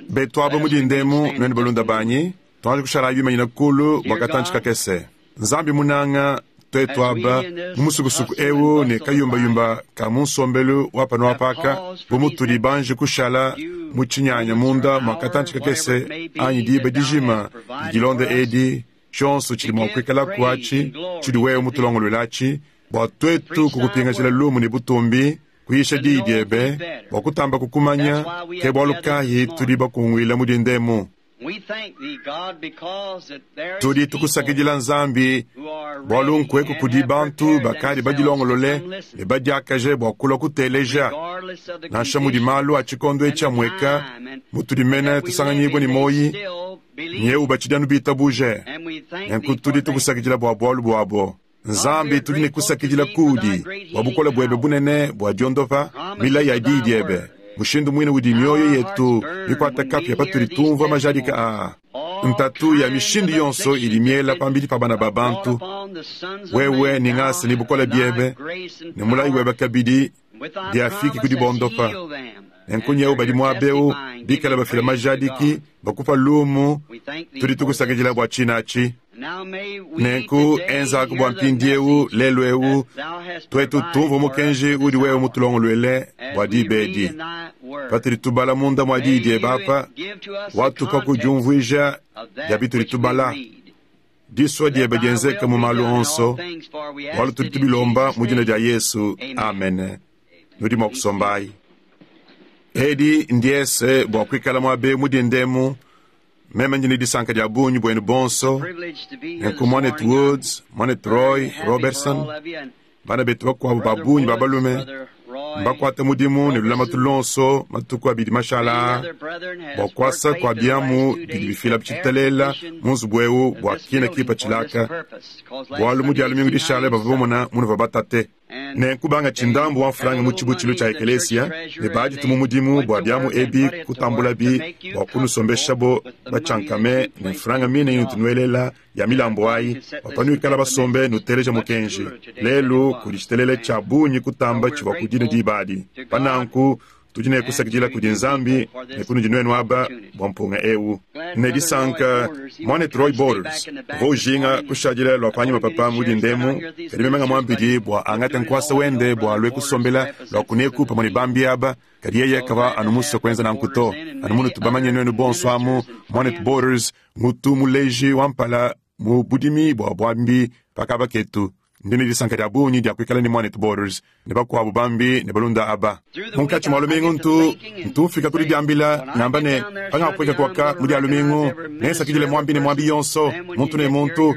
Betuabo mu dinda emu, nuenu balunda banyi, tuanji kushalayi bimanyina kulu bua katantshi kakese. Nzambi munanga, tuetu aba mu musukusuku eu ne kayumbayumba ka mu nsombelu wa panu apa aka, bu mutudi banji kushala mu tshinyanya munda mua katantshi kakese anyi diba dijima didi dilonda edi, tshionso tshidi mua kuikalaku atshi tshiudi wewe mutulongoluele atshi, bua tuetu kukupingajila lumu ne butumbi, kuyisha diyi diebe, bua kutamba kukumanya, ke bualu kayi tudi bakunguila mu dinda emu. Tudi tukusakidila Nzambi, bualu nkueku kudi bantu bakadi badilongolole ne badiakaje bua kulua kuteleja, nansha mudi malu a tshikondo etshi amueka, mutudi mene tusanganyibua ne muoyi, nyewu batshidi anu bitabuje. Nenku tudi tukusakidila bua bualu buabo. Nzambi, tudi ne kusakidila kuudi bua bukole buebe bunene bua diondopa, milayi ya Diyi diebe, mushindu muine udi mioyo yetu mikuata kapia patudi tumvua majadika aa. Ntatu ya mishindu yonso idi miela pambidi pa bana ba bantu. Wewe ne ngasa ne bukole biebe ne mulayi webe kabidi biafiki ku dibondopa. Nenku nyewu badi muaba eu bikale bafila majadiki, bakupa lumu, tudi tukusakidila bua tshina atshi. Nenku enzaku bua mpindieu, lelu eu, tuetu tumvue mukenji udi wewe mutulongoluele bua diba edi. Patudi tubala munda mua Diyi diebe apa, watupa ku diumvuija dia bitudi tubala. Disua diebe dienzeke mu malu onso, bualu tudi tubilomba mu dina dia Yesu. Amene. Nudi mua kusombayi. Edi ndiese bua kuikala muaba eu mu dinda emu. Meme ndi ne disanka dia bungi buenu bonso, nenku Muanetu Woods, Muanetu Roy Roberson, bana betu bakuabu ba bungi ba balume mbakuate mudimu ne lulamatu luonso matuku abidi mashala aa bua kuasa kua biamu bidi bifila tshitelela mu nzubu eu bua kina kipatshila aka, bualu mu Dia lumingu dishale bavua bamona munuvua batate. Nenku bangatshi ndambu wa mfranga mu tshibutshilu tshia ekelesia ne baditu mu mudimu bua biamu ebi kutambulabi bua kunusombeshabo batshiankame ne mfranga mine inutu nuelela ya milambu ayi, bua panuikala basombe nuteleja mukenji. Lelu kudi tshitelele tshia bungi kutamba tshivua ku dine diba adi. Pa nanku Tudi ne kusakidila kudi Nzambi ne kunudi nuenu aba bua mpunga eu. Ne disanka, Muanetu Roy Borders uvua ujinga kushadila lua panyima papa mu dinda emu, kadi meme ngamuambidi bua angate nkuasa wende bua alue kusombela lua kuneku pamue ne bambi aba, kadi yeye kavua anu musue kuenza nanku to. Anu munutu bamanye nuenu bonso amu, Muanetu Borders ngutu muleji wa mpala mu budimi bua buambi pa kaba ketu. Ndi ne disanka dia bungi dia kuikala ne muanetu Borders ne bakuabu bambi ne balunda aba. Munkatshi mua lumingu ntu ntu mfika ku didiambila ngamba ne, pangapueka kuaka mu dia lumingu, nensakidile muambi ne muambi yonso, muntu ne muntu.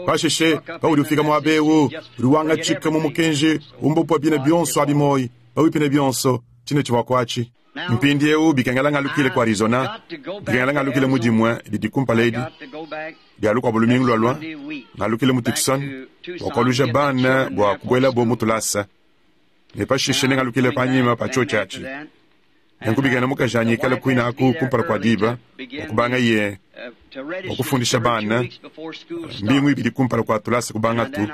Pashishe paudi ufika muaba eu, udi wangatshika mu mukenji umbupua bine bionso abi muoyi, pabuipi ne bionso, tshine tshivua kuatshi. Mpindieu bikengela ngalukile ku Arizona, bikengela ngalukile mu Dimue didi kumpala edi, dia lukuabu lumingu lualua, ngalukile mu Tucson bua kualuja bana bua kubuelabo mu tulasa, ne pashishe nengalukile panyima pa tshiotshi atshi. Nenku bikengela mukajanyi ikale kuine aku kumpala kua diba bua kubangaye bua kufundisha bana mbingu ibidi kumpala kua tulasa kubangatu.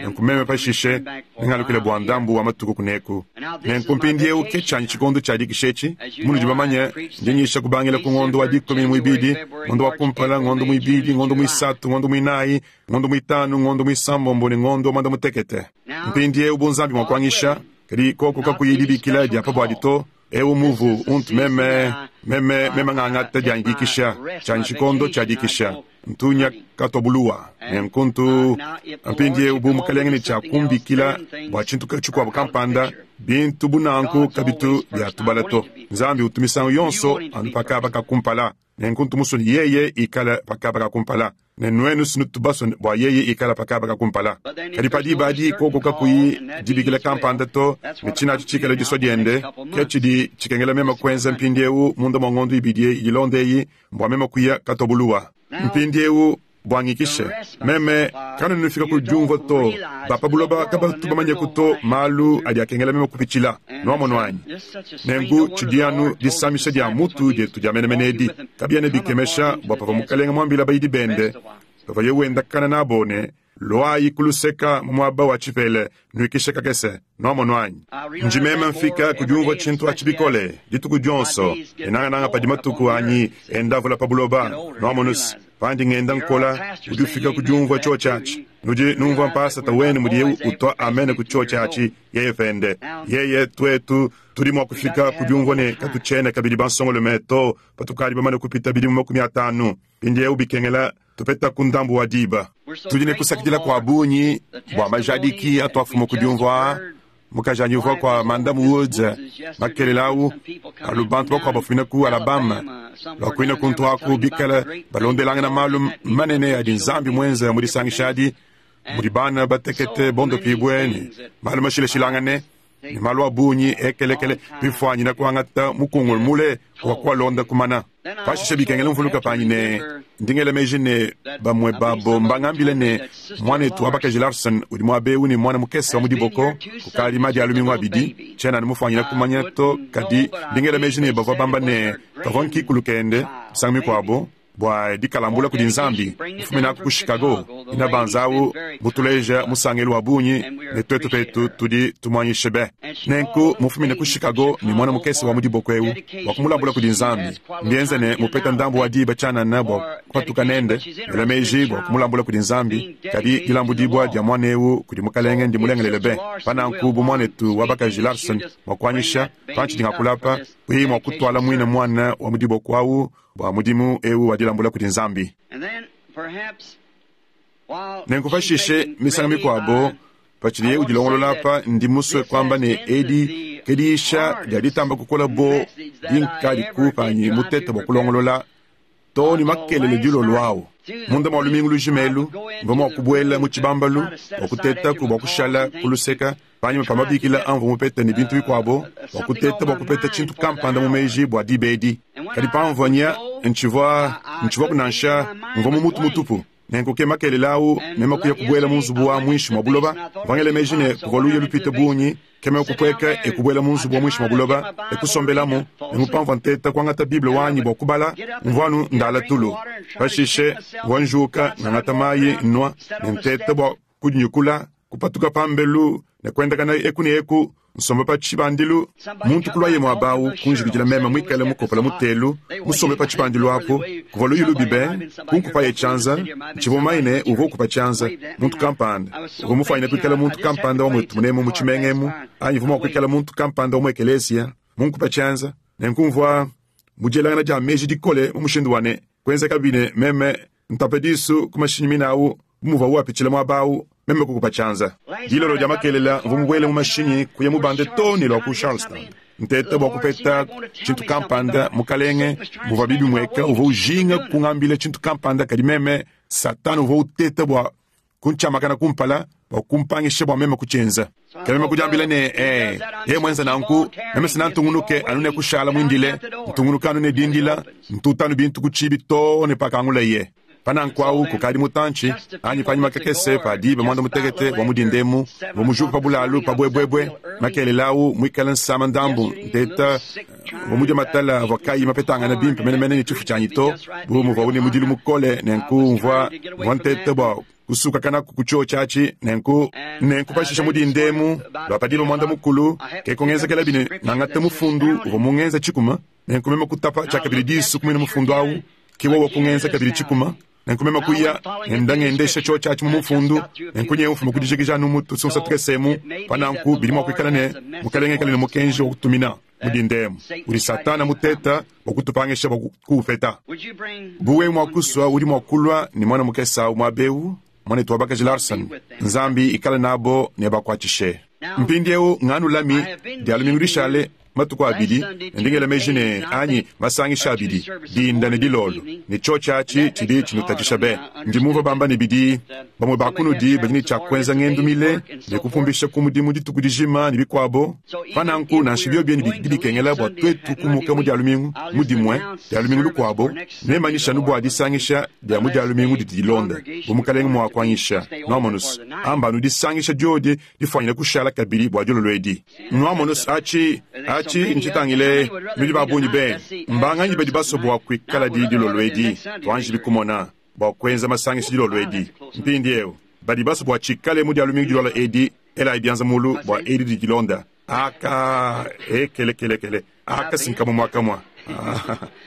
Nenku meme pashishe nengalukile bua ndambu wa matuku kuneku. Nenku mpindieu ke tshianyi tshikondo tshia dikisha etshi. Munudi bamanye, ndi nyisha kubangila ku ngondo wa dikumi ne muibidi, ngondo wa kumpala, ngondo muibidi, ngondo muisatu, ngondo muinayi, ngondo muitanu, ngondo muisambombo ne ngondo wa muanda-mutekete. Mpindieu bu Nzambi mua kuanyisha, kadi koku kakuyi dibikila dia pa buadi to, Eu muvu untu meme, meme, meme ngangata dianyi dikisha, tshianyi tshikondo tshia dikisha. Ntu nya katobuluwa. Nenku ntu mpindieu bu mukalenge ne tshia kumbikila bua tshintu tshikuabu kampanda, bintu bu nanku kabitu bia tubala to. Nzambi utu misangu yonso anu pa kaba ka kumpala. Nenku ntu musue ne yeye ikale pa kaba ka kumpala. Ne nuenu sinutu basue bua yeye ikala pa kaba ka kumpala. Kadi pa diba adi koko kakuyi dibikila kampanda to, ne tshinatshi tshikale disua diende, ke tshidi tshikengela meme kuenza mpindiewu munda mua ngondo ibidi eyi ilonda eyi, mbua meme kuya katobuluwa. Mpindiewu, bua ngikishe, meme kanuena nufika ku diumvua to, ba pa buloba kabatu bamanyeku to malu adi akengela meme kupitshila. Nuamonu anyi? Nenku tshidi anu disamisha dia mutu dietu dia menemene edi. Kabiena bikemesha bua pavua Mukalenge muambile bayidi bende pavuaye wendakana nabo ne, Luayi ku luseka mu muaba wa tshipela, nuikishe kakese. Nwamonu anyi? Ndi meme mfika ku diumvua tshintu atshi bikole dituku dionso, ne nangananga padi matuku anyi enda avula pa buloba. Nwamonu's, pandi ngenda nkola, udi ufika ku diumvua tshiotshi atshi. Nudi numvua mpasata wenu mudiye utua amene ku tshiotshi atshi, yeye pende. Yeye, tuetu, tudi mua kufika ku diumvua ne katutshiena kabidi bansongolume to, patukadi bamane kupita bidimu 50. Mpindieu bikengela tupetaku ndambu wa diba. Tudi ne kusakidila kua bungi bua majadiki atuafuma ku diumvua aa. Mukajanyi uvua kua Madame Woods makelela au, alu bantu bakuabu bafumina ku Alabama lua kuine kuntu aku bikale balondelangana malu manene adi Nzambi muenze mu disangisha adi, mudi bana batekete bondopibue ne malu mashilashilangane ne malu a bungi ekelekele bifuanyina kuangata mukungulu mule wa kualonda kumana. Pashishe bikengela mvuluka panyi ne, ndi ngela meji ne bamue babo mbangambile ne, muanetu wa bakaji Larson udi muaba eu ne muana mukese wa mu diboko kukadi madi a lumingu abidi. Tshiena anu mufuanyina kumanya to, kadi ndi ngela meji ne bavua bamba ne kavua nkikulu kende misangu mikuabo bua dikalambula kudi Nzambi mufuminaku ku Chicago. Inabanza au mutuleja musangelu wa bungi ne tuetu petu tudi tumuanyishe be. Nenku mufumine ku Chicago ne muana mukese wa mu diboko eu bua kumulambula kudi Nzambi. Mbienze ne mupeta ndambu wa diba tshianana bua kupatuka nende, ngela meji bua kumulambula kudi Nzambi, kadi dilambudibua dia muana eu kudi Mukalenge ndimulengelele be. Pa nanku bu muanetu wa bakaji Larson mua kuanyisha, pantshidi ngakula apa, kuyi mua kutuala muine muana wa mu diboko au bua mudimu eu wa dilambula kudi Nzambi. Nenku pashishe, misangu mikuabo, patshidiye udilongolola apa, ndi musue kuamba ne edi ke diyisha dia ditamba kukola bo dinkadiku panyi mutete bua kulongolola too ne makelele dilolo au. Munda mua lumingu lujima elu, mvua mua kubuela mu tshibambalu bua kutetaku bua kushala ku luseka panyima pa mabikila amvua mupete ne bintu bikuabo bua kuteta bua kupeta tshintu kampanda mu meji bua diba edi. Kadi pamvua nya, ntshivua ntshivuaku nansha, mvua mu mutu mutupu. Nenku ke makelela au meme kuya kubuela mu nzubu wa muinshi mua buloba. Mvua ngela meji ne, kuvua luya lupite bungi, ke meme kupueka e kubuela mu nzubu wa muinshi mua buloba e kusombelamu. Nenku pamvua nteta kuangata Bible wanyi bua kubala, mvua anu ndala tulu. Pashishe mvua njuka, ngangata mayi nnua ne nteta bua kudinyukula, kupatuka pambelu ne kuendakana eku ne eku nsomba pa tshibandilu. Muntu kuluaye muaba au kunjikijila meme muikale mukopola mutelu musombe pa tshibandilu apu. Kuvua luyi lubi be, kunkupaye tshianza. Ntshivua mumanye ne, uvua ukupa tshianza muntu kampanda. Uvua mufuanyine kuikala muntu kampanda wa muetu munemu mu tshimenga emu, anyi uvua mua kuikala muntu kampanda wa mu ekeleziya munkupe tshianza. Nenku mvua mu dielangana dia meji dikole mu mushindu wa ne, kuenzekabi ne meme ntape disu ku mashinyi mine au bu muvuawu apitshila muaba au, meme kukupa tshianza. Dilolo dia makelela mvua mubuele mu mashinyi kuya mubande too ne lua ku Charleston, nteta bua kupeta tshintu kampanda. Mukalenge, muvua bibimueka, uvua ujinga kungambila tshintu kampanda, kadi meme, Satana uvua uteta bua kuntshiamakana kumpala bua kumpangisha bua meme kutshienza. Ke meme kudiambila ne, Ee, yeye muenze nanku, meme sina ntungunuke anu ne kushala muindile, ntungunuka anu ne dindila, ntuta anu bintu ku tshiibi too ne pakangulaye. Pa nanku awu kukadi mutantshi, anyi panyima kakese pa diba muanda-mutekete wa mu dinda emu, mvua mujuke pa bulalu pa buebuebue, makelela awu muikale nsama ndambu, nteta, mvua mudie matala avua kayi mapetangane bimpe menemene ne tshifu tshianyi to, bu muvuawu ne mudilu mukole, nenku mvua, mvua nteta bua kusukakanaku ku tshiotshi atshi. Nenku, nenku pashishe mu dinda emu, lua pa diba muanda-mukulu, ke kungenzekelabi ne ngangate mufundu uvua mungenza tshikuma, nenku meme kutapa tshiakabidi disu ku muine mufundu awu, ke wowo kungenza kabidi tshikuma. Nenku meme kuya, ngenda ngendesha tshiotshi atshi mu mufundu, nenku nyewu mfuma ku dijikija anu mu tusunsa tukese emu. Pa nanku bidi mua kuikala ne, Mukalenge ikale ne mukenji wa kutumina mu dinda emu, udi Satana muteta bua kutupangisha bua kuwupeta. Bu wewe mua kusua, udi mua kulua ne muana mukese awu muaba eu, Muanetu wa bakaji Larson. Nzambi ikale nabo ne abakuatshishe. Mpindieu nganulami Dia lumingu dishale matuku abidi, ne ndi ngela meji ne, anyi masangisha abidi, dinda ne dilolo, ne tshiotshi atshi tshidi tshinutatshisha be. Ndi mumvue bamba ne bidi bamue ba kunudi badi ne tshia kuenza ngendu mile ne kupumbisha ku mudimu dituku dijima ne bikuabo. Pa nanku, nansha biobi bidi bikengela bua tuetu kumuka mu Dia lumingu mu Dimue, Dia lumingu lukuabo, nemmanyishe anu bua disangisha dia mu Dia lumingu didi dilonda, bu Mukalenge mua kuanyisha. Nuamonus, amba anu disangisha diodi difuanyine kushala kabidi bua dilolo edi. Nuamonus, aci, aci ncitangile nudi babungi be. Mbanganyi badi basue bua kuikaladi dilolo edi? Tuanjibi kumona, bua kuenza masangisha dilolo edi. Mpindiewu. Badi basue bua tshikale mu Dia lumingu dilualua edi, elayi bianza mulu bua edi didi dilonda. Aka, ekelekelekele, aka si nkamue mua kamua.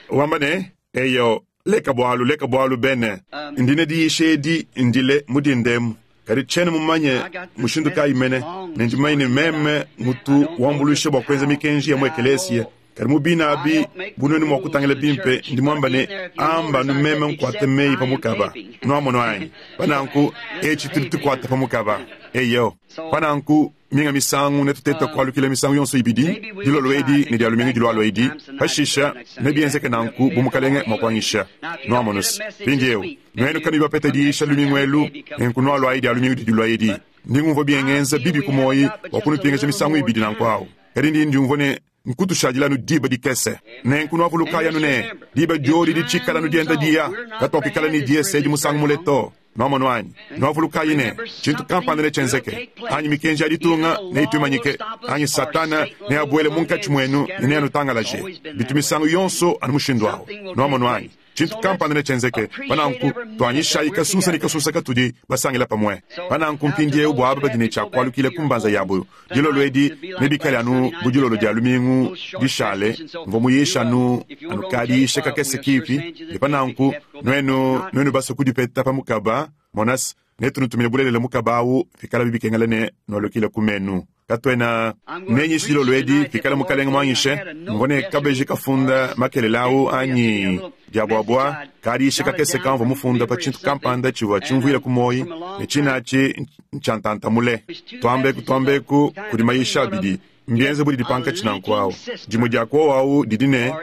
Wamba ne, Eyo, leka bualu, leka bualu bene. Ndi ne diyisha edi ndile mu dinda emu, kadi tshiena mumanye mushindu kayi mene, ne ndi mumanye ne meme ngutu wambuluisha bua kuenza mikenji ya mu ekeleesiya. Kadi mu bine abi, bu nuenu mua kutangila bimpe, ndi muamba ne, amba anu meme nkuate meyi pa mukaba. Nuamonu anyi? Pa nanku, eci tudi tukuata pa mukaba. Eyo. Pa nanku, minga misangu netuteta kualukila misangu yonso ibidi, dilolo edi ne Dia lumingu dilualua edi, pashisha nebienzeke nanku bu Mukalenge mua kuanyisha. Nuamonu's? Mpindiewu, nuenu kanuyi bapete diyisha lumingu elu, nenku nualuayi Dia lumingu didi dilua edi. Ndi ngumvua bingenza bibi ku muoyi bua kunupingaja misangu ibidi nanku awu, kadi ndi ndiumvua ne nkutushadila anu diba dikese. Nenku nuavulukayi anu ne, diba diodi ditshikala anu dienda diya, katuakuikala ne diese edi musangu mule to. Nuamonu anyi? Nuavulukayi ne, tshintu kampanda netshienzeke, anyi mikenji ya ditunga neyituimanyike, anyi Satana neabuele munkatshi muenu ne neanutangalaje. Bitu misangu yonso anu mushindu awu. Nuamonu anyi? Tshintu kampanda netshienzeke. Pa nanku, tuanyishayi kasusa ne kasusa katudi basangila pamue. Pa nanku mpindieu bua aba badi ne tshia kualukila ku mbanza yabu, dilolo edi nebikale anu bu dilolo dia lumingu dishale. Mvua muyishe anu, anu kadiyisha kakese kipi, ne pa nanku nuenu, nuenu basue kudipeta pa mukaba, mona's, netunutumine bulelela mukaba awu pikalabi bikengela ne nualukile ku menu. Katuena nenyishe dilolo edi pikala Mukalenge muanyishe. Mvua ne kabeji kafunda makelela awu anyi diabuabua, kadiyisha kakese kamvua mufunda pa tshintu kampanda tshivua tshimvuila ku muoyi, ne tshine atshi ntshia ntanta mule. Tuambeku tuambeku, kudi mayisha abidi. Mbienze bu didi pankatshi nanku awu. Dimue dia ku owu didi ne,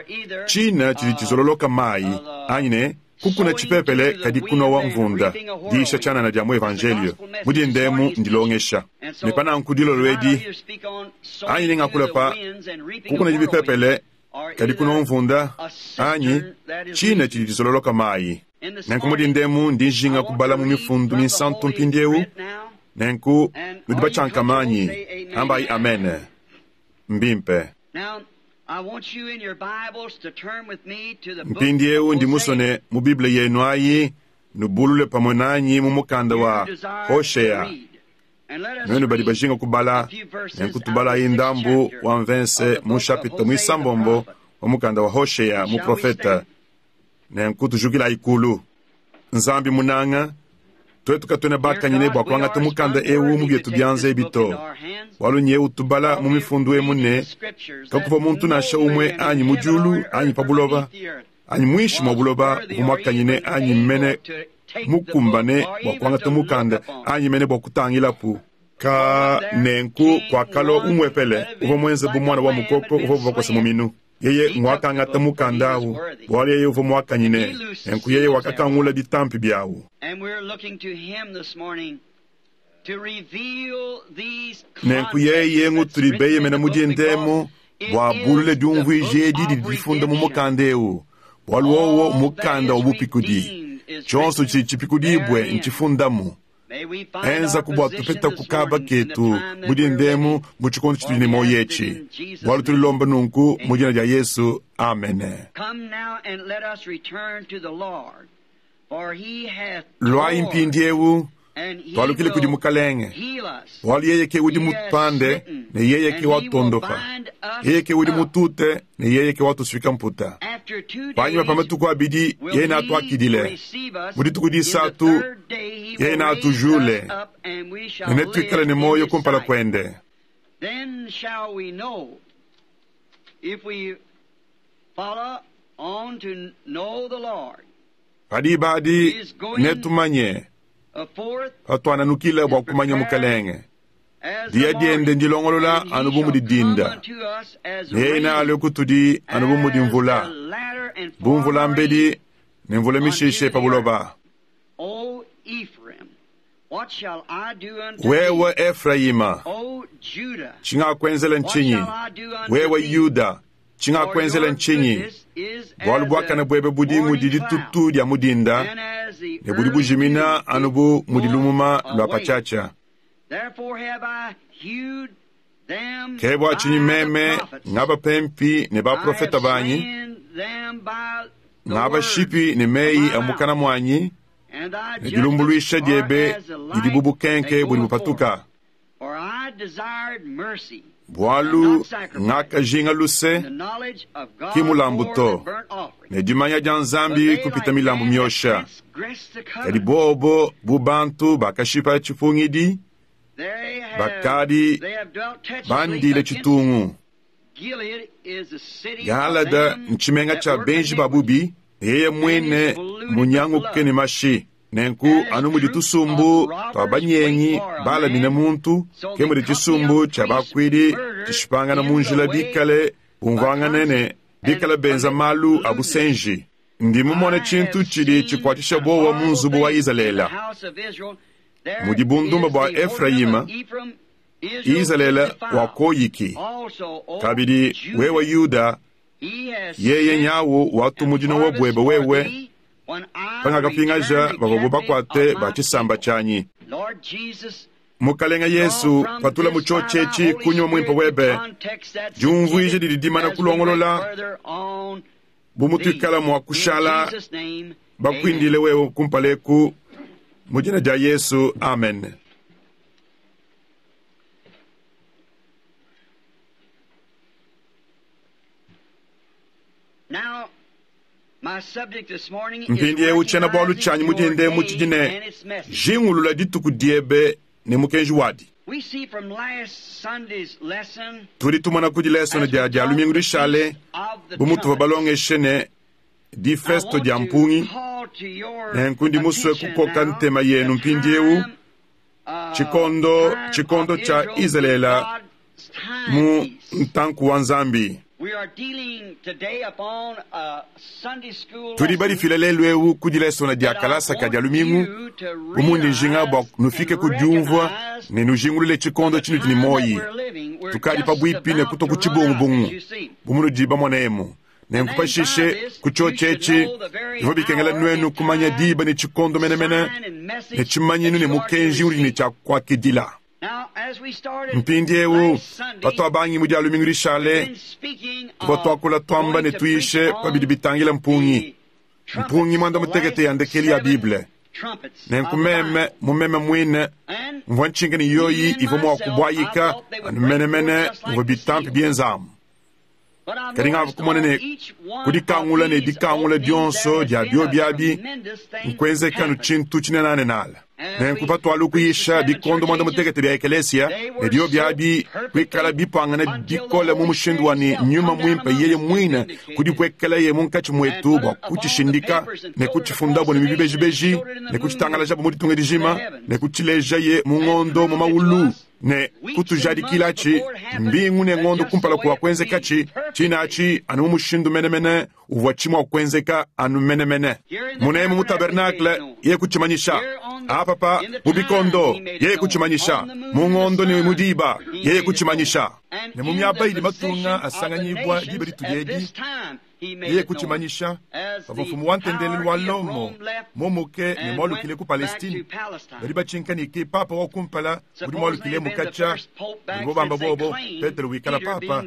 Tshina tshidi tshizololoka mayi, anyi ne, Kukuna tshipepele kadi kunowa mvunda, diyisha tshianana dia mu Evanjeliyo. Mu dinda emu ndilongesha. Ne pa nanku dilolo edi, anyi nengakula pa, Kukuna bipepele kadi kunowa mvunda, anyi, Tshina tshidi tshizololoka mayi. Nenku mu dinda emu ndi njinga kubala mu Mifundu Minsantu mpindiewu. Nenku nudi batshiankama anyi? Ambayi amene. Mbimpe. Mpindiewu ndi musue ne mu Bible yenu ayi nubulule pamue nanyi mu mukanda wa Hoshea. Nuenu badi bajinga kubala, nenku tubalayi ndambu wa mvense mu nshapita muisambombo wa mukanda wa Hoshea muprofete. Nenku tujukilayi kulu. Nzambi munanga, tuetu katuena bakanyine bua kuangata mukanda eu mu bietu bianza ebi to, bualu nyewu tubala mu mifundu emu ne, kakuvua muntu nansha umue anyi mu diulu anyi pa buloba anyi muinshi mua buloba uvua muakanyine anyi mene mukumbane bua kuangata mukanda anyi mene bua kutangilapu. Ka nenku kuakalua umuepele uvua muenze bu muana wa mukoko uvuabu bakose muminu. Yeye nguakangata mukanda au, bualu yeye uvua muakanyine, nenku yeye wakakangula bitampi biawu. Nenku yeye ngutudi beyemena mu dinda emu bua abulule diumvuija edi didi difunda mu mukanda eu, bualu wowo mmukanda wa bupikudi. Tshionso tshidi tshipikudibue ntshifundamu. Enzaku bua tupetaku kaba ketu mu dinda emu mu tshikondo tshitudi ne muoyo etshi, bualu tudi lomba nunku mu dina dia Yesu. Amene. Luayi mpindiewu, tualukile kudi Mukalenge, bualu yeye ke udi mutupande ne yeye ke watuondopa, yeye ke udi mutute ne yeye ke watusuika mputa. Panyima pa matuku abidi yeye neatuakidile, mu dituku disatu yeye neatujule, ne netuikale ne muoyo kumpala kuende. Pa diba adi netumanye patuananukila bua kumanya Mukalenge. Diya diende ndilongolola anu bu mudi dinda, ne yeye nealue kutudi anu bu mudi mvula, bu mvula mbedi ne mvula mishishe pa buloba. Wewe Efrayima, tshingakuenzela ntshinyi? Wewe Yuda, tshingakuenzela ntshinyi? Bualu buakane buebe budi mudi ditutu dia mu dinda, ne budi bujimina anu bu mudi lumuma lua patshiatshia. Ke bua tshinyi meme ngabapempi ne baprofete banyi, ngabashipi ne meyi a mukana muanyi. Ne dilumbuluisha diebe didi bu bukenke budi bupatuka. Bualu ngakajinga luse, ki mulambu to, ne dimanya dia Nzambi kupita milambu miosha. Kadi bobo bu bantu bakashipa tshipungidi, bakadi bandile tshitungu. Gilada ntshimenga tshia benji ba bubi, ne yeye muine munyanguke ne mashi. Nenku anu mudi tusumbu tua banyengi balamine muntu, ke mudi tshisumbu tshia bakuidi tshishipangana mu njila bikale bumvuangane ne bikale benza malu a busenji. Ndi mumone tshintu tshidi tshikuatshisha buowa mu nzubu wa Izalele. Mudi bundumba bua Efrayima, Izalele wakoyiki. Kabidi wewe Yuda, yeye nyawu watu dinowa buebe wewe, pangakapingaja bavua bakuate ba tshisamba tshianyi. Mukalenga Yesu, patula mu tshiotshi etshi kunywa muimpe webe, diumvuije didi dimana kulongolola bu mutuikala mua kushala bakuindile wewe kumpaleku mu dina dia Yesu, amen. Mpindieu tshiena-bualu tshianyi mu dinda emu tshidi ne, Jingulula dituku diebe ne mukenji wadi. Tudi tumona ku dilesone dia Dia lumingu dishale bu mutuvua balongeshe ne difesto dia mpungi. Nenku ndi musue kukoka ntema yenu mpindieu tshikondo tshikondo tshia Izalele mu ntanku wa Nzambi. Tudi badifila lelu eu ku dilesona dia kalasa ka dia lumingu bu mundi njinga bua nufike ku diumvua ne nujingulule tshikondo tshinudi ne muoyi. Tukadi pabuipi ne kutua ku tshibungubungu bu munudi bamone emu. Nenku pashishe ku tshiotshi etshi bivua bikengela nuenu kumanya diba ne tshikondo menemene ne tshimanyinu ne mukenji udi ne tshia kuakidila. Mpindieu patuabangi mu dia lumingu dishale, tuvua tuakula tuamba ne tuyishe pa bidi bitangila mpungi, mpungi muanda mutekete ya ndekelu ya Bible. Nenku meme mu meme muine mvua ntshinka ne yoyi ivua mua kubuayika anu menemene muvua bitampi bienzamu. Kadi ngavua kumona ne kudikangula ne dikangula dionso dia biobi abi nkuenzeka anu tshintu tshinenanenala. Nenku patualu kuyisha bikondo muanda mutekete bia ekelesia ne biobi abi kuikala bipangane bikole mu mushindu wa ne nyuma muimpe yeye muine kudipuekelaye munkatshi muetu bua kutshishindika ne kutshifundabo ne bibejibeji ne kutshitangalajabu mu ditunga dijima ne kutshilejaye mu ngondo mu maulu ne kutujadikilatshi mbingu ne ngondo kumpala kua kuenzekatshi tshinatshi anu mu mushindu menemene uvua tshimua kuenzeka anu menemene. Munemu mu tabernacle ye kutshimanyisha, apapa mu bikondo ye kutshimanyisha, mu ngondo ne mu diba ye kutshimanyisha, ne mu miaba idi matunga asanganyibua diba ditudi edi yeye kutshimanyisha. Pavua mfumu wa ntendelelu wa Lomo mumuke ne mualukile ku Palestine, badi batshinka ne ke papa wa kumpala udi mualukile mukatshia mudibo bamba bobo Petelo wikala papa.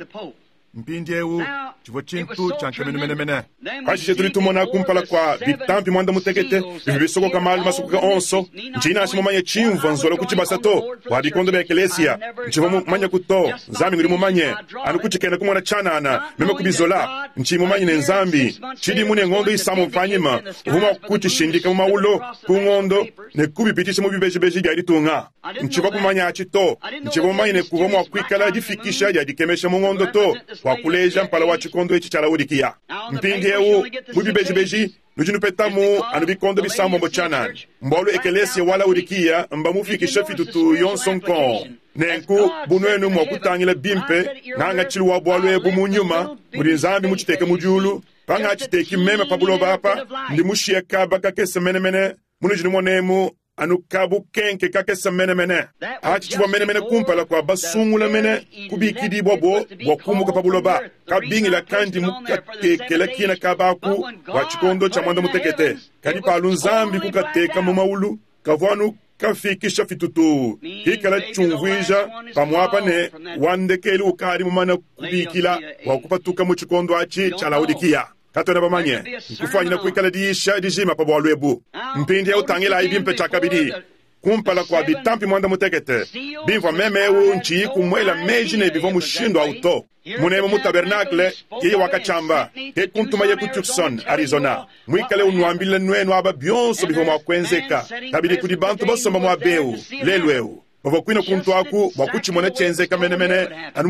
Mpindieu tshivua tshintu tshia nkamenu menemene. Pashishe tudi tumona kumpala kua bitampi muanda mutekete bivua bisokoka malu masokoka onso. Ntshiyi nansha mumanye tshimvua nzola ku tshibasa to bua bikondo bia ekelesia. Ntshivua mumanyeku to, Nzambi ngudi mumanye. Anu kutshikena kumona tshianana, meme kubizola. Ntshiyi mumanye ne Nzambi tshidimu ne ngondo isambombo panyima uvua mua kutshishindika mu mawulo ku ngondo ne kubipitshisha mu bibejibeji bia ditunga. Ntshivua kumanya atshi to. Ntshivua mumanye ne kuvua mua kuikala difikisha dia dikemesha mu ngondo to bua kuleja mpala wa tshikondo etshi tshia Laodikiya. Mpindieu mu bibejibeji nudi nupetamu anu bikondo bisambombo tshianana, mbualu ekelesia wa Laodikiya mbamufikisha fitutu yonso nkong. Nenku bu nuenu mua kutangila bimpe ngangatshilu wa bualu ebu mu nyuma mudi Nzambi mutshiteke mu diulu, pangatshiteki meme pa buloba apa, ndi mushiye kaba kakese menemene munudi numonemu anu kabukenke kakese menemene. Atshi tshivua menemene kumpala kua basungula mene kubikidibua bo bua kumuka pa buloba, kabingila kandi mukatekela kina kabaku bua tshikondo tshia muanda mutekete. Kadi palu Nzambi kukateka mu maulu, kavua anu kafikisha fitutu kikala tshiumvuija pamuapa ne wa ndekelu ukadi mumana kubikila bua kupatuka mu tshikondo atshi tshia Laodikiya. Katuena bamanye. Nkufwanyine kwikala diyisha dijima pa bwalu ebu. Mpindyewu tangilaayi bimpe cyakabidi, kumpala kwa bitampi mwandamutekete, bimvwa meme ewu nciyiku mwela meeji ne bivwa mushindu awu to. Muneemu mu tabernacle, yeye wakacyamba, ke kuntumaye ku Tucson, Arizona, mwikale unwambila nwenu aba byonso bivwa mwa kwenzeka. Kabidi kudi bantu basomba mwaba ewu, lelu ewu, bavwa kwine kuntu aku bwa kucimona cyenzeka menemene, anu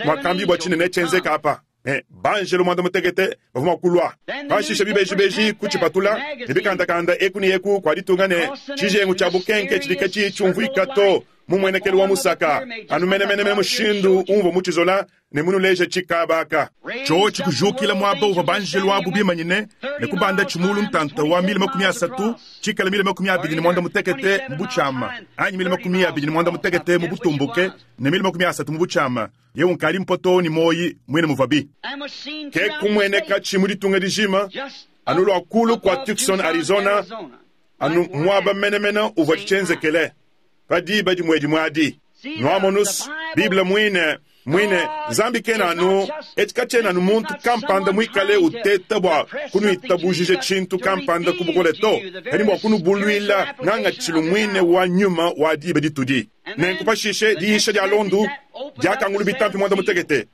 mwakambibwa cinene cyenzeka apa. Ne banjelo mwandamutekete bavwa mwa kulwa. Pashishe bibejibeji kucipatula, ne bikandakanda eku ne eku kwa ditunga ne cijengu cya bukenke cidi kaciyi cyumvwika to mu mwenekelu wa musaka, anu menemenemene mushindu umvwa mucizola ne munuleja cikabaka. Cyoci kujukila mwaba uvwa banjelo abu bimanyine ne kubanda cimulu ntanta wa mile 30, cikala mile 25 mu bucyama, anyi mile 25 mu butumbuke ne mile 30 mu bucyama. Yewu nkali mpoto ni moyi mwine muvabi. Ke kumweneka ci mu ditunga dijima, anu lwa kulu kwa Tucson, Arizona, anu mwaba menemene uvwa cicenzekele pa diba dimwe dimwe adi. Nwamonus, Bible mwine, mwine, Nzambi kena anu, eci kacyena anu muntu kampanda mwikale uteta bwa kunuitabujije cintu kampanda ku bukole to, kadi bwa kunubulwila ngangacilu mwine wa nyuma wa diba ditudi. Nenku pashishe diyisha dya londu dyakangulu bitampi mwandamutekete,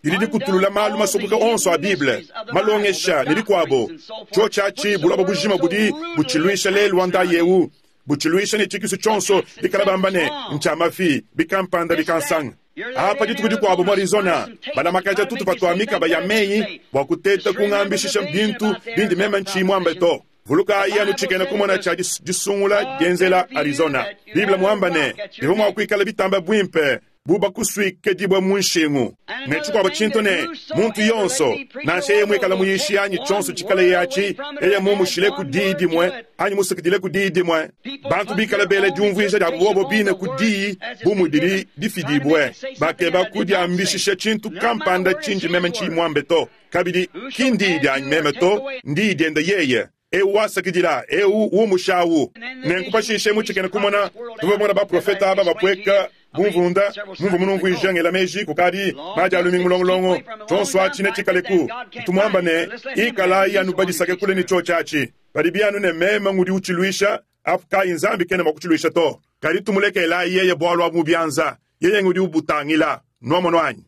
didi dikutulula malu masokoka onso a Bible, malongesha ne bikwabo. Cyoci aci buloba bujima budi bucilwisha lelu wa ndayi ewu, bucilwisha ne cikisu cyonso bikala bamba ne ncya mafi, bikampanda bikansanga. Apa dituku dikwabo mu Arizona, balamakaja tutupa twa mikaba ya meyi bwa kuteta kungambishisha bintu bindi meme nciyi mwambe to. Vulukayi anu cikena kumona cya disungula dyenzela Arizona. Bible mwamba ne bivwa mwa kwikala bitamba bwimpe bu bakuswike dibwe mu nshingu. Ne cikwabo cintu ne muntu yonso, nansha yeye mwikala muyishi anyi cyonso cikala yaci, yeye mumushile ku diyi dimwe anyi musukidile ku diyi dimwe. Bantu bikala bela dyumvwija dya bobo bine ku diyi bu mudidi difidibwe. Bakeba kudyambishisha cintu kampanda cindi meme nciyi mwambe to. Kabidi ki ndiyi dyanyi meme to, ndiyi dyende yeye. Ewu wasakidila, ewu wumushawu. Nenku pashishe mucikene kumona, tuvwa mona baprofeta aba bapweka bumvunda, mumvwa munumvwija ngela meji kukadi maji alumingu mulongolongo, cyonso aci ne cikaleku. Ntumwamba ne, ikalayi anu badisake kule ne cyoci aci. Padi byanu ne meme ngudi ucilwisha, apu kayi Nzambi kena mwa kucilwisha to. Kadi tumulekelayi yeye bwalu abu mu byanza, yeye ngudi ubutangila. Nwamono anyi?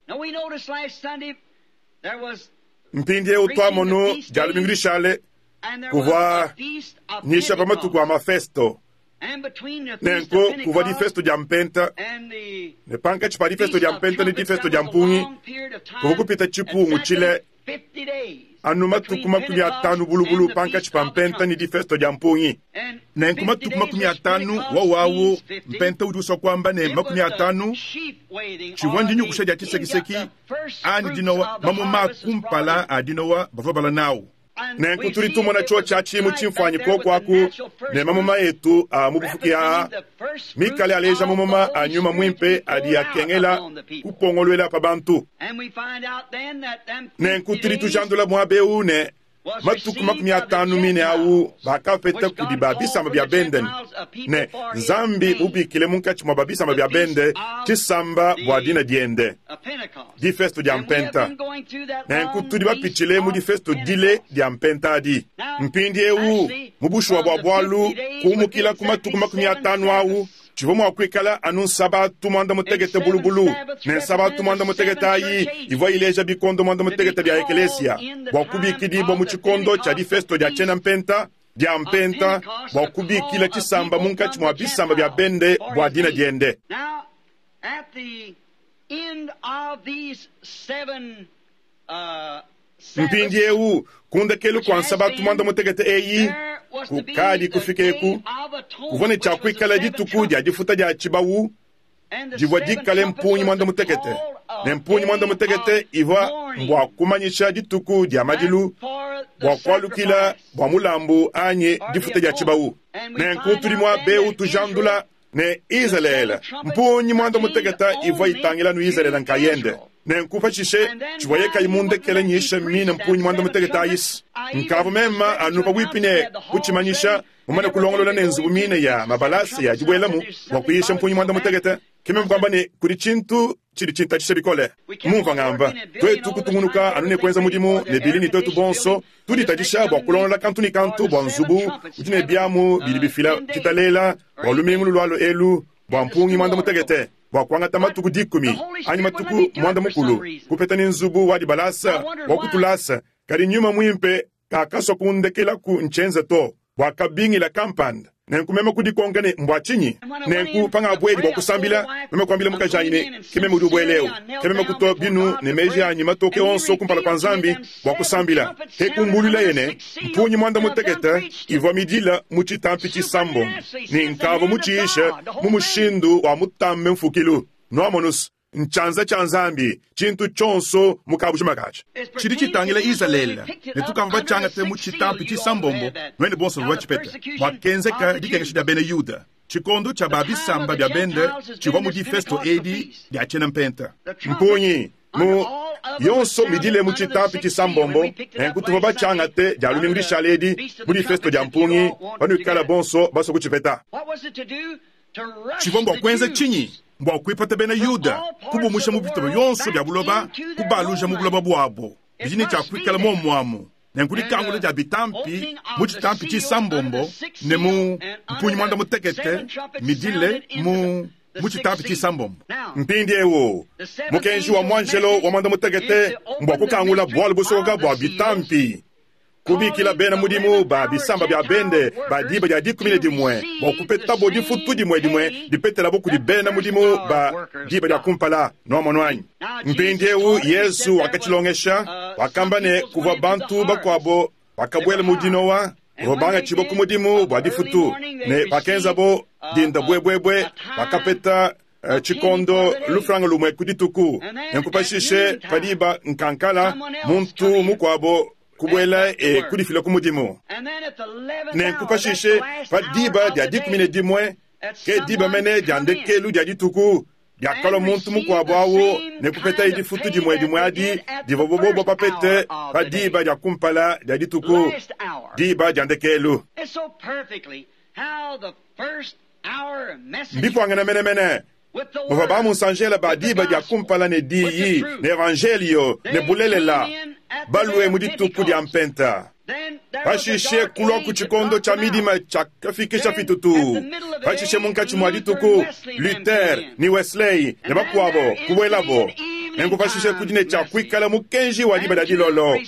Mpindyewu twamonu dya lumingu lishale, kuvwa nyisha pa matuku a mafesto. Nenku kuvwa difesto dya mpenta, ne pankaci pa difesto dya mpenta ne difesto dya mpungi, kuvwa kupita cipungu cile anu matuku 50 bulubulu pankaci pa mpenta ne difesto dya mpungi. Nenku matuku 50 wawawu mpenta udi uswa kwamba ne 50 civwa ndinyukusha dya cisekiseki anyi dinowa mamuma kumpala a dinowa bavwa bala nawu. Nenku tudi tumona cyoci aci mu cimfwanyi koko aku ne mamuma etu a mu bufuki aa, mikale aleja mamuma a nyuma mwimpe adi akengela kupongolwela pa bantu. Nenku tudi tujandula mwaba ewu ne matuku 50 mine awu bakapeta kudi ba bisamba bya bende ne Nzambi mubikile munkatshi mwa ba bisamba bya bende cisamba bwa dina dyende, difesto dya mpenta. Nenku tudi bapitshile mu difesto dile dya mpenta adi. Mpindyewu mu bushuwa bwa bwalu kuumukila ku matuku 50 awu, civwa mwa kwikala anu nsabatu mwandamutekete bulubulu, ne nsabatu mwandamutekete ayi ivwa ileja bikondo mwandamutekete bya ekelesia bwa kubikidibwa mu cikondo cya difesto dya cena mpenta, dya mpenta, bwa kubikila cisamba munkatshi mwa bisamba bya bende bwa dina dyende. Mpindyewu kundekelu kwa nsabatu mwandamutekete eyi, kukadi kufika eku, kuvwa ne cyakwikala dituku dya difuta dya cibawu, divwa dikale mpunyi mwandamutekete. Ne mpunyi mwandamutekete ivwa mbwa kumanyisha dituku dya madilu, bwa kwalukila bwa mulambu anyi difuta dya cibawu. Nenku tudi mwa bewu tujandula ne Izalele, mpunyi mwandamutekete ivwa itangila nu Izalele nkayende. Nenku pashishe civwa yekayi mundekele nyisha mine mpunyi mwandamutekete ayisi. Nkavu mema anu pabwipi ne kucimanyisha, mumane kulongolola ne nzubu mine ya mabalasa ya dibwelamu bwa kuyisha mpunyi mwandamutekete. Ke meme kuamba ne, Kudi tshintu tshidi tshintatshisha bikole. Mumvua ngamba, tuetu kutungunuka anu ne kuenza mudimu ne Billy ne tuetu bonso tuditatshisha bua kulongolola kantu ne kantu bua nzubu udi ne biamu bidi bifila ditalela bua lumingu lulualua elu bua mpungi muanda-mutekete, bua kuangata matuku dikumi anyi matuku muanda-mukulu kupeta ne nzubu wa dibalasa wa ku tulasa. Kadi Nyuma Muimpe kakasua kundekelaku ntshienza to, bua kabingila kampanda. Nenku meme kudikonka ne, Mbua tshinyi? Nenku pangabuedi bua kusambila, meme kuambila mukajanyi ne, Ke meme udi ubuela eu. Ke meme kutua binu ne meji anyi matoke onso kumpala kua Nzambi bua kusambila. Ke kumbuluilaye ne, Mpungi muanda-mutekete ivua midila mu tshitampi tshisambombo, ne nkavua mutshiishe mu mushindu wa mutambe mfukilu. Nuamonus, Ntshianza tshia Nzambi, tshintu tshionso mu kabujima katshi. Tshidi tshitangila Izalele, ne tukavua batshiangate mu tshitampi tshisambombo, nuenu bonso bavua batshipete. Muakenzeka dikengesha dia bena Yuda, tshikondo tshia ba bisamba bia bende tshivua mu difesto edi dia tshiena-mpenta. Mpungi mu yonso midile mu tshitampi tshisambombo, nenku tuvua batshiangate dia lumingu dishale edi mu difesto dia mpungi, panuikala bonso basue kutshipeta. Tshivua mbua kuenza tshinyi? Mbua kuipata bena Yuda, kubumusha mu bitupa bionso bia buloba, kubaluja mu buloba buabo. Bidi ne tshia kuikala muomu amu. Nenku dikangula dia bitampi mu tshitampi tshisambombo ne mu mpungi muanda-mutekete midile mu mu tshitampi tshisambombo. Mpindieu, mukenji wa muanjelo wa muanda-mutekete mbua kukangula bualu busokoka bua bitampi. Kubikila bena mudimu ba bisamba bia bende ba diba dia 11 bua kupetabo difutu dimue dimue dipetelabo kudi bena mudimu ba diba dia kumpala. Nuamonu anyi? Mpindieu Yezu wakatshilongesha. Wakamba ne, kuvua bantu bakuabo bakabuela mu dinowa bavua bangatshibua ku mudimu bua difutu, ne pakenzabo dinda buebuebue, bakapeta tshikondo lufranga lumue ku dituku. Nenku pashishe pa diba nkankala, muntu mukuabo kubuela e kudifila ku mudimu. Nenku pashishe pa diba dia 11, ke diba mene dia ndekelu dia dituku, diakalua muntu mukuabu au ne kupetaye difutu dimue dimue adi divua bobo bapete pa diba dia kumpala dia dituku, diba dia ndekelu. Mbipuangane menemene. Muvua bamunsanjela ba diba dia kumpala ne diyi, ne evanjeliyo, ne bulelela, balue mu dituku dia Mpenta. Pashishe kulua ku tshikondo tshia midima tshiakafikisha fitutu. Pashishe munkatshi mua dituku, Luther ne Wesley ne bakuabo kubuelabo. Nenku pashishe kudi ne tshia kuikala mukenji wa diba dia dilolo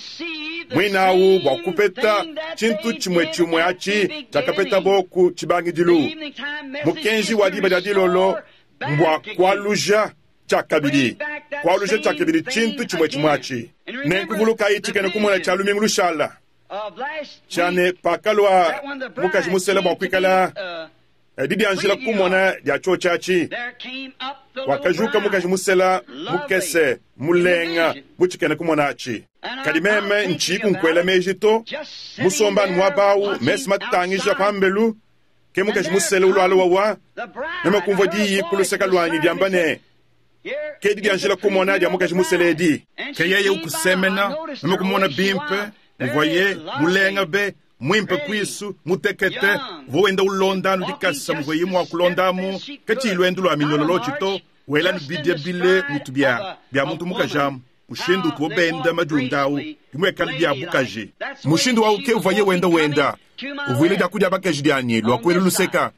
muinawu bua kupeta tshintu tshimue tshimue atshi tshiakapetabo ku tshibangidilu. Mukenji wa diba dia dilolo mbua kualuja tshiakabidi, kualuja tshiakabidi tshintu tshimue tshimue atshi. Nenku vulukayi tshikena kumona tshia lumingu lushala tshia ne, pakalua mukaji musela bua kuikala didianjila kumona dia tshiotshi atshi, wakajuka mukaji musela mukese mulenga bu tshikena kumona atshi. Kadi meme ntshiyiku nkuela meji to, musomba anu muaba au, mesu matangija pambelu, ke mukaji musela ulualua wawa, meme kumvua diyi ku luseke luanyi diamba ne, Ke didianjila kumona dia mukaji musela edi. Ke yeye ukusemena, meme kumona bimpe muvuaye mulenga be, muimpe kuisu, mutekete, uvua wenda ulonda anu dikasa muvuaye mua kulonda amu, katshiyi luendu lua minyololotshi to, wela anu bidia bile mutu bia bia muntu mukaji amu, mushindu utubo benda madiunda au, bimuekale bia bukaji. Mushindu au ke uvuaye wenda wenda uvuila dia ku dia bakaji dianyi lua kuela luseka,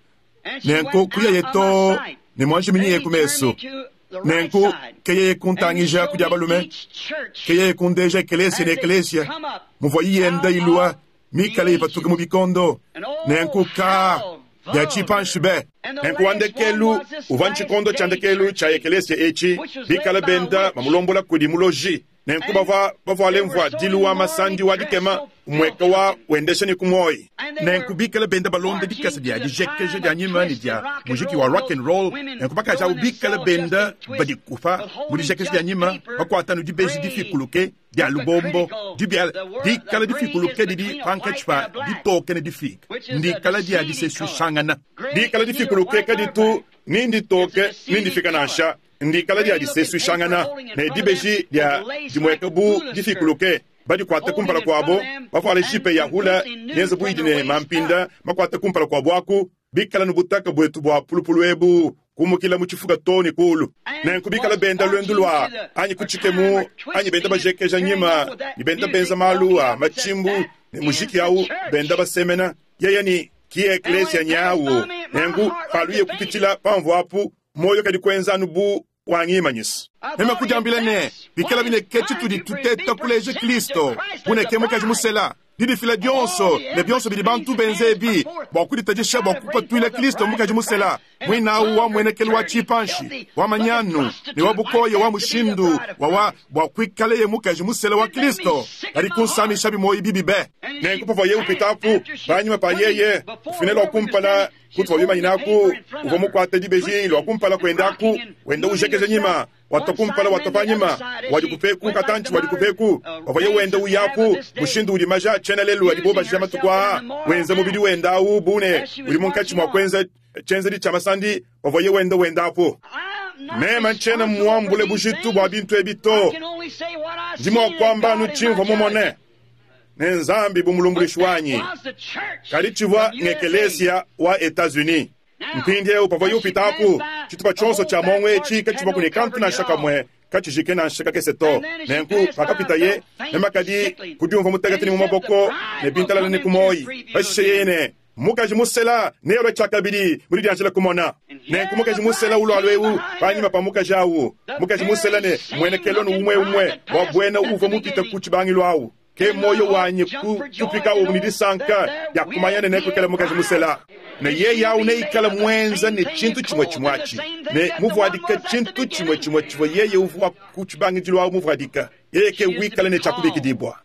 nenku kuyaye too ne muanjiminyiye ku mesu. Nenku ke yeye kuntangija ku dia balume, ke yeye kundeja ekelesia ne ekelesia muvuayi yenda ilua mikale ipatuka mu bikondo. Nenku ka bia tshipanshi be. Nenku wa ndekelu uvua ntshikondo tshia ndekelu tshia ekelesia etshi, bikale benda bamulombola kudi muloji. Nenku bavua bavuale mvuadilu wa masandi wa dikema, umueka wa wendesha ne ku muoyi. Nenku bikale benda balonda dikasa dia dijekeja dia nyima ne dia mujiki wa rock and roll, nenku bakaji abu bikale benda badikupa mu dijekeja dia nyima, bakuata anu dibeji difikuluke dia lubombo, dibia dikala difikuluke didi pankatshi pa ditoke ne difike, ndikala dia disesuishangana. Dikala difikuluke kaditu ni nditoke ni ndifike nansha. Ndikala dia disesuishangana ne dibeji dia dimueka bu difikuluke, badikuate kumpala kuabo, bavuale jipe ya hula yenze bu idi ne mampinda makuate kumpala kuabo aku, bikala ne butaka buetu bua pulupulu ebu. Kumukila mu tshifuka too ne kuulu. Nenku bikala benda luendu lua anyi ku tshikemu anyi benda bajekeja nyima ne benda benza malu a matshimbu ne mujiki awu benda basemena, yeye ne ki eklesia nyawu. Nenku paluye kupitshila pamvuapu, muoyo kadi kuenza anu bu wangimanyisa. Meme kudiambila ne, Bikalabi ne ke tshitudi tuteta kuleja Kristo, bu ne ke mukaji musela, didifila dionso ne bionso bidi bantu benza ebi bua kuditatshisha bua kupatuila Kristo mukaji musela, muine au wa muenekelu wa tshipanshi, wa manyanu ne wa bukoya wa mushindu wawa bua kuikaleye mukaji musela wa Kristo, kadi kunsamishabi muoyo bibi be. Nenku pavuaye upitapu, panyima pa yeye kufina lua kumpala kutuvua bimanyinaku, uvua mukuate dibeji lua kumpala kuendaku, wenda ujekeja nyima, watua kumpala watua panyima, wadikupeku katantshi wadikupeku, pavuaye wenda uyaku, mushindu udi maja a tshiena lelu adibo baja matuku aa, wenza mubidi wenda au bu ne udi munkatshi mua kuenza tshienzedi tshia masandi, pavuaye wenda wendapu. Meme ntshiena muambule bujitu bua bintu ebi to. Ndi mua kuamba anu tshimvua mumone, ne Nzambi bu mulumbuluishi wanyi. Kadi tshivua ng'ekelesia wa Etats-Unis. Mpindieu pavuaye upitapu, tshitupa tshionso tshia muongo etshi katshivuaku ne kantu nansha kamue katshijike nansha kakese to. Nenku pakapitaye, meme kadi kudiumvua mutekete ne mu maboko ne bintalala ne ku muoyi. Pashishe yeye ne, Mukaji musela nealue tshiakabidi mu didianjila kumona. Nenku mukaji musela ulualua eu panyima pa mukaji au. Mukaji musela ne mmuenekelu anu umue-umue wa buena uvua mupite ku tshibangilu au. Ke muoyo wanyi kutupikawu ne disanka dia kumanya ne nekuikale mukaji musela. Ne yeye au neikale muenza ne tshintu tshimue tshimue atshi, ne muvuadika tshintu tshimue tshimue tshivua yeye uvua ku tshibangidilu au muvuadika. Yeye ke wikala ne tshia kubikidibua.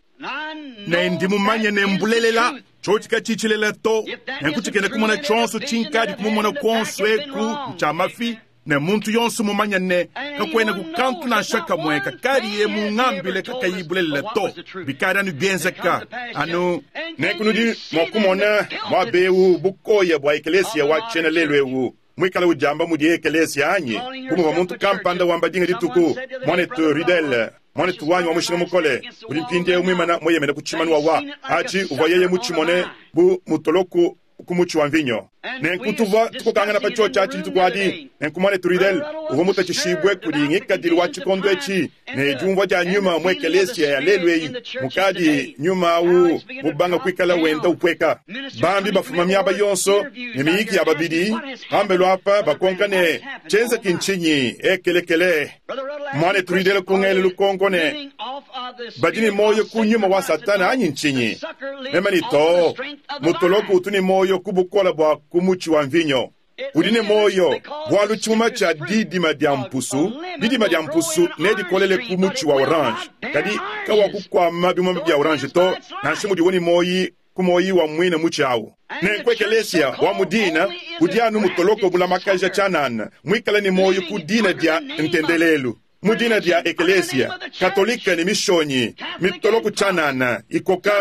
Ne ndi mumanye ne mbulelela, tshiotshi katshiyi tshilelela to. Nenku tshikena kumona tshionso tshinkadi kumumona kuonso eku ntshia mafi, ne muntu yonso mumanye ne, kakuenaku kantu nansha kamue kakadiye mungambile kakayi bulelela to. Bikadi anu bienzeka anu. Nenku nudi mua kumona muaba eu bukoya bua ekelesia wa tshiena lelu eu muikale udiamba mudiye ekelesia anyi? Bu muvua muntu kampanda wamba dinga dituku, Muanetu Ruddell, muanetu wanyi wa mushinga mukole, udi mpindieu muimana mueyemene ku tshimanu wawa atshi uvua yeye mutshimone bu mutoloku ku mutshi wa mvinyo. Nenku tuvua tukokangana pa tshiotshi atshi dituku adi. Nenku muanetu Ruddell uvua mutatshishibue kudi ngikadilu wa tshikondo etshi ne diumvua dia nyuma mu ekelesia ya lelu eyi, mukadi nyuma au mubanga kuikala wenda upueka. Bambi bafuma miaba yonso ne miyiki ya babidi pambelu apa bakonka ne, Tshienzeki ntshinyi? Ekelekele! Muanetu Ruddell kungela lukonko ne, Badi ne muoyo ku nyuma wa Satana anyi ntshinyi? Meme ne, Too, mutoloku utu ne muoyo ku bukole bua ku mutshi wa mvinyo. Udi ne muoyo bualu tshimuma tshia didima dia mpusu, didima dia mpusu nedikolele ku mutshi wa orange, kadi kawakukuama bimuma bia orange to, nansha mudiwo ne muoyi ku muoyi wa muine mutshi au. Nenku ekelesia wa mu dina udi anu mutoloko mulamakaja tshianana, muikale ne muoyo ku dina dia ntendelelu. Mu dina dia Ekelesia Katolike ne Mishonyi, mitoloko tshianana ikoka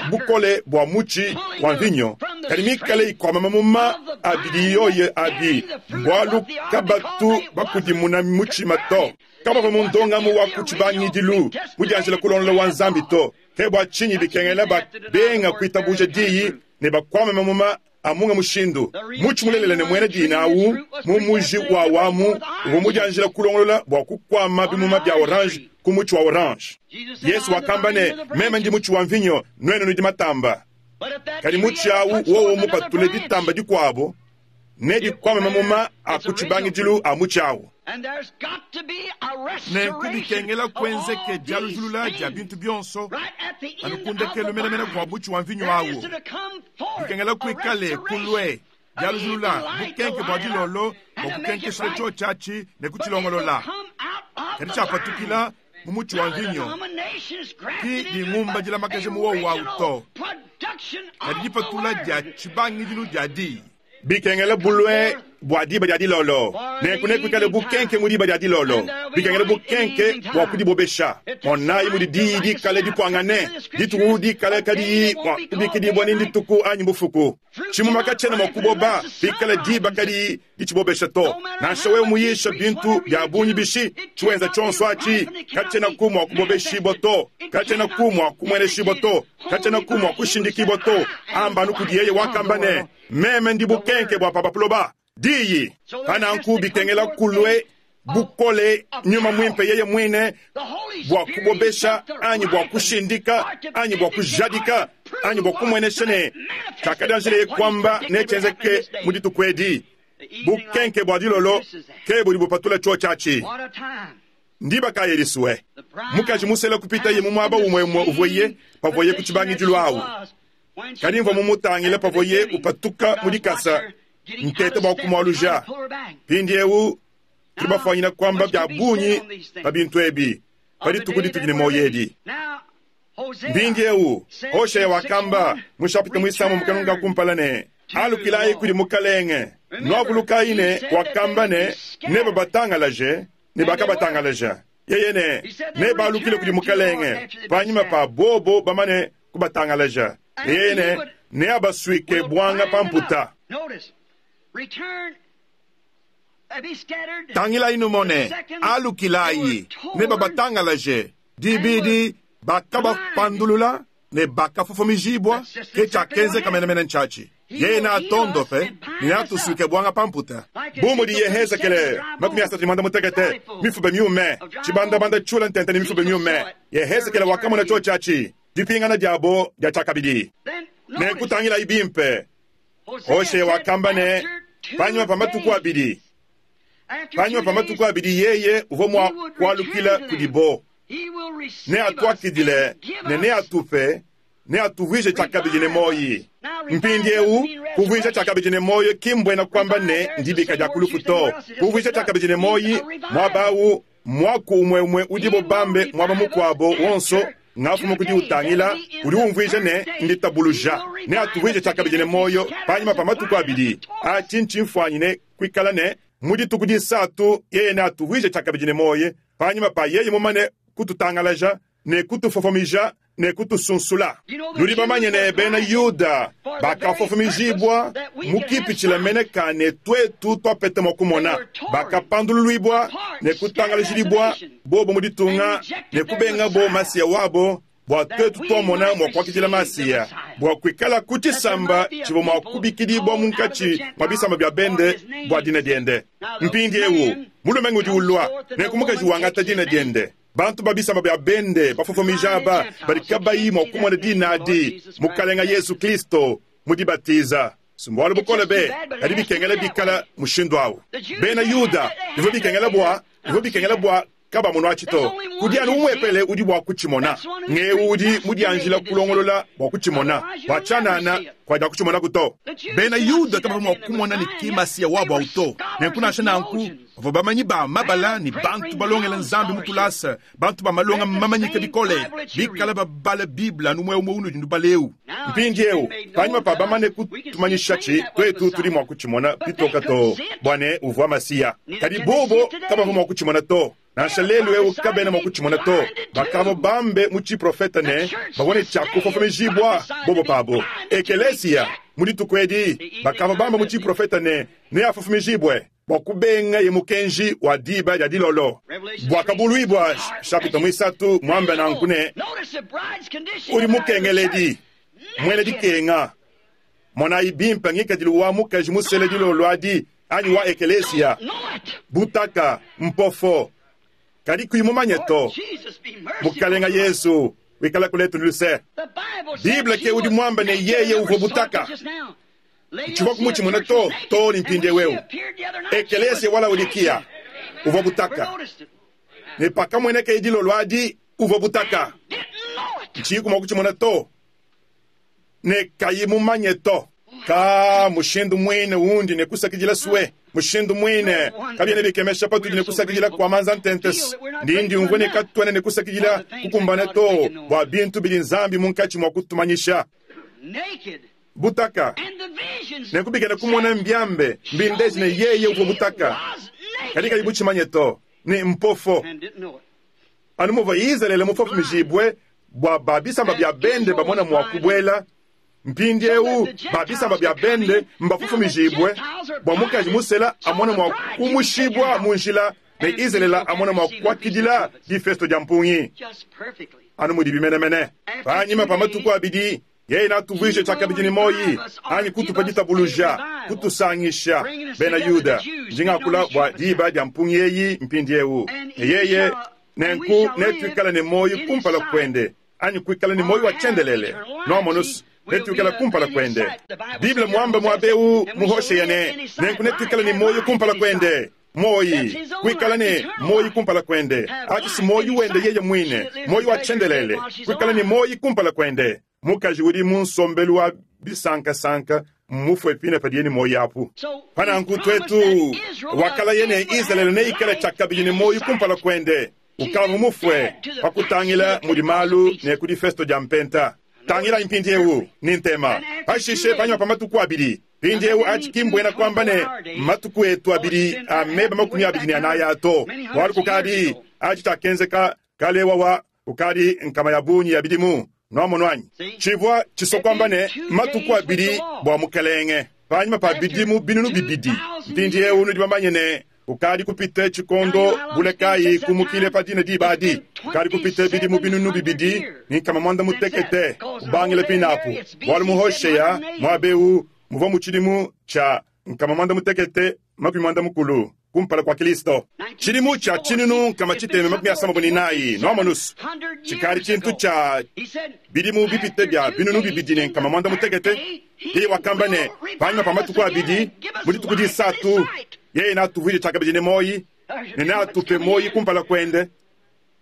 bukole bua mutshi wa mvinyo, kadi mikale ikuama mamuma a bidi yoyi abi, bualu kabatu bakudimuna mutshima to. Kabavua mu ndongamu wa ku tshibangidilu mudianjila kulongolola wa Nzambi to. Ke bua tshinyi bikengela babenga kuitabuja diyi ne bakuame mamuma a munga mushindu. Mutshi mulelela ne muena dina au mu muji wawu amu uvua mudianjila kulongolola bua kukuama bimuma bia orange ku mutshi wa orange. Yezu wakamba ne, Meme ndi mutshi wa mvinyo, nuenu nudi matamba. Kadi mutshi au wowo mupatule ditamba dikuabu, nedikuame mamuma a ku tshibangidilu a mutshi au. Nenku bikengela kuenzeke dialujulula dia bintu bionso anu ku ndekelu menemene kua mutshi wa mvinyo au. Bikengela kuikale kulue dialujulula bukenke bua dilolo bua kukenkeshila tshiotshi atshi ne kutshilongolola. Kadi tshiapatukila mu mutshi wa mvinyo ki dingumba dilamakaja mu wowu au to, kadi dipatula dia tshibangidilu dia diyi. Bikengela bulue bua diba dia dilolo, nenku nekuikale bukenke mu diba dia dilolo. Bikengela bukenke bua kudibobesha. Monayi mudi diyi dikale dipuangane, dituku dikale kadiyi mua kubikidibua ni ndituku anyi mbufuku. Tshimuma katshiena mua kuboba bikala diba kadiyi ditshibobesha to. Nansha wewe muyisha bintu bia bungi bishi, tshiwenza tshionso atshi katshienaku mua kubobeshibua to, katshienaku mua kumueneshibua to, katshienaku mua kushindikibua to. Amba anu kudi yeye wakamba ne, Meme ndi bukenke bua pa buloba. Diyi. Pa nanku bikengela kulue bukole, Nyuma Mwimpe yeye mwine, bwa kubobesha anyi bwa kushindika anyi bwa kujadika anyi bwa kumwenesha ne cyakadyanjileye kwamba necyenzeke mu dituku edi. Bukenke bwa dilolo ke budi bupatula cyoci aci. Ndiba kayi edi swe? Mukaji musela kupitaye mu mwaba umweumwe uvwaye pavwaye ku cibangidilu awu. Kadi mvwa mumutangile pavwaye upatuka mu dikasa, nteta bwa kumwaluja. Mpindyewu tudi bafwanyine kwamba bya bungi pa bintu ebi pa dituku ditudi ne mwoyo edi. Mpindyewu, Hosheya wakamba mu nshapita mwisambombo kanungu ka kumpala ne, Alukilayi kudi Mukalenge. Nwavulukayi ne wakamba ne, Nebabatangalaje, ne bakabatangalaja. Yeye ne, Nebalukile kudi Mukalenge panyima pa bobo bamane kubatangalaja. Ne yeye ne, Neabaswike bwanga pa mputa. Tangilayi numone, alukilayi, nebabatangalaje. Dibidi, bakabapandulula ne bakafofomijibua, ke tshiakenzeka menemene ntshiatshi. Yeye neatondope ne neatusuike buanga pa mputa. Bu mudi Yehezekele 35 mifuba miume, tshibandabanda tshiula ntente ne mifuba miume, Yehezekele wakamona tshiotshi atshi, dipingana diabo dia tshiakabidi. Nenku tangilayi bimpe, Hoshea wakamba ne, panyima pa matuku abidi, panyima pa matuku abidi yeye uvua mua kualukila kudibo, neatuakidile ne neatupe, neatuvuije tshiakabidi ne muoyi. Mpindiewu, kuvuija tshiakabidi ne muoyo ki mbuena kuamba ne ndibika dia ku lufu to. Kuvuija tshiakabidi ne muoyi muaba awu mmuaku umue-umue udibo bambe muaba mukuabo wonso ngafuma ku diwutangila, udi umvuija ne nditabuluja. Neatuvuije tshiakabidi ne muoyo panyima pa matuku abidi. Atshi ntshimfuanyi ne kuikala ne, mu dituku disatu yeye neatuvuije tshiakabidi ne muoyo panyima pa yeye mumane kututangalaja ne kutufofomija ne kutusunsula. Nudi bamanye ne, bena Yuda bakafofomijibua mu kipitshila mene ka ne tuetu tuapeta mua kumona. Bakapandululuibua ne kutangalajidibua bobo mu ditunga ne kubengabo Masiya wabo, bua tuetu tuamona mua kuakidila Masiya, bua kuikala ku tshisamba tshivua mua kubikidibua munkatshi mua bisamba bia bende bua dina diende. Mpindiewu mulume ngudi ulua, nenku mukaji wangata dina diende. Bantu ba bisamba bia bende bafofomija aba badi kabayi mua kumona dina adi, Mukalenga Yezu Kristo, mu dibatiza. Si mbualu bukole be, kadi bikengela bikala mushindu awu. Bena Yuda, bivua bikengela bua, bivua bikengela bua kabamonuatshi to. Kudi anu umuepele udi bua kutshimona, ng'eu udi mudianjila kulongolola bua kutshimona, bua tshianana kuadiakutshimonaku to. Bena Yuda kabavua mua kumona ne ki Masiya wabu au to. Nenku nansha nanku, bavua bamanyi ba mabala ne bantu balongela Nzambi mu tulasa, bantu ba malonga mamanyike bikole, bikale babala Bible anu umue umue unudi nubala eu. Mpindieu, panyima pa bamane kutumanyishatshi, tuetu tudi mua kutshimona pitoka too bua ne, uvua Masiya. Kadi bobo kabavua mua kutshimona to. Nansha lelu eu kabena mua kutshimona to. Bakavua bambe mu tshiprofete ne, bavua ne tshia kufofomijibua bobo pabo. Ekelesia, mu dituku edi, bakavua bambe mu tshiprofete ne, neafofomijibue bua kubengaye mukenji wa diba dia dilolo. Buakabuluibua nshapita muisatu muambe nanku ne, Udi mukengeledi, muena dikenga. Monayi bimpe ngikadilu wa mukaji musela dilolo adi, anyi wa ekelesia, butaka, mpofo, kadi kuyi mumanye to. Mukalenga Yesu, wikalaku letu ne luse. Bible ke udi muambe ne yeye uvua butaka. Ntshivua kumutshimona to, too ne mpindieu eu. Ekelesia wa Laodikiya uvua butaka. Ne pakamuenekaye dilolo adi, uvua butaka. Ntshiyiku mua kutshimona to, ne kayi mumanye to. Kaa, mushindu muine undi ne kusakidila swe, mushindu muine. Kabiena bikemesha patudi ne kusakidila kua manza ntentes. Ndi ndiumvua ne katuena ne kusakidila kukumbane to bua bintu bidi Nzambi munkatshi mua kutumanyisha. Butaka. Nenku bikena kumona mbiambe, mbindeje ne yeye uvua butaka, kadi kayi butshimanye to, ne mpofo. Anu muvua Izalele mufofomijibue bua ba bisamba bia bende bamone mua kubuela, mpindieu ba bisamba bia bende mbafofomijibue bua mukaji musela amone mua kumushibua mu njila ne Izalele amone mua kuakidila difesto dia mpungi. Anu mudibi menemene. Panyima pa matuku abidi. Yeye neatuvuije tshiakabidi ne muoyi, anyi kutupa ditabuluja, kutusangisha bena Yuda. Ndi ngakula bua diba dia mpungi eyi mpindiewu. Ne yeye, nenku netuikale ne muoyi kumpala kuende, anyi kuikala ne muoyi wa tshiendelele. Nuamonus, netuikale kumpala kuende. Bible muambe muaba eu mu Hoshea ne, nenku netuikale ne muoyi kumpala kuende. Muoyi, kuikala ne muoyi kumpala kuende. Atshi si muoyi wende yeye muine, muoyi wa tshiendelele, kuikala ne muoyi kumpala kuende. Mukaji udi mu nsombelu wa bisankasanka mmufue pine padiye ne muoyi apu. Pa nanku tuetu, wakalaye ne Izalele neikale tshiakabidi ne muoyi kumpala kuende. Ukavua mufue pa kutangila mudi malu ne ku difesto dia Mpenta. Tangilayi mpindieu ne ntema. Pashishe, panyima pa matuku abidi, mpindieu atshi ki mbuena kuamba ne matuku etu abidi a meba 24 aa to, bualu kukadi atshi tshiakenzeka kale wawa kukadi nkama ya bungi ya bidimu. Nuamonu anyi? Tshivua tshisua kuamba ne matuku abidi bua Mukelenge panyima pa bidimu 2000. Mpindieu nudi bamanye ne kukadi kupite tshikondo bule kayi kumukile pa dina diba adi? Kukadi kupite bidimu 2800 kubangila pinapu, bualu mu Hoshea muaba eu muvua mu tshidimu tshia 1680 kumpala kua Kilisto. Tshidimu tshia 1664, nuamonus, tshikadi tshintu tshia bidimu bipite bia 2800. Yeye wakamba ne, panyima pa matuku abidi, mu dituku disatu, yeye neatuvuije tshiakabidi ne muoyi, ne neatupe muoyi kumpala kuende.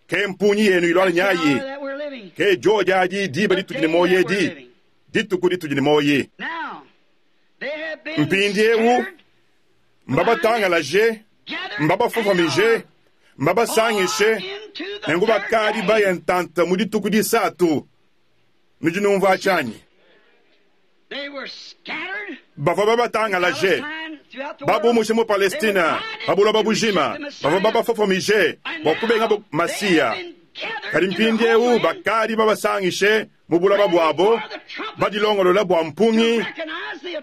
Ke mpungi yenu iluala nyayi, ke diodi adi diba ditudi ne muoyi edi, dituku ditudi ne muoyi. Mpindieu mbabatangalaje, mbabafofomije, mbabasangishe, nenku bakadi baye ntanta mu dituku disatu. Nudi numvua tshianyi? Bavua babatangalaje, babumushe mu Palestina, pa buloba bujima, bavua babafofomije bua kubengabo Masiya. Kadi mpindieu bakadi babasangishe mu buloba buabo, badilongolola bua mpungi,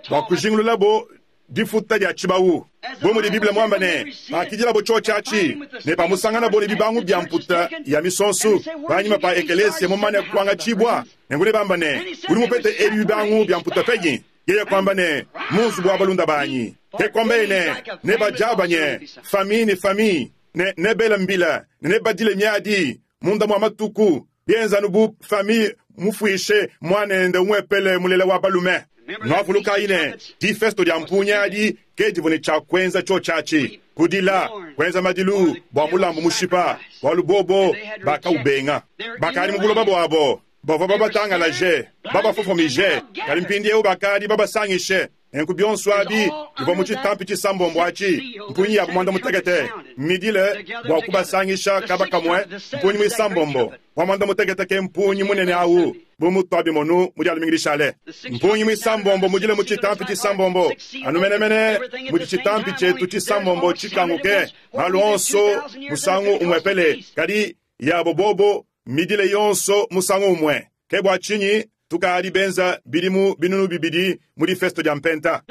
bua kujingululabo difuta dia tshibawu. Bu mudi Bible muamba ne, Pakidilabo tshiotshi atshi, ne pamusanganabo ne bibangu bia mputa ya misonsu, panyima pa ekelesia mumane kuangatshibua, nenku nebamba ne, Udi mupete ebi bibangu bia mputa penyi? Yeye kuamba ne, Mu nzubu wa balunda banyi. Ke kuambaye ne, Nebadiabanye, famille ne famille, ne nebele mbila, ne nebadile miadi munda mua matuku, bienza anu bu famille mufuishe muanende umuepele mulela wa balume. Nuavulukayi ne, difesto dia mpunya adi ke divua ne tshia kuenza tshiotshi atshi, kudila, kuenza madilu bua mulambu mushipa, bualu bobo bakaubenga. Bakadi mu buloba buabo, bavua babatangalaje, babafofomije, kadi mpindieu bakadi babasangishe. Nenku bionso abi bivua mu tshitampi tshisambombo atshi, mpungi yabu muanda-mutekete mmidile bua kubasangisha kaba kamue, mpungi muisambombo wa muanda-mutekete ke mpungi munene au, bu mutuabimonu mu Dia lumingu dishale. Mpungi muisambombo mudile mu tshitampi tshisambombo, anu menemene mudi tshitampi tshietu tshisambombo tshikanguke, malu onso musangu umuepele, kadi yabo bobo mmidile yonso musangu umue. Ke bua tshinyi tukadi benza bidimu 2000 mu difesto dia Mpenta.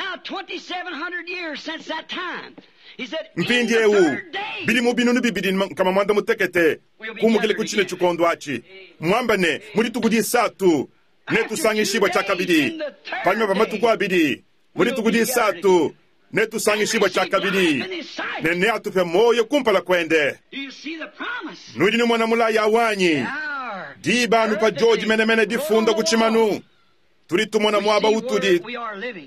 Mpindieu bidimu 2800 kumukile ku tshine tshikondo atshi, muamba ne, mu dituku disatu netusangishibua tshiakabidi, panyima pa matuku abidi, mu dituku disatu netusangishibua tshiakabidi, ne neatupe muoyo kumpala kuende. Nudi numona mulayi awu anyi? Diba anu pa diodi menemene difunda ku tshimanu, tudi tumona muaba utudi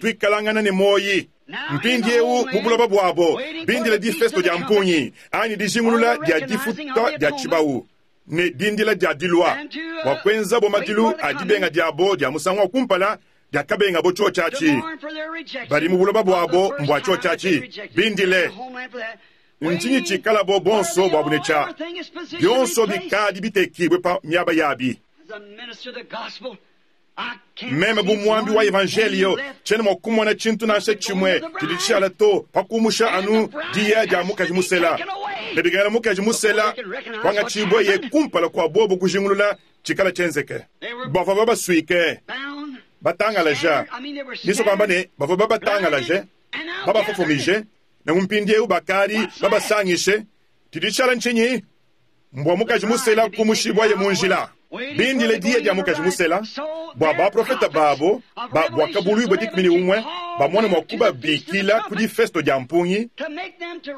tuikalangana ne muoyi mpindieu mu buloba buabo, bindile difesto dia mpungi anyi dijingulula dia difuta dia tshibawu ne dindila dia dilua bua kuenzabo madilu a dibenga diabo dia musangu wa kumpala diakabengabo tshiotshi atshi. Badi mu buloba buabo mbua tshiotshi atshi, bindile. Ntshinyi tshikalabo bonso buabu ne tshia bionso bikadi bitekibue pa miaba yabi? Meme bu muambi wa evanjelio tshiena mua kumona tshintu nansha tshimue tshidi tshishala to pa kumusha anu diya dia mukaji musela. Ne bikengela mukaji musela kuangatshibueye kumpala kua bobo kujingulula tshikala tshienzeke. Bavua babasuike, batangalaja, nisua kuamba ne, bavua babatangalaje, babafofomije, nenku mpindieu bakadi babasangishe. Tshidi tshishala ntshinyi? Mbua mukaji musela kumushibuaye mu njila. Bindile diya dia mukaji musela, bua baprofete babo ba Buakabuluibua 11 bamone mua kubabikila ku difesto dia mpungi,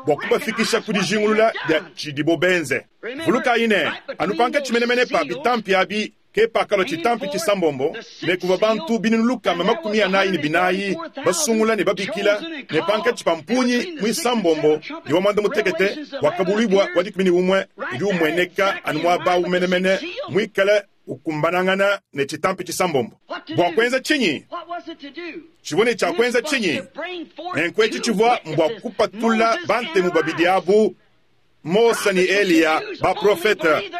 bua kubafikisha ku dijingulula dia tshidibo benze. Vulukayi ne, anu pankatshi menemene pa bitampi abi ke pakalua tshitampi tshisambombo, ne kuvua bantu 44,000 basungula ne babikila, ne pankatshi pa mpungi muisambombo ne wa muanda-mutekete, Buakabuluibua wa 11 udi umueneka anu muaba awu menemene, muikale ukumbanangana ne tshitampi tshisambombo. Bua kuenza tshinyi? Tshivua ne tshia kuenza tshinyi? Nenku etshi tshivua mbua kupatula bantemu babidi abu, Mose ne Eliya, baprofete,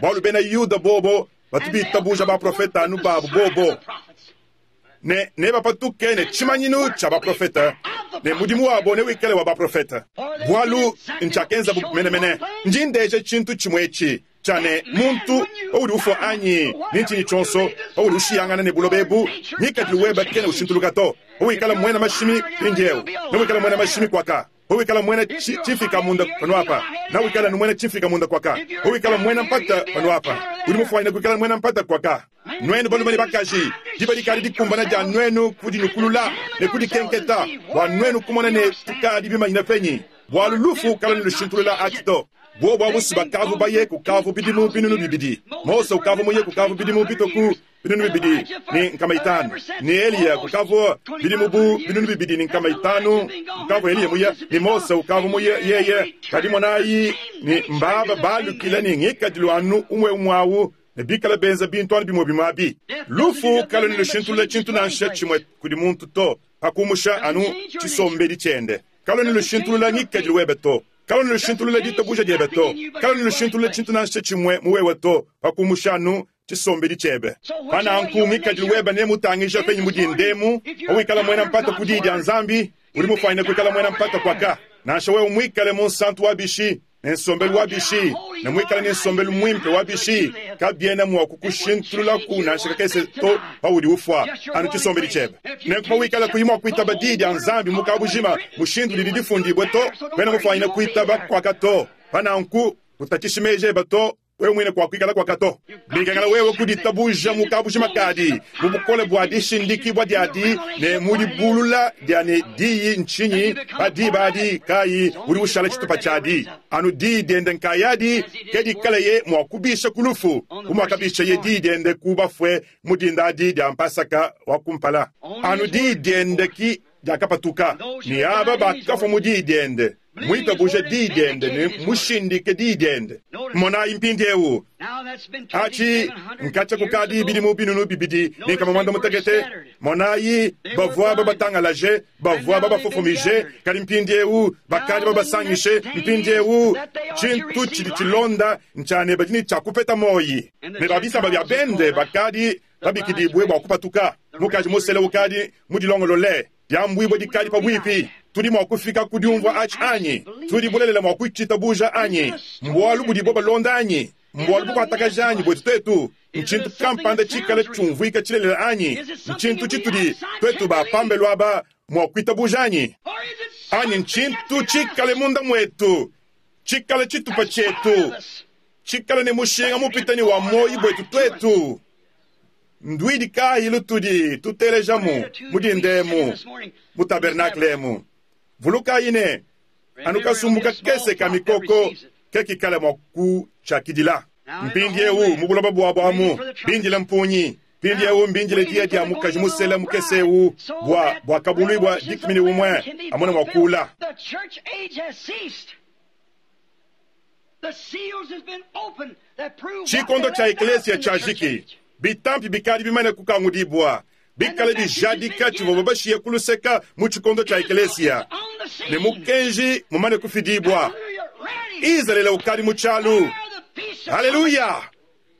bualu bena Yuda bobo batu bitabuja baprofete anu babu bobo, ne nebapatuke ne tshimanyinu tshia baprofete, ne mudimu wabo newikale wa baprofete, bualu ntshiakenzabu menemene. Ndi ndeja tshintu tshimue etshi, tshia ne, muntu, paudi ufua anyi ne ntshinyi tshionso, paudi ushiyangana ne buloba ebu, ngikadilu webe kena ushintuluka to. Pawikala muena mashimi mpindieu, newikale muena mashimi kuaka. Pawikala muena tshimfika-munda panuapa, newikale anu muena tshimfika-munda kuaka. Pawikala muena mpata panuapa, udi mufuanyine kuikala muena mpata kuaka. Nuenu balume ne bakaji, diba dikadi dikumbana dia nuenu kudinyukulula ne kudikenketa bua nuenu kumona ne tukadi bimanyine penyi, bualu lufu kaluena lushintulula atshi to. Buobu abu si bakavu baye kukavu bidimu 2000. Mose ukavu muye kukavu bidimu bitue ku 2500, ne Eliya kukavua bidimu bu 2500 kukavua Eliya muye, ne Mose ukavua muye yeye. Kadi monayi ne, mbaba balukila ne ngikadilu anu umue-umue awu, ne bikale benza bintu anu bimue-bimue abi. Lufu kaluena lushintulula tshintu nansha tshimue kudi muntu to, pa kumusha anu tshisombedi tshiende. Kaluena lushintulula ngikadilu webe to. Kaluena lushintulula ditabuja diebe to. Kaluena lushintulula tshintu nansha tshimue mu wewe to, pa kumusha anu tshisombedi tshiebe. Pa nanku ngikadilu webe nemutangija penyi mu dinda emu, pawikala muena mpata ku Diyi dia Nzambi, udi mufuanyine kuikala muena mpata kuaka. Nansha wewe muikale munsantu wa bishi, ne nsombelu wa bishi, ne muikale ne nsombelu muimpe wa bishi, kabiena mua kukushintululaku nansha kakese to paudi ufua, anu tshisombedi tshiebe. Nenku pawikala kuyi mua kuitaba Diyi dia Nzambi mu kabujima mushindu udidi difundibue to, kuena mufuanyine kuitaba kuaka to. Pa nanku kutatshishi meji ebe to. Wewe muine kuakuikala kuaka to. Bikengela wewe kuditabuja mu kabujima kadi, mu bukole bua dishindikibua diadi ne mu dibulula dia ne Diyi ntshinyi, pa diba adi kayi udi ushala tshitupa tshiadi. Anu Diyi diende nkayadi ke dikalaye mua kubisha ku lufu, bu muakabishaye Diyi diende ku bafue mu dinda adi dia Mpasaka wa kumpala. Anu Diyi diende ki diakapatuka, ne aba bakafua mu Diyi diende. Muitabuje Diyi diende ne mushindike Diyi diende. Monayi mpindiewu, atshi nkatshia kukadi bidimu 2500. Monayi, bavua babatangalaje, bavua babafofomije, kadi mpindiewu bakadi babasangishe. Mpindiewu tshintu tshidi tshilonda ntshia ne badi ne tshia kupeta muoyi, ne ba bisamba bia bende bakadi babikidibue bua kupatuka. Mukaji musele ukadi mudilongolole. Diambuibua dikadi pabuipi. Tudi mua kufika ku diumvua atshi anyi? Tudi bulelela mua kutshitabuja anyi? Mbualu budibo balonda anyi? Mbualu bukuatakaja anyi buetu tuetu? Ntshintu kampanda tshikale tshiumvuika tshilelela anyi? Ntshintu tshitudi tuetu ba pambelu aba mua kuitabuja anyi? Anyi ntshintu tshikale munda muetu, tshikale tshitupa tshietu, tshikale ne mushinga mupite ne wa muoyo buetu tuetu? Nduidi kayi lutudi tutelejamu mu dinda emu mu tabernakle emu? Vulukayi ne, anu kasumbu kakese ka mikoko ke kikale mua kutshiakidila. Mpindieu mu buloba buabu amu bindile mpungi. Mpindieu mbindile diya dia mukaji musela mukese eu bua Buakabuluibua 11 amone mua kuula. Tshikondo tshia ekleziya tshiajiki. Bitampi bikadi bimane kukangudibua, bikale bijadika tshivuabo bashiye ku luseka mu tshikondo tshia ekleziya, ne mukenji mumane kufidibua. Izalele ukadi mu tshialu. Haleluya!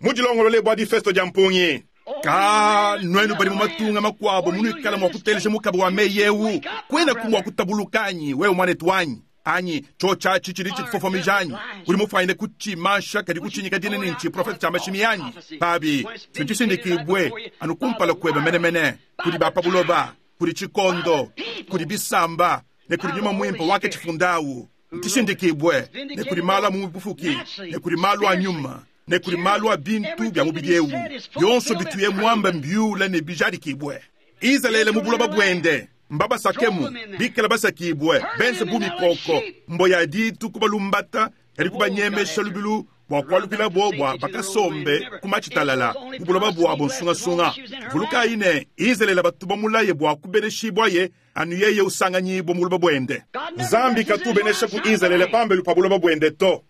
Mudilongolole bua difesto dia mpungi. Ka nuenu badi mu matunga makuabo munuikala mua kuteleja mukaba wa meyi eu, kuenaku mua kutabuluka anyi, wewe muanetu wanyi? Anyi tshiotshi atshi tshidi tshikufofomija anyi? Udi mufuanyine kutshimansha kadi kutshinyika dina ne ntshiprofete tshia mashimi anyi? Pabi, ntshishindikibue anu kumpala kuebe menemene kudi ba pa buloba, kudi tshikondo, kudi bisamba, ne kudi Nyuma Muimpe wakatshifunda awu. Ntshishindikibue ne kudi malu a mu bufuki ne kudi malu a nyuma. Ne kudi malu a bintu bia mubidi ewu, bionso bituye muambe mbiule ne bijadikibue. Izalele mu buloba buende, mbabasakemu, bikale basakibue, benze bu mikoko, mbo ya ditu kubalumbata, kadi kubanyemesha lubilu bua kualukilabo bua bakasombe ku matshitalala mu buloba buabo nsungasunga. Vulukayi ne, Izalele batu bamulaye bua kubeneshibuaye anu yeye usanganyibua mu buloba buende. Nzambi katu ubenesha ku Izalele pambelu pa buloba buende to.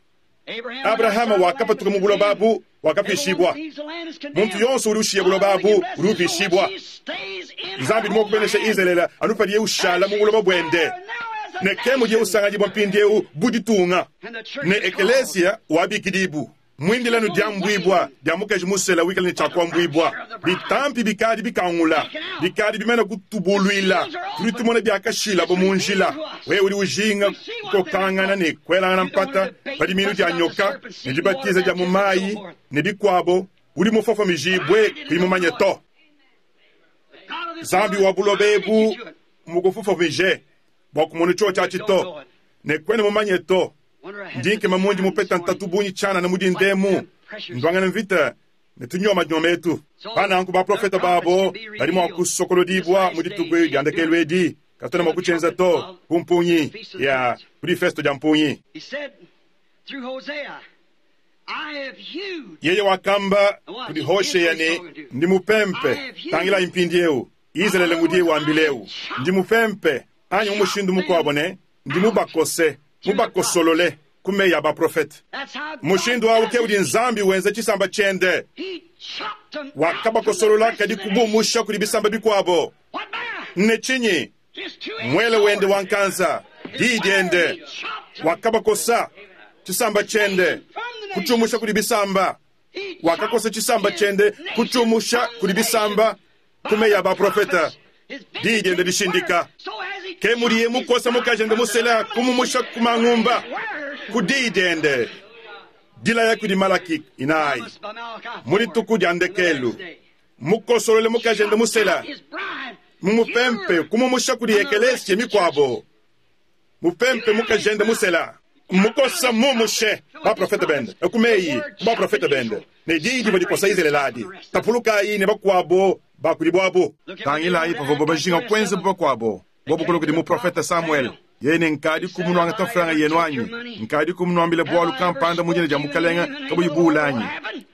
Abrahama wakapatuka mu buloba abu, wakapishibua. Muntu yonso udi ushiya buloba abu udi upishibua. Nzambi udi mua kubenesha Izalele anu padiye ushala mu buloba buende, ne ke mudiye usanganyibua mpindieu bu ditunga. Ne ekelesia wabikidibu muindile anu diambuibua dia mukaji musela wikale ne tshia kuambuibua. Bitampi bikadi bikangula, bikadi bimane kutubuluila. Tudi tumona biakashilabo mu njila. Wewe udi ujinga kukokangana ne kuelangana mpata pa dimiinu dia nyoka ne dibatiza dia mu mayi ne bikuabo, udi mufofomijibue kuyi mumanye to. Nzambi wa buloba ebu mmukufofomije bua kumona tshiotshi atshi to, ne kuena mumanye to. Ndi nkema mundi mupeta ntatu bungi tshianana mu dinda emu, nduangana mvita ne tunyomanyoma etu. Pa nanku baprofete babo badi mua kusokolodibua mu dituku dia ndekelu edi. Katuena mua kutshienza to ku mpungi ya ku difesto dia mpungi. Yeye wakamba kudi Hoshea ne, Ndi mupempe. Tangilayi mpindieu, Izalele ngudiye wambila eu, Ndi mupempe, anyi mu mushindu mukuabo ne, Ndi mubakose, mubakosolole ku meyi a baprofete. Mushindu au ke udi Nzambi wenza tshisamba tshiende. Wakabakosolola kadi kubumusha kudi bisamba bikuabo. Ne tshinyi? Muele wende wa nkanza, diyi diende. Wakabakosa, tshisamba tshiende, kutshiumusha kudi bisamba. Wakakosa tshisamba tshiende, kutshiumusha kudi bisamba ku meyi a baprofete. Diyi diende dishindika. Ke mudiye mukosa mukajende musela, kumumusha ku mangumba ku diyi diende dilaya kudi Malaki inayi mu dituku dia ndekelu. Mukosolole mukajende musela, mumupempe, kumumusha kudi ekelesia mikuabo. Mupempe mukajende musela, mukosa mumushe baprofete bende ku meyi ku baprofete bende, ne diyi divua dikosa Izalele adi. Tapulukayi ne bakuabo ba kudi buabu. Tangilayi pavuabo bajinga kuenza bu bakuabo, bobu kulua kudi muprofete Samuele, yeye ne, Nkadiku munuangata mfranga yenu anyi? Nkadiku munuambile bualu kampanda mu dina dia Mukalenge kabuyi buule anyi?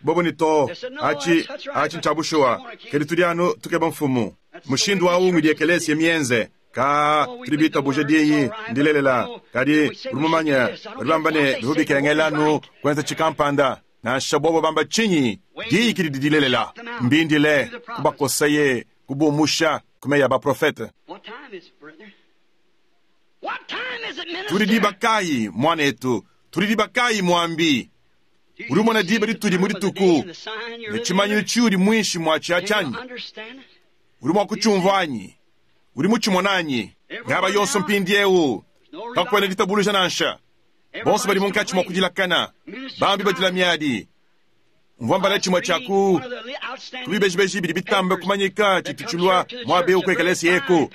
Bobo ne, Too, atshi, atshi ntshia bushuwa, kadi tudi anu tukeba mfumu. Mushindu au ngudi ekelesia mienze. Kaa, tudi bitabuje diyi, ndilelela. Kadi, udi mumanye, badi bamba ne bivua bikengela anu kuenza tshikampanda. Nansha bobo bamba tshinyi, diyi ke didi dilelela. Mbindile, kubakosaye, kubumusha ku meyi a baprofete. Tudi diba kayi, muanetu? Tudi diba kayi, muambi? Udi umona diba ditudi mu dituku ne tshimanyinu tshiudi muinshi muatshi atshi anyi? Udi mua kutshiumvua anyi? Udi mutshimona anyi? Miaba yonso mpindieu kakuena ditabuluja nansha. Bonso badi munkatshi mua kudilakana, bambi badila miadi. Mvua mbala tshimue tshia ku bibejibeji bidi bitambe kumanyika tshitu tshilua muaba eu ku ekelesia eku,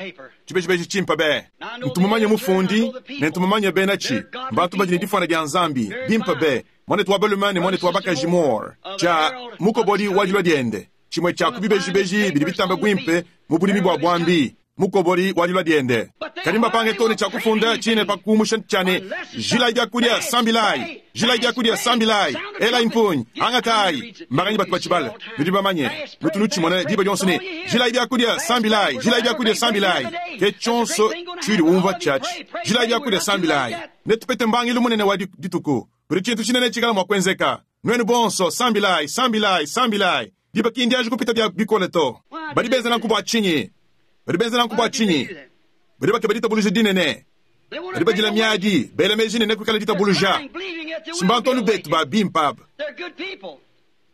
tshibejibeji tshimpe be. Ntu mumanye mufundi ne ntu mumanye benatshi, mbantu badi ne difuana dia Nzambi, bimpe be, muanetu wa balume ne muanetu wa bakaji Moore, tshia mukobodi wa dilua diende, tshimue tshia ku bibejibeji bidi bitambe buimpe mu budimi bua buambi. Mukobodi wa dilua diende. Kadi mbapange too ne tshia kufunda tshine pa kumusha tshia ne, Jilayi biakudia, sambilayi! Jilayi biakudia, sambilayi! Elayi mpungi, angatayi! Mbanganyi batu batshibala? Nudi bamanye, nutu nutshimona diba dionso ne, Jilayi biakudia, sambilayi! Jilayi biakudia, sambilayi! Ke tshionso tshiudi umvua tshiatshi, Jilayi biakudia, sambilayi! Netupete mbangilu munene wa dituku. Kudi tshintu tshinene tshikala mua kuenzeka. Nuenu bonso, sambilayi, sambilayi, sambilayi! Diba ki ndianji kupita bia bikole to. Badi benza nanku bua tshinyi? Badi benza nanku bua tshinyi? Badi bakeba ditabuluja dinene. Badi badila miadi, bela meji ne nekuikale ditabuluja. Si mbantu anu betu ba bimpe aba.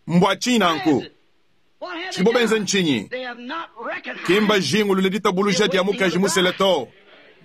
Mbua tshinyi nanku? Tshidibo benza ntshinyi? Ki mbajingulule ditabuluja dia mukaji musela to.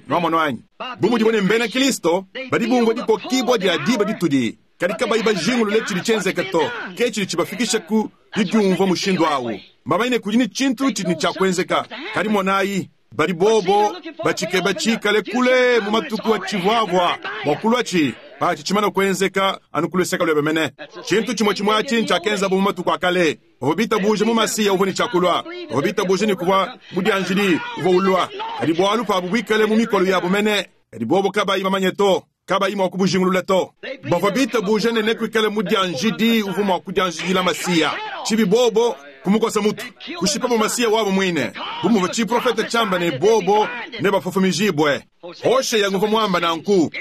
Nuamonu anyi? Bu mudibo ne mbena Kristo, badi bumvua dikokibua dia diba ditudi, kadi kabayi bajingulule tshidi tshienzeka to. Ke tshidi tshibafikisha ku didiumvua mushindu au. Mbamanye ne, kudi ne tshintu tshidi ne tshia kuenzeka, kadi monayi, badi bobo batshikeba tshikale kule mu matuku atshivuavua bua kuluatshi. Patshi tshimane kuenzeka anu ku luseke luebe mene. Tshintu tshimue tshimue atshi ntshiakenzabu mu matuku a kale. Bavua bitabuje mu Masiya uvua ne tshia kulua. Bavua bitabuje ne kuvua mudianjidi uvua ulua. Kadi bualu pabu buikale mu mikolo yabu mene, kadi bobo kabayi bamanye to, kabayi mua kubujingulula to. Bavua bitabuje ne nekuikale mudianjidi uvua mua kudianjidila Masiya. Tshibi bobo kumukosa mutu, kushipabu Masiya wabu muine, bu muvua tshiprofete tshiamba ne bobo nebafofomijibue. Hosheya nguvua muamba nanku.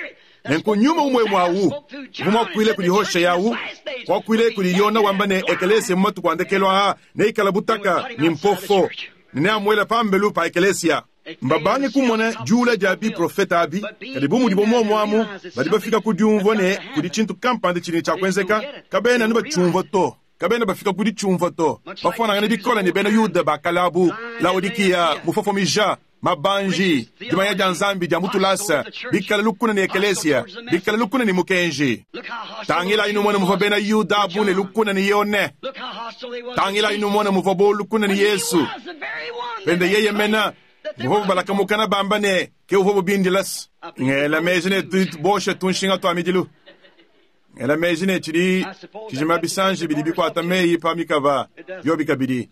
Nenku nyuma umue umue awu uvua muakuile kudi Hosheya awu, kuakuile kudi Yona wamba ne ekelesia mu matuku a ndekelu aa neikala butaka ne mpofo ne neamuela pambelu pa ekelesia. Mbabange kumona diula dia biprofete abi, kadi bu mudibo muomu amu, badi bafika ku diumvua ne kudi tshintu kampanda tshidi ne tshia kuenzeka, kabena anu batshiumvua to. Kabena bafika ku ditshiumvua to. Bafuanangane bikole ne bena Yuda ba kale abu, Laodikiya mufofomija, mabanji, dimanya dia Nzambi dia mu tulasa, bikale lukuna ne ekelesia, bikale lukuna ne mukenji. Tangilayi numone muvua bena Yuda abu ne lukuna ne Yone. Tangilayi numone muvuabo lukuna ne Yesu. Pende yeye mena muvuabo balaka mukana bamba ne ke uvuabo bindila. Ngela meji ne tudi boshe tunshinga tua midilu. Ngela meji ne tshidi tshijima bisanji bidi bikuata meyi pa mikaba biobi kabidi.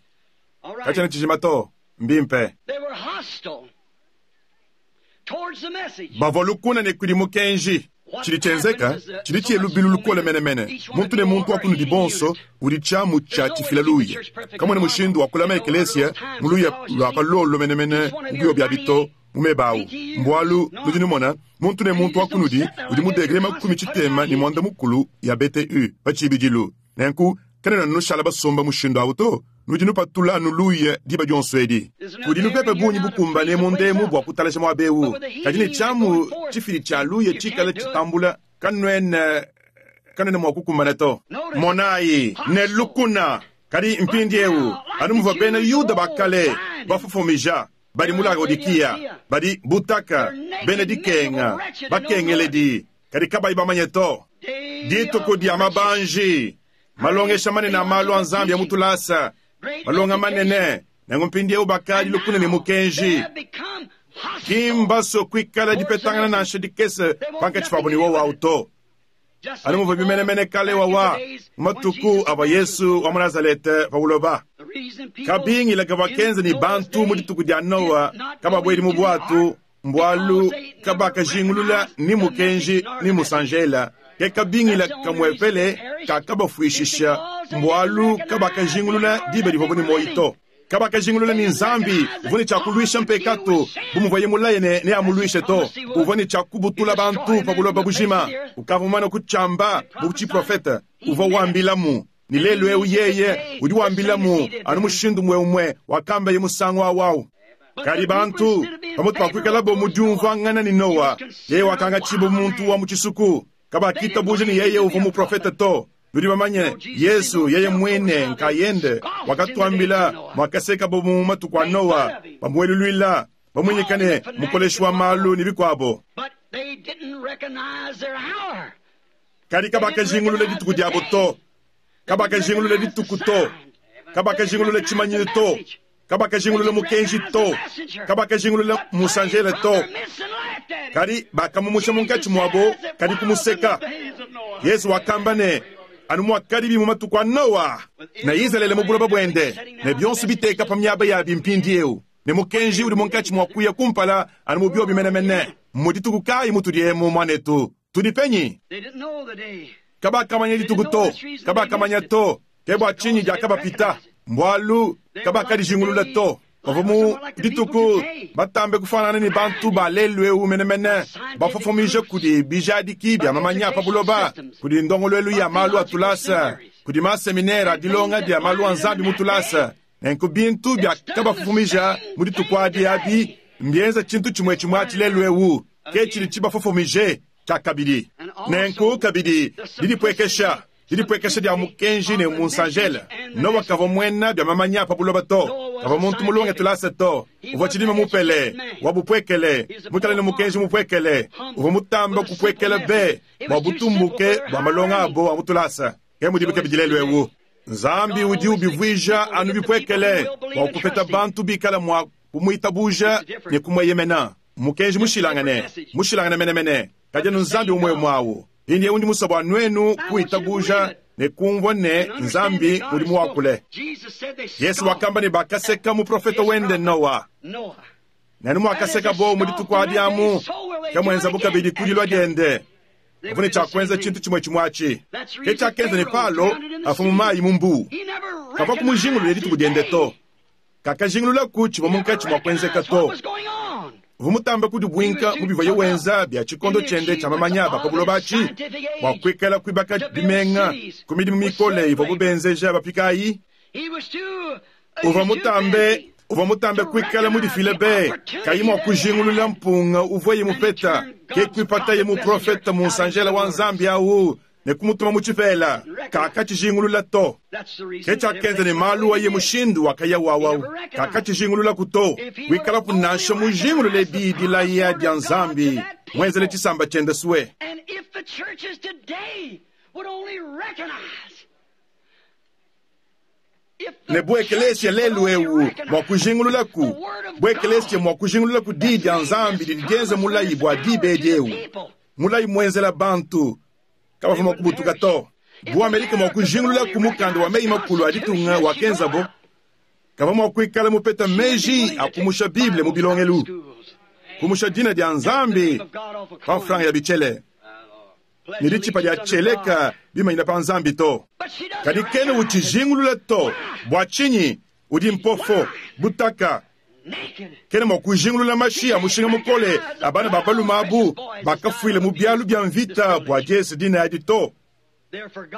Katshiena tshijima to. Mbimpe. Bavua lukuna ne kudi mukenji. Tshidi tshienzeka tshidi tshiye lubilu lukole menemene. Muntu ne muntu wa kunudi bonso udi tshiamu tshia tshifila luya. Kamuena mushindu wa kulama ekelesia mu luya lua pa luolo menemene mu biobi abi to mu meba awu. Mbualu nudi numona, muntu ne muntu wa kunudi udi mu degre 65 ya BTU pa tshibidilu. Nenku kanuena nushala basomba mushindu awu to. Nudi nupatula anu luya diba dionso edi. Kudi lupepe bungi bukumbane munda emu bua kutalaja muaba eu, kadi ne tshiamu tshifidi tshia luya tshikale tshitambula, kanuena kanuena mua kukumbana to. Monayi, ne lukuna! Kadi mpindieu, anu muvua bena Yuda ba kale bafofomija, badi mu Laodikiya, badi butaka, bena dikenga, bakengeledi, kadi kabayi bamanye to. Dituku dia mabanji, malongesha manene a malu a Nzambi a mu tulasa, malonga manene, nenku mpindieu bakadi lukuna ne mukenji. Ki mbasue kuikala dipetangana nansha dikese pankatshi pabu ne wowu au to. Anu muvuabi menemene kale wawa mu matuku avua Yesu wa mu Nazalete pa buloba. Kabingila kavua kenza ne bantu mu dituku dia Noa kababuedi mu buatu mbualu kabakajingulula ni mukenji ni musanjela. Ke kabingila kamuepele kakabafuishisha mbualu kabakajingulula diba divuabu ne muoyo to. Kabakajingulula ne Nzambi uvua ne tshia kuluisha mpekatu bu muvuaye mulaye ne neamuluishe to. Uvua ne tshia kubutula bantu pa buloba bujima. Ukavua mumane kutshiamba mu tshiprofete. Uvua wambilamu ne lelu eu yeye udi wambilamu anu mushindu umue umue wakambaye musangu au au. Kadi bantu, pamutu pa kuikalabo mu diumvuangana ne Noa, yeye wakangatshibua bu muntu wa mu tshisuku. Kabakitabuja ne yeye uvua muprofete to. Nudi bamanye, Yesu yeye muine nkayende wakatuambila muakasekabo mu matuku a Noa, bamueluluila, bamuinyika ne mukoleshi wa malu ne bikuabo. Kadi kabakajingulula dituku diabo to, kabakajingulula dituku to, kabakajingulula tshimanyinu to, kabakajingulula mukenji to, kabakajingulula musanjele to, kadi bakamumusha munkatshi muabo, kadi kumuseka. Yesu wakamba ne, anu muakadibi mu matuku a Noa ne Izalele mu buloba buende, ne bionso biteka pa miaba yabi mpindieu, ne mukenji udi munkatshi mua kuya kumpala anu mu biobi menemene. Mmu dituku kayi mutudi emu, muanetu? Tudi penyi? Kabakamanya dituku to, kabakamanya to. Ke bua tshinyi diakabapita, mbualu kabakadijingulula to. Bavua mu dituku batambe kufuanangana ne bantu ba lelu'eu menemene, bafofomija kudi bijadiki bia mamanya a pa buloba, kudi ndongoluelu ya malu a tulasa, kudi maseminere a dilonga dia malu a Nzambi mu tulasa. Nenku bintu biakabafofomija mu dituku adi abi mbienza tshintu tshimue tshimue atshi lelu'eu, ke tshidi tshibafofomije tshiakabidi. Nenku kabidi didipuekesha Didipuekesha dia mukenji ne munsanjele. Nowa kavua muena bia mamanya pa buloba to. Kavua muntu mulonge tulasa to. Uvua tshidime mupele, wa bupuekele, muikale ne mukenji mupuekele. Uvua mutamba kupuekela be bua butumbuke bua malonga abo a mu tulasa. Ke mudibi kabidi lelu eu. Nzambi udi ubivuija anu bipuekele bua kupeta bantu bikala mua kumuitabuja ne kumueyemena. Mmukenji mushilangane, mushilangane menemene, kadi anu Nzambi umue umue au. Mpindiewu ndi musue bua nuenu kuitabuja ne kumvua ne, Nzambi udi muakule. Yesu wakamba ne, bakaseka muprofete wende Noa. Ne anu muakasekabo mu dituku adi amu, ke muenzabo kabidi ku dilua diende. Bavua ne tshia kuenza tshintu tshimue tshimue atshi. Ke tshiakenza ne Palo afue mu mayi mu mbuu. Kavua kumujingulule dituku diende to. Kakajingululaku tshivua munkatshi mua kuenzeka to. Uvua mutambe kudibuinka mu bivuaye wenza bia tshikondo tshiende tshia mamanya ba pa buloba atshi, bua kuikala kuibaka bimenga ku midimu mikole ivuabu benzeja bapika ayi. Uvua mutambe uvua mutambe kuikala mudifile be, kayi mua kujingulula mpunga uvuaye mupeta, ke kuipataye muprofete munsanjela wa Nzambi au ne kumutuma mu tshipela. Kakatshijingulula to. Ke tshiakenza ne malu aye mushindu wakaya wawu. Kakatshijingululaku to. Wikalapu nansha mujingulule diyi dilaya dia Nzambi muenzele tshisamba tshiende sue. Ne bu ekeleesiya lelu ewu mwa kujingululaku, bu ekeleesiya mwa kujingululaku Diyi dya Nzambi didi dyenza mulayi bwa diba edi ewu, mulayi mwenzela bantu, kabavwa mwa kubutuka to. Bu Amerika mwa kujingululaku mukanda wa meyi-makulu a ditunga wakenzabo, kavwa mwa kwikala mupeta meji a kumusha Bible mu bilongelu, kumusha dina dya Nzambi pa mfranga ya bicele. ne ditshipa dia tshieleka bimanyina pa Nzambi to. Kadi kena utshijingulula to. Bua tshinyi? Udi mpofo, butaka. Kena mua kujingulula mashi a mushinga mukole a bana ba balume abu bakafuile mu bialu bia mvita bua diese dina adi to.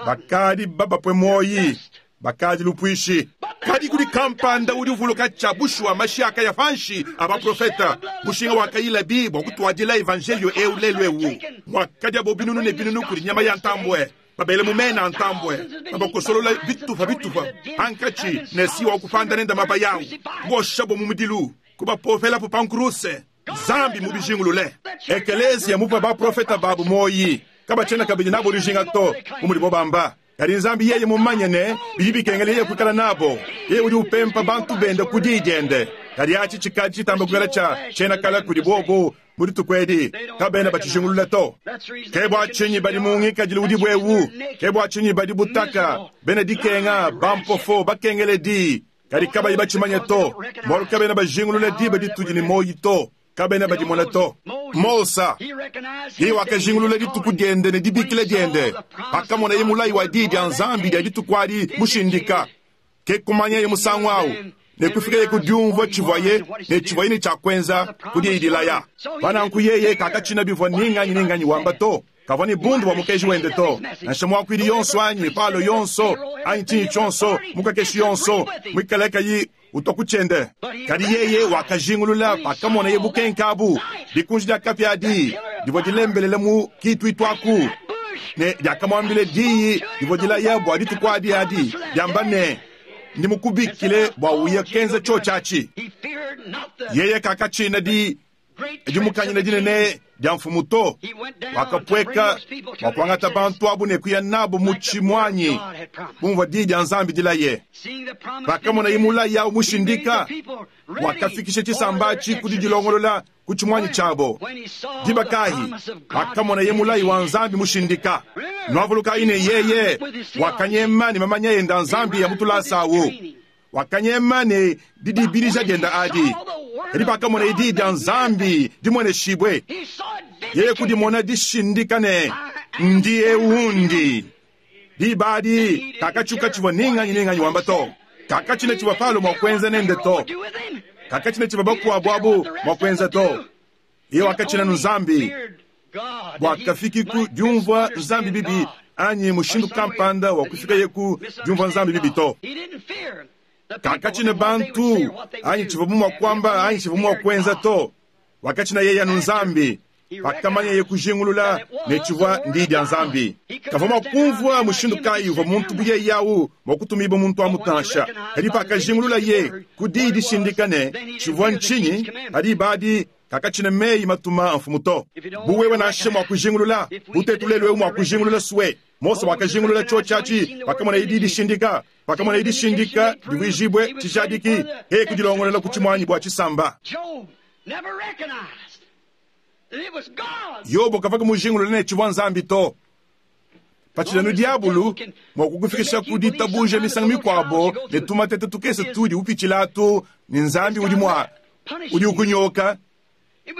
Bakadi babapue muoyi, bakadi lupuishi. Kadi kudi kampanda udi uvuluka tshia bushuwa mashi akaya panshi a baprofeta, mushinga wakayilabi bua kutuadila evanjeliyo eu lelu eu, muakadiabo binunu ne binunu kudi nyama ya ntambue, babele mu mena a ntambue, babakosolola bitupa bitupa pankatshi ne si wa kupanda nende mabaya au, kuboshabo mu mudilu, kubapopelapu pa nkuruse. Nzambi mubijingulule. Ekeleziya mupue baprofeta babu muoyi, kabatshiena kabidi nabo dijinga to, bu mudibo bamba. Kadi Nzambi yeye mumanye ne, bidi bikengela yeye kuikala nabo, yeye udi upempa bantu bende ku diyi diende. Kadi atshi tshikadi tshitamba kuikala tshia tshiena kale kudi bobu mu dituku edi, kabena batshijingulula to. Ke bua tshinyi badi mu ngikadilu udibu eu, ke bua tshinyi badi butaka, bena dikenga, bampofo, bakengeledi, kadi kabayi batshimanye to, bualu kabena bajingulula diba ditudi ne muoyo to. Kabena badimona to. Mosa, yeye wakajingulula dituku diende ne dibikila diende pakamonaye mulayi wa Diyi dia Nzambi dia dituku adi mushindika. Ke kumanyaye musangu au ne kufikaye ku diumvua tshivuaye ne tshivuaye ne tshia kuenza ku diyi dilaya. Pa nanku yeye kakatshina bivua ni nganyi ni nganyi wamba to. Kavua ne bundu bua mukeji wende to, nansha muakuidi yonso anyi Palo yonso anyi tshinyi tshionso, mukakeshi yonso muikale kayi utua ku tshiende. Kadi yeye wakajingulula pakamonaye bukenke abu, dikunji dia kapia adi divua dilembelele mu kituitu aku, ne diakamuambila diyi divua dilaya bua dituku adi adi, diamba ne, Ndi mukubikile bua uye kenza tshiotshi atshi. Yeye kakatshina di dimukanyina dinene dia mfumu to. Wakapueka bua kuangata bantu abu ne kuya nabu mu tshimuanyi bu muvua diyi dia Nzambi dilaye. Pakamonaye mulayi au mushindika, wakafikisha tshisamba atshi ku didilongolola ku tshimuanyi tshiabo. Diba kayi? Pakamonaye mulayi wa Nzambi mushindika. Nuavulukayi ne, yeye wakanyema ne mamanya ende a Nzambi a mu tulasa au. Wakanyema ne didibidija diende adi. Kadi pakamonaye Diyi dia Nzambi dimueneshibue, yeye kudimona dishindika ne, Ndi eu ndi. Diba adi kakatshiuka tshivua ni nganyi ni nganyi wamba to. Kakatshina tshivua Palo mua kuenza nende to. Kakatshina tshivua bakuabu abu mua kuenza to. Yeye wakatshina anu Nzambi bua kafiki ku diumvua Nzambi bibi anyi mushindu kampanda wa kufikaye ku diumvua Nzambi bibi to. Kakatshina bantu anyi tshivuabu mua kuamba anyi tshivuabu mua kuenza to. Wakatshina yeye anu Nzambi pakamanyaye kujingulula ne tshivua ndiyi dia Nzambi. Kavua mua kumvua mushindu kayi uvua muntu bu yeye au mua kutumibua muntu amu nansha. Kadi pakajingululaye ku diyi dishindika ne tshivua ntshinyi, pa diba adi kakatshina meyi matuma a mfumu to. Bu wewe nansha mua kujingulula, bu tuetu lelu eu mua kujingulula sue, Mose wakajingulula tshiotshi atshi pakamonaye diyi dishindika, pakamonaye dishindika divuijibue tshijadiki, yeye kudilongolola ku tshimuanyi bua tshisamba. Yobo kavua mujingulule ne tshivua Nzambi to. Patshidi anu diabulu mua kukufikisha ku ditabuja misangu mikuabo ne tumateta tukese tudi upitshila atu, ne Nzambi udi mua udi ukunyoka.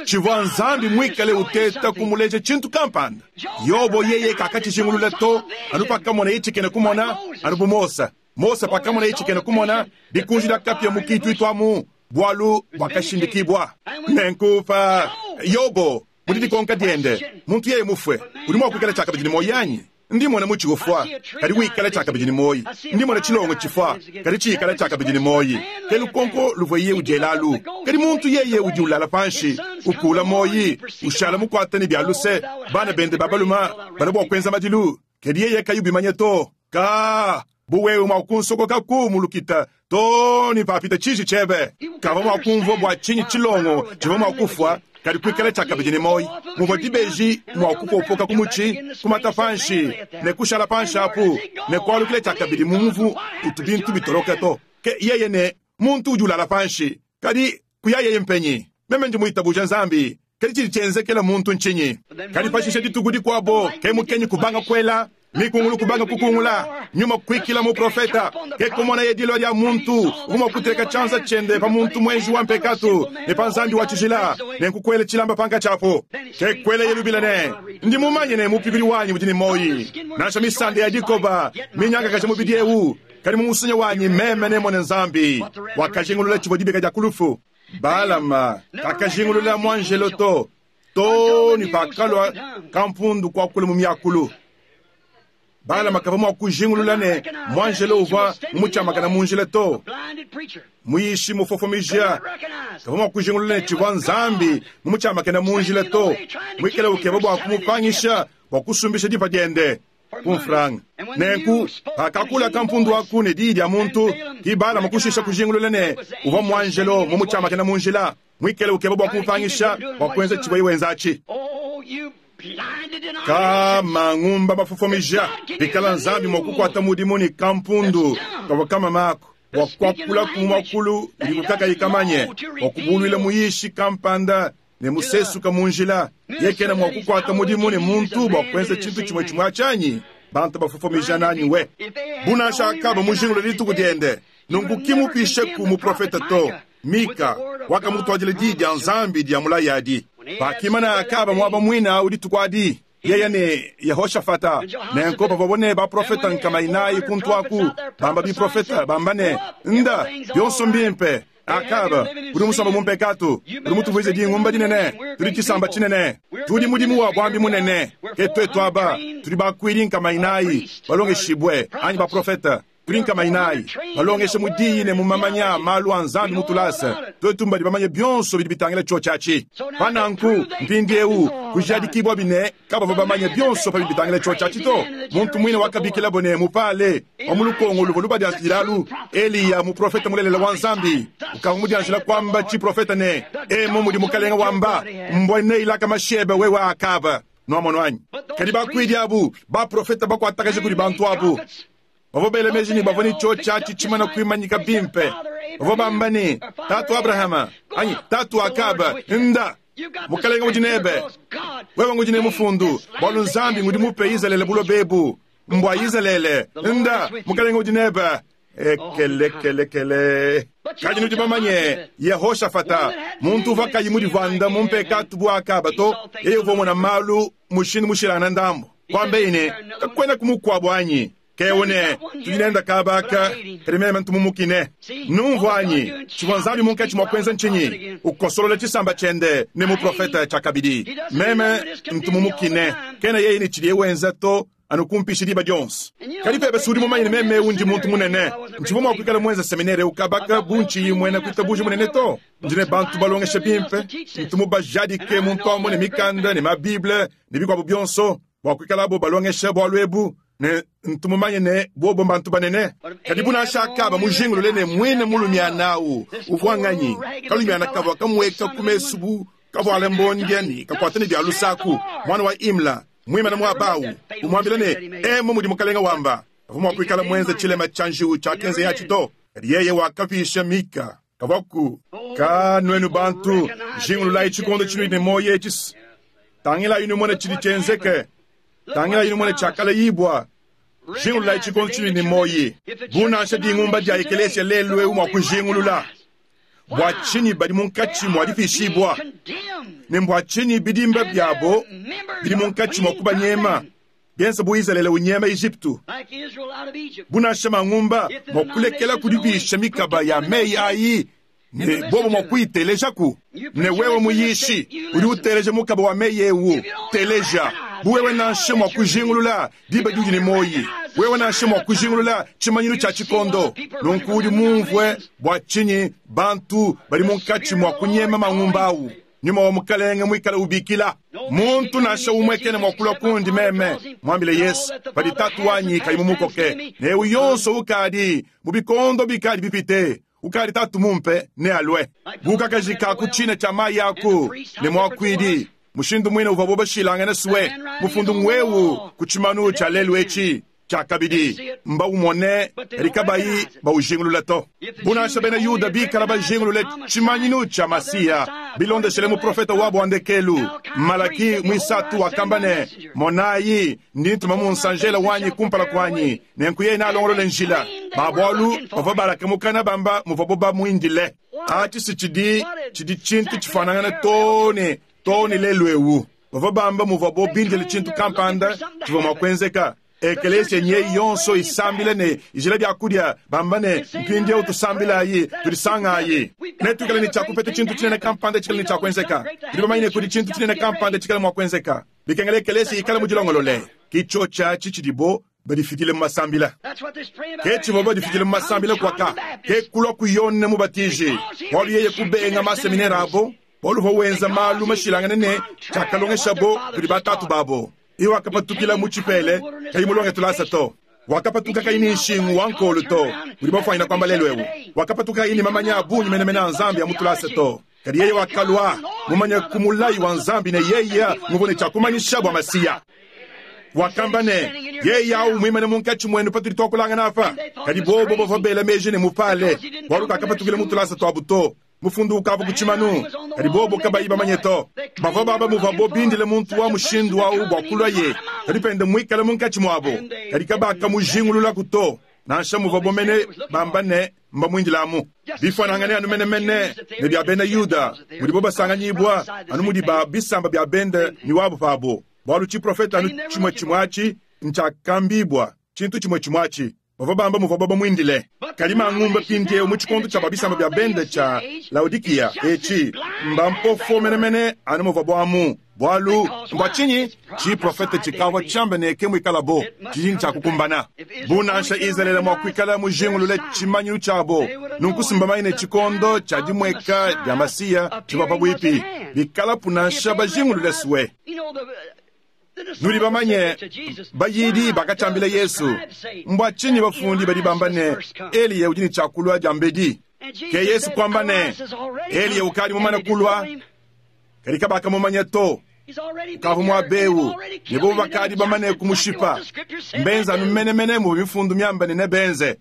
Tshivua Nzambi muikale uteta kumuleja tshintu kampanda. Yobo yeye kakatshijingulula to, anu pakamonaye tshikena kumona, anu bu Mose. Mose pakamonaye tshikena kumona, dikunji dia kapia mu kituitu amu, bualu buakashindikibua. Nenku pa Yobo, mu didikonka diende, muntu yeye mufue, udi mua kuikala tshiakabidi ne muoyo anyi? Ndi mmona mutshi ufua, kadi wikala tshiakabidi ne muoyi. Ndi mmona tshilongo tshifua, kadi tshikala tshiakabidi ne muoyi. Ke lukonko luvuaye udiela alu. Kadi muntu yeye udi ulala panshi, ukuula muoyi, ushala mukuate ne bia luse, bana bende ba balume balua bua kuenza madilu, kadi yeye kayi ubimanya to. Kaa, bu wewe mua kunsokokaku mu lukita too ne papita tshiji tshiebe! Kavua mua kumvua bua tshinyi tshilongo tshivua mua kufua, kadi kuikala tshiakabidi ne muoyo, muvua dibeji mua kupopoka ku mutshi, kumata panshi ne kushala panshi apu, ne kualukila tshiakabidi mu muvu utu bintu bitoloka to. Ke yeye ne, Muntu udi ulala panshi, kadi kuya yeye mpenyi? Meme ndi muitabuja Nzambi, kadi tshidi tshienzekela muntu ntshinyi? Kadi pashishe dituku dikuabo, ke mukenyi kubanga kuela, mikungulu kubanga kukungula, nyuma kuikila muprofeta. Ke kumonaye dilua dia muntu uvua mua kuteka tshianza tshiende pa muntu muenji wa mpekatu ne pa Nzambi wa tshijila, nenku kuela tshilamba pankatshi apu. Ke kuelaye lubila ne, Ndi mumanye ne, Mupikudi wanyi udi ne muoyi, nansha misanda ya dikoba minyangakaja mubidi eu, kadi mu musunya wanyi meme nemmone Nzambi. Wakajingulula tshivua dibika dia ku lufu. Balama kakajingulula muanjelo to, too ne pakalua kampundu kuakula mu miakulu. Balama kavua mua kujingulula ne, muanjelo uvua mumutshiamakana mu njila to. Muyishi mufofomija kavua mua kujingulula ne, tshivua Nzambi mumutshiamakena mu njila to, muikale ukeba bua kumupangisha bua kusumbisha dipa diende ku mfranga. Nenku, pakakula kampundu aku ne diyi dia muntu, ke Balama kushisha kujingulula ne, uvua muanjelo mumutshiamakena mu njila, muikale ukeba bua kumupangisha bua kuenza tshivuaye wenza atshi. Ka mangumba mafofomija, pikala Nzambi mua kukuata mudimu ne kampundu kavua kamama aku bua kuakulaku mu muakulu udiku kakayi kamanye, bua kubuluila muyishi kampanda ne musesuka mu njila, yeye kena mua kukuata mudimu ne muntu bua kuenza tshintu tshimue tshimue atshi anyi? Bantu bafofomija nanyi we! Bu nansha Akaba mujingulule dituku diende, nunku ki mupisheku muprofete to. Mika wakamutuadila diyi dia Nzambi dia mulayi adi. Pakimana Akaba muaba muine au dituku adi, yeye ne Yehoshafata, nenku pavuabo ne baprofete nkama inayi kuntu aku bamba biprofete, bamba ne, Nda, bionso mbimpe. Akaba, udi musombe mu mpekatu, udi mutuvuije dingumba dinene, tudi tshisamba tshinene, tudi mudimu wa buambi munene. Ke tuetu aba, tudi bakuidi nkama inayi balongeshibue, anyi baprofete. Tudi nkama inayi balongesha mu diyi ne mu mamanya a malu a Nzambi mu tulasa. Tuetu mbadi bamanye bionso bidi bitangila tshiotshi atshi. Pa nanku, mpindieu, kujadikibuabi ne, kabavua bamanye bionso pa bidi bitangila tshiotshi atshi to. Muntu muine wakabikilabo ne, mupale wa mu lukongo luvua lubadianjidila alu, Eliya, muprofete mulelela wa Nzambi, ukavua mudianjila kuamba tshiprofete ne, Emu mudi Mukalenge wamba, mbua neilaka mashi ebe wewe Akaba. Nuamonu anyi? Kadi bakuidi abu, baprofete bakuatakaja kudi bantu abu, Bavua bela meji ne, bavua ne tshiotshi atshi tshimana kuimanyika bimpe. Bavua bamba ne, Tatu Abrahama, anyi Tatu Akaba, nda, Mukalenge udi nebe. Wewe ngudi ne mufundu, bualu Nzambi ngudi mupe Izalele buloba ebu. Mbua Izalele. Nda, Mukalenge udi nebe. Ekelekelekele. Kadi nudi bamanye, Yehoshafata, muntu uvua kayi mudivuanda mu mpekatu bu Akaba to, yeye uvua umona malu mushindu mushilangane ndambu. Kuambaye ne, Kakuenaku mukuabu anyi? Ke ne, tudi nende kaba aka, kadi meme ntu mumukine. Numvua anyi? Tshivua Nzambi munkatshi mua kuenza ntshinyi? Ukosolola tshisamba tshiende ne muprofete tshiakabidi. Meme ntu mumukine. Kena yeye ne tshidiye wenza to, anu kumpisha diba dionso. Kadi pebe si udi mumanye ne meme eu ndi muntu munene. Ntshivua mua kuikala muenze seminere eu kaba aka bu ntshiyi muena kuitabuja munene to. Ndi ne bantu balongesha bimpe, ntu mubajadike mu ntombo ne mikanda ne ma Bible ne bikuabu bionso bua kuikalabo balongesha bualu ebu, ne ntu mumanye ne bobo mbantu banene. Kadi bu nansha Akaba mujingulule ne muine mulumiana au uvua nganyi, kalumiana kavua kamueka ku mesu bu kavuale mbondia ne kakuata ne bia lusaku, muana wa Imla, muimane muaba au, umuambila ne, Emu mudi mukalenge wamba, kavua mua kuikala muenze tshilema tshia njiwu tshiakenzeye atshi to. Kadi yeye wakapisha Mika. Kavuaku ka nuenu bantu, jingululayi tshikondo tshinudi ne muoyo etshi. Tangilayi numone tshidi tshienzeke. Tangilayi numone tshiakalayibua. Jingululayi tshikondo tshinudi ne muoyi. Bu nansha dingumba dia ekeleziya lelu eu mua kujingulula bua tshinyi badi munkatshi mua dipishibua, ne mbua tshinyi bidimba biabo bidi munkatshi mua kubanyema, bienza bu Izalele unyema Ejipitu. Bu nansha mangumba mua kulekela kudipisha mikaba ya meyi ayi, ne bobo mua kuyitelejaku. Ne wewe muyishi udi uteleja mukaba wa meyi eu, teleja. Bu wewe nansha mua kujingulula diba diudi ne muoyi, wewe nansha mua kujingulula tshimanyinu tshia tshikondo, nunku udi mumvue bua tshinyi bantu badi munkatshi mua kunyema mangumba au. Nyuma wa Mukalenge muikale ubikila. Muntu nansha umue kena mua kulua kundi meme, muambile Yesu, padi Tatu wanyi kayi mumukoke. Ne eu yonso ukadi mu bikondo bikadi bipite, ukadi Tatu mumpe, nealue. Bu kakaji ka ku tshina tshia mayi aku ne muakuidi, mushindu muine uvuabo bashilangane sue, mufundu ng'wewu ku tshimanu tshia lelu etshi. Tshiakabidi, mbaumone, kadi kabayi baujingulula to. Bu nansha bena Yuda bikala bajingulule tshimanyinu tshia Masiya bilondeshile muprofete wabu wa ndekelu, Malaki muisatu wakamba ne, Monayi, ndi ntuma munsanjela wanyi kumpala kuanyi, nenku yeye nealongolole njila. Ba bualu bavua balaka mukana bamba muvuabo bamuindile. Atshi si tshidi tshidi tshintu tshifuanangane too ne too ne lelu'eu. Bavua bamba muvuabo bindile tshintu kampanda tshivua mua kuenzeka. Ekeleziya nyeyi yonso isambila ne ijila biakudia, bamba ne, Mpindieu tusambilayi, tudisangayi. Netuikale ne tshia kupeta tshintu tshinene kampanda tshikale ne tshia kuenzeka. Tudi bamanye ne kudi tshintu tshinene kampanda tshikale mua kuenzeka. Bikengela ekeleziya ikale mudilongolole. Ke tshiotshi atshi tshidibo badifidile mu masambila. Ke tshivua badifidile mu masambila kuaka, ke kulua ku Yone Mubatiji, bualu yeye kubenga maseminere abo, bualu uvua wenza malu mashilangane ne tshiakalongeshabo kudi batatu babo. Iye wakapatukila mu tshipele kayi mulonge tulasa to. Wakapatuka kayi ne nshingu wa nkolu to, mudi bafuanyina kuamba lelu eu. Wakapatuka kayi ne mamanya a bungi menemene a Nzambi a mu tulasa to. Kadi yeye wakalua mumanye ku mulayi wa Nzambi ne yeye nguvua ne tshia kumanyisha bua Masiya. Wakamba ne, Yeye au muimane munkatshi muenu patudi tuakulangana apa. Kadi bobo bavua bela meji ne mupale, bualu kakapatukila mu tulasa tuabu to. Mufundu ukavua ku tshimanu, kadi bobo kabayi bamanye to. Bavua bamba muvuabo bindile muntu wa mushindu au bua kuluaye, kadi pende muikale munkatshi muabo. Kadi kabakamujingululaku to, nansha muvuabo mene bamba ne, mbamuindile amu. Bifuanangane anu menemene ne bia bena Yuda, mudibo basanganyibua anu mudi ba bisamba bia bende ne wabo pabo, bualu tshiprofete anu tshimue tshimue atshi ntshiakambibua, tshintu tshimue tshimue atshi. Bavua bamba muvuabo bamuindile. Kadi mangumba mpindieu mu tshikondo tshia ba bisamba bia bende tshia Laodikiya etshi mbampofo menemene anu muvuabo amu. Bualu mbua tshinyi? Tshiprofete tshikavua tshiambe ne ke muikalabo, tshidi ne tshia kukumbana. Bu nansha Izalele mua kuikala mujingulule tshimanyinu tshiabo, nunku si mbamanye ne tshikondo tshia dimueka dia Masiya tshivua pabuipi, bikalapu nansha bajingulule sue. Nudi bamanye, bayidi bakatshiambila Yesu, Mbua tshinyi bafundi badi bamba ne, Eliya udi ne tshia kulua diambedi? Ke Yesu kuamba ne, Eliya ukadi mumane kulua, kadi kabakamumanya to. Ukavua muaba eu, ne bobo bakadi bamane kumushipa. Mbenze anu menemene muvua mifundu miambe ne nebenze.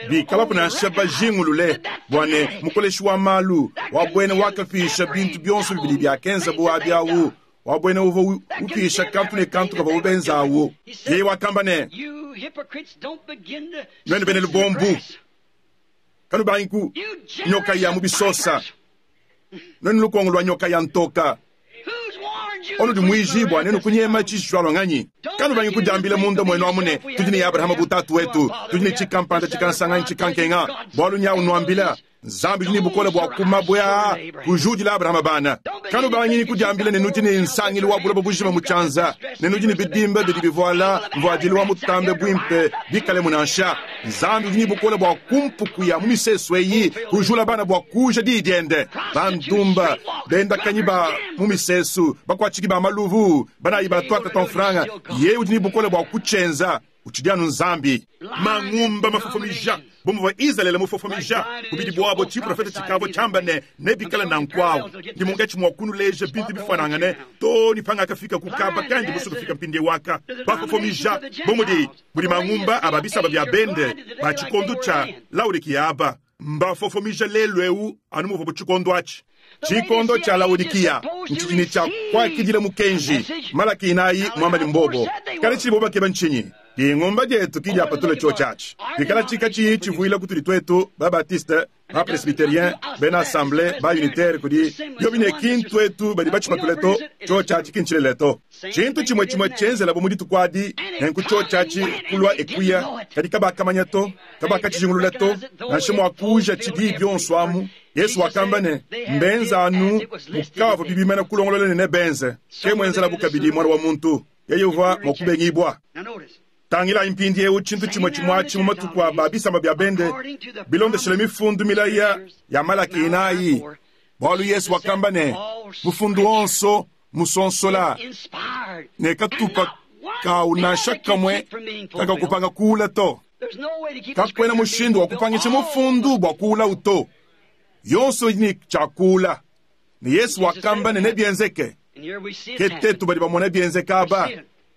Bikalapu nansha bajingulule bua ne, mukoleshi wa malu wa buena wakapisha bintu bionso bibidi biakenzabo abi au, wa buena uvua upisha kantu ne kantu kavuabu benza awu. Yeye wakamba ne, Nuenu bena lubombu, kanubangi ku nyoka ya mu bisosa, nuenu lukongo lua nyoka ya ntoka, onudi muijibua nenu kunyema tshiji tshilualua nganyi? Kanubangi kudiambila munda muenu amu ne, Tudi ne Abrahama bu tatu wetu, tudi ne tshikampanda tshikansanganyi tshikankenga, bualu nyawu nuambila, Nzambi udi ne bukole bua ku mabue aa kujudila Abrahama bana. Kanubangi kudiambila ne nudi ne nsangilu wa buloba bujima mu tshianza, ne nudi ne bidimba bidi bivuala mvuadilu wa mutambe buimpe bikalemu nansha. Nzambi udi ne bukole bua ku mpuku ya mu misesu eyi kujula bana bua kuuja diyi diende. Bandumba, bendakanyi ba mu misesu, bakuatshiki ba maluvu, banayi ba tuata tua mfranga, yeye udi ne bukole bua kutshienza. Utshidi anu Nzambi. Mangumba mafofomija, bu muvua Izalele mufofomija, bubidi buabo tshiprofete tshikavua tshiamba ne, nebikale nanku awu. Ndi munkatshi mua kunuleja bintu bifuanangane too ne pangakafika ku kaba kandi musue kufika mpindieu aka. Bafofomija, bu mudi, mudi mangumba a ba bisamba bia bende ba tshikondo tshia Laodikiya aba, mbafofomija lelu'eu anu muvuabu tshikondo atshi. Tshikondo tshia Laodikiya ntshidi ne tshia kuakidila mukenji. Malaki inayi muamba ne mbobo. Kadi tshidibo bakeba ntshinyi? Dingumba dietu ki diapatula tshiotshi atshi. Pikala katshiyi tshivuila kutudi tuetu ba-Baptiste, ba-Presbyterien, bena Assemblee, ba-Unitaire, kudi biobi ne ki ntuetu badi batshipatule to, tshiotshi atshi ki ntshilelela to. Tshintu tshimue tshimue tshienzelabu mu dituku adi, nenku tshiotshi atshi kulua e kuya, kadi kabakamanya to, kabakatshijingulula to, nansha mua kuuja tshidi bionso amu. Yesu wakamba ne, Mbenza anu mukavua bibimana kulongolola ne nebenze, ke muenzelabu kabidi Muana wa muntu. Yeye uvua mua kubengibua. Tangilayi mpindieu tshintu tshimue tshimue atshi mu matuku a ba bisamba bia bende, bilondeshile mifundu milaya ya Malaki inayi, bualu Yesu wakamba ne, Mufundu wonso musonsola ne katupa kawu nansha kamue kakakupanga kuula to. Kakuena mushindu wa kupangisha mufundu bua kuulawu to. Yonso idi ne tshia kuula. Ne Yesu wakamba ne, nebienzeke. Ke tetu badi bamona bienzeka aba,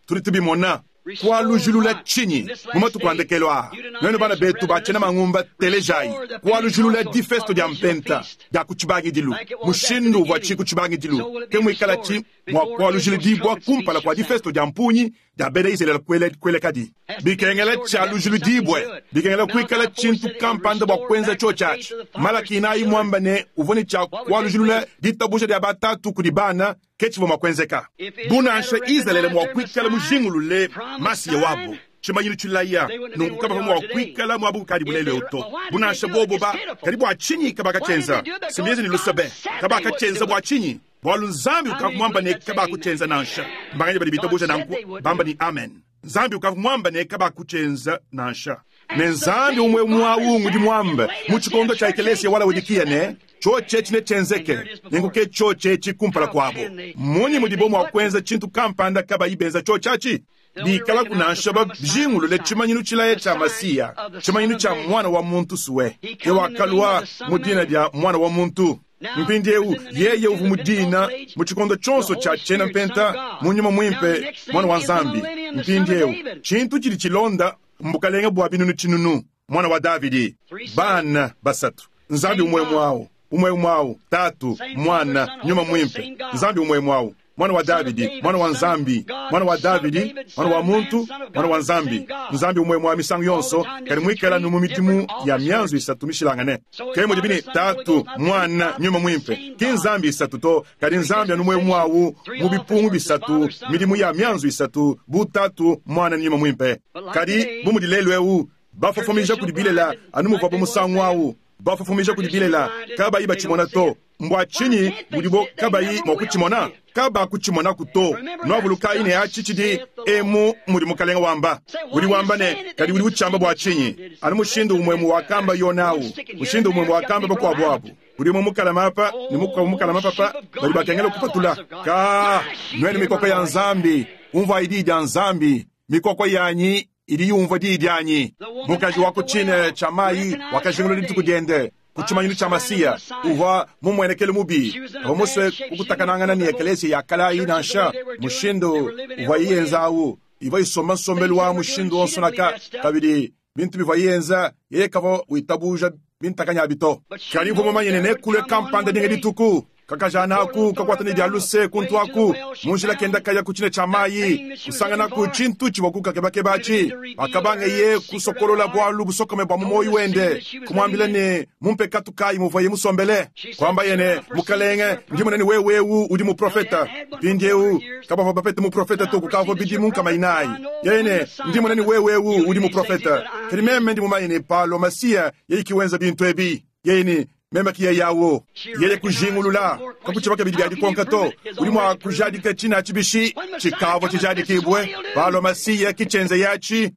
tudi tubimona. Kualujilula tshinyi mu matuku a ndekelu aa? Nuenu bana betu ba tshiena mangumba, telejayi. Kualujilula difesto dia Mpenta dia ku tshibangidilu, mushindu uvuatshi ku tshibangidilu, ke muikalatshi mua kualujiludibua kumpala kua difesto dia mpungi dia bena Izalele kuelekadi. Bikengela tshialujiludibue, bikengela kuikala tshintu kampanda bua kuenza tshiotshi atshi. Malaki inayi muamba ne uvua ne tshia kualujilula ditabuja dia batatu kudi bana, ke tshivua mua kuenzeka. Bu nansha Izalele mua kuikala mujingulule Masiya wabu, tshimanyinu tshilaya, nunku kabavua mua kuikala muaba ukadibu lelu eu to. Bu nansha bobo ba, kadi bua tshinyi kabakatshienza? Si mbienze ne luse be! Kabakatshienza bua tshinyi? Bualu Nzambi ukavua muamba ne kabakutshienza nansha. Mbanganyi badi bitabuja nanku bamba ne amen? Nzambi ukavua muamba ne kabakutshienza nansha. Ne Nzambi umue umue au ngudi muambe mu tshikondo tshia ekelesia wa Laodikiya ne, tshiotshi etshi netshienzeke, nenku ke tshiotshi etshi kumpala kuabo. Mmunyi mudibo mua kuenza tshintu kampanda kabayi benza tshiotshi atshi? Bikalaku nansha bajingulule tshimanyinu tshilaya tshia Masiya, tshimanyinu tshia Muana wa muntu sue, ke wakalua mu dina dia Muana wa muntu. Mpindieu, yeye uvua mu dina mu tshikondo tshionso tshia tshiena mpenta mu Nyuma Muimpe, Muana wa Nzambi. Mpindieu, tshintu tshidi tshilonda mbukalenge bua binunu tshinunu, Muana wa Davidi. Bana basatu, Nzambi umue umue au, umue umue au, Tatu, Muana, Nyuma Muimpe, Nzambi umue umue au, Muana wa Davidi, Muana wa Nzambi, Muana wa Davidi, Muana wa muntu, Muana wa Nzambi, Nzambi umue umue misangu yonso, kadi muikale anu mu midimu ya mianzu isatu mishilangane. Ke mudibi ne Tatu, Muana, Nyuma Muimpe, ki Nzambi isatu to, kadi Nzambi anu umue umue au mu bipungu bisatu, midimu ya mianzu isatu, bu Tatu, Muana ne Nyuma Muimpe. Kadi bu mudi lelu eu bafofomija kudi bilela anu muvuabu musangu au bafofomija kudi bilela, kabayi batshimona to. Mbua tshinyi budibo kabayi mua kutshimona? Kabakutshimonaku to. Nuavulukayi ne atshi tshidi emu mudi Mukalenge wamba. Udi wamba ne, kadi udi utshiamba bua tshinyi? Anu mushindu umue wakamba Yona au, mushindu umue wakamba bakuabu abu. Udi umue mukalama apa ne mukuabu mukalama papa, badi bakengela kupatula. Ka, nuenu mikoko ya Nzambi, umvuayi diyi dia Nzambi, mikoko yanyi idi yumvua diyi dianyi. Mukaji wa ku tshina tshia mayi wakajingulula dituku diende ku tshimanyinu tshia Masiya. Uvua mumuenekelu mubi, kavua musue kukutakanangana ne ekeleziya ya kale ayi nansha. Mushindu uvuaye yenza au, ivua isomba nsombelu wa mushindu wonso naka. Kabidi, bintu bivuaye yenza, yeye kavua witabuja bintakanyi abi to. Kadi uvua mumanye ne, nekulue kampanda dinga dituku Kakajana aku kakuata ne dia luse kuntu aku mu njila kenda kaya ku tshina tshia mayi, kusanganaku tshintu tshivua kukakebakeba atshi. Pakabangeye kusokolola bualu busokome bua mu muoyo wende, kumuambila ne mu mpekatu kayi muvuaye musombele, kuambaye ne, Mukalenge, ndi mona ne wewe eu udi muprofete. Mpindieu kabavua bapete muprofete to kukavua bidimu nkama inayi. Yeye ne, Ndi mona ne wewe eu udi muprofete, kadi meme ndi mumanye ne palua Masiya yeye ki wenza bintu ebi. Yeye ne, Meme ki yeye awu. Yeye kujingulula, kakutshivua kabidi bia dikonka to. Udi mua kujadika tshina atshi bishi? Tshikavua tshijadikibue. Palua Masiya ki tshienzeye atshi.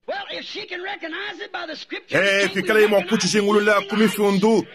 Ee, pikaleye mua kutshijingulula ku Mifundu,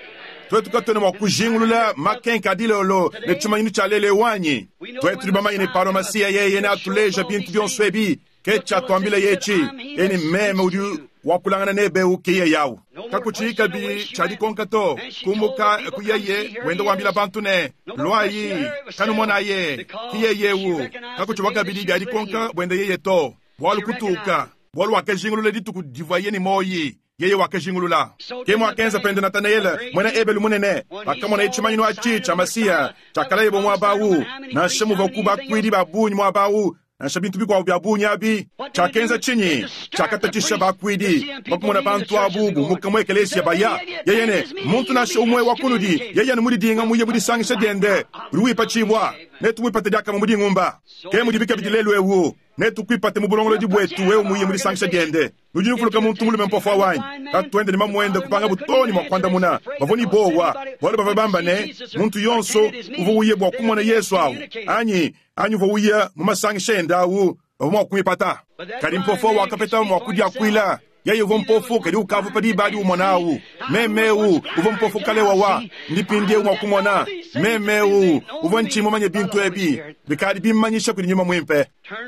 tuetu katuena mua kujingulula makenka a dilolo ne tshimanyinu tshia lelu eu anyi? Tuetu tudi bamanye ne palua Masiya yeye neatuleja bintu bionso ebi. Ke tshiatuambileye etshi, Eni meme udi wakulangana nebe eu ke yeye au. Kakutshiyi kabidi tshia dikonka to. Kumuka ku yeye wenda wambila bantu ne, Luayi, kanumonaye, ke yeye eu. Kakutshivua kabidi bia dikonka buende yeye to, bualu kutuka, bualu wakajingulula dituku divuaye ne muoyi. Yeye wakajingulula. Ke muakenza pende Natanaele, muena Ebelu munene, pakamonaye tshimanyinu atshi tshia Masiya tshiakalayibua muaba au. Nansha muvuaku bakuidi ba bungi muaba au, Nansha bintu bikuabu bia bungi abi. Tshiakenza tshinyi? Tshiakatatshisha bakuidi pa kumona bantu abu bumuka mu ekeleziya baya. Yeye ne, Muntu nansha umue wa kunudi yeye anu mudidinga muye mu disangisha diende, udi wipatshibua. Netumuipate diakamue mu dingumba. Ke mudibi kabidi lelu'eu. Netukuipate mu bulongolodi buetu wewe muye mu disangisha diende. Nudi nuvuluka muntu mulume mpofo au anyi? Tatuende ne mamuende kupangabu too ne mua kuandamuna. Bavua ne buowa, bualu bavua bamba ne, muntu yonso uvua uya bua kumona Yezu au anyi anyi uvua uya mu masangisha ende au bavua mua kumuipata. Kadi mpofo au wakapeta mua kudiakuila. Yeye uvua mpofu, kadi ukavua pa diba adi umona au. Meme eu uvua mpofu kale wawa, ndi mpindieu mua kumona. Meme eu uvua ntshiyi mumanye bintu ebi, bikadi bimmanyisha kudi nyuma muimpe.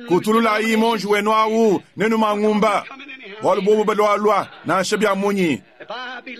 Kutululayi muonji wenu au ne numangumba, bualu bobu balualua nansha bia munyi.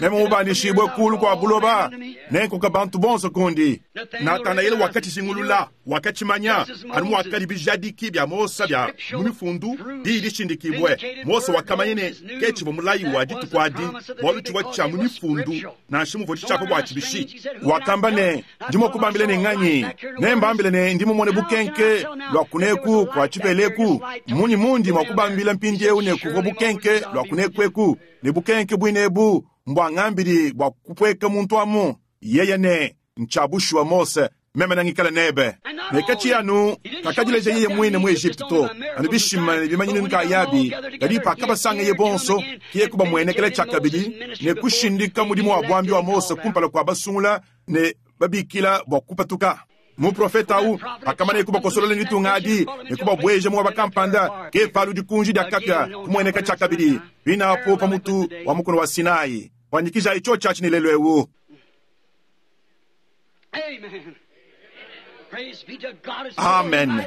Meme mubandishibue kulu kua buloba, nenkoka bantu bonso kundi. Natanaele wakatshijingulula, wakatshimanya, anu muakadi bijadiki bia Mose bia mu Mifundu diyi dishindikibue. Mose wakamanya ne, ke tshivua mulayi wa dituku adi, bualu tshivua tshia mu Mifundu, nansha muvua ditshiapa buatshi bishi. Wakamba ne, Ndi mua kubambila ne nganyi? Nembambile ne, ndi mumone bukenke lua kuneku kua tshipela eku. Mmunyi mundi mua kubambila mpindieu ne kuvua bukenke lua kuneku eku, ne bukenke buine ebu mbua ngambidi bua kupueka muntu amu? Yeye ne, Ntshia bushuwa Mose, meme nengikale nebe. Ne katshiyi anu kakadileja yeye muine mu Ejipitu to, anu bishima ne bimanyinu nkayabi, kadi pakabasangeye bonso, ke yeye kubamuenekela tshiakabidi ne kushindika mudimu wa buambi wa Mose kumpala kua basungula ne babikila bua kupatuka. Muprofete au pakamanaye kubakosolola ne ditunga adi ne kubabueja muaba kampanda, ke palu dikunji dia kapia kumueneka tshiakabidi pinapu pa mutu wa mukuna wa Sinai. Fuanyikijayi tshiotshi atshi ne lelu eu. Amen.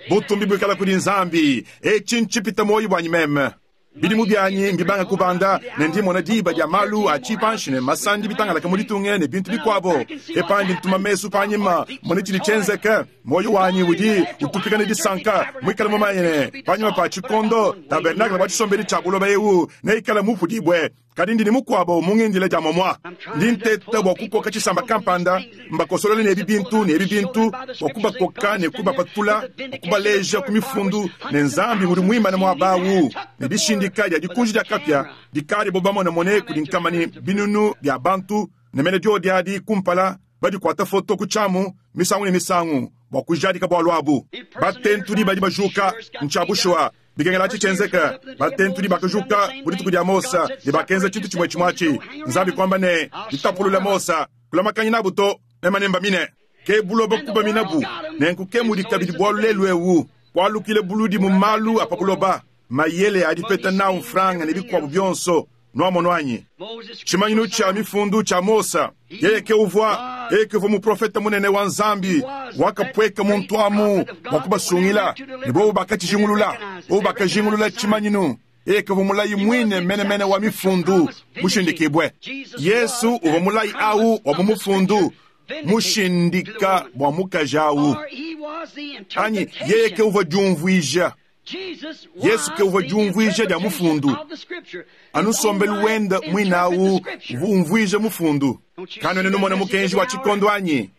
Butumbi buikala kudi Nzambi. Etshi ntshipita muoyo buanyi meme. Bidimu bianyi mbibanga kubanda ne ndi mmona diba dia malu a tshipanshi ne masandi bitangalaka mu ditunga ne bintu bikuabo. Ke pandi ntuma mesu panyima mmone tshidi tshienzeke. Muoyo wanyi udi utupika ne disanka muikale mumanye ne, panyima pa tshikondo, tabernakle wa tshisombedi tshia buloba eu neikale mupudibue. Kadi ndi ne mukuabo mu ngindila dia momua. Ndi nteta bua kukoka tshisamba kampanda, mbakosolole ne ebi bintu ne ebi bintu, bua kubakoka ne kubapatula, bua kubaleja ku mifundu ne Nzambi ngudi muimane muaba awu, ne dishindika dia dikunji dia kapia dikadibo bamonemone kudi nkama ne binunu bia bantu, ne mene diodi adi kumpala, badikuata foto ku tshiamu misangu ne misangu bua kujadika bualu abu. Batentudi badi bajuka, ntshia bushuwa. Bikengela atshi tshienzeke, batentudi bakajuka mu dituku dia Mose ne bakenza tshintu tshimue tshimue atshi. Nzambi kuamba ne, Ditapulula Mose, kulamakanyi nabu to, meme nembamine. Ke buloba kubaminabu. Nenku ke mudi kabidi bualu lelu'eu, kualukile buludi mu malu a pa buloba, mayele a dipeta nawu mfranga ne bikuabu bionso. Nuamonu anyi? Tshimanyinu tshia Mifundu tshia Mose, yeye ke uvua, yeye ke uvua muprofete munene wa Nzambi wakapueka muntu amu bua kubasungila, ne bobu bakatshijingulula. Bobu bakajingulula tshimanyinu. Yeye ke uvua mulayi muine menemene wa Mifundu mushindikibue. Yezu uvua mulayi au wa mu Mufundu mushindika bua mukaji au, anyi yeye ke uvua diumvuija. Yezu ke uvua diumvuija dia mufundu. Anu nsombelu wende muine au uvua umvuija mufundu. Kanuena numona mukenji wa tshikondo anyi?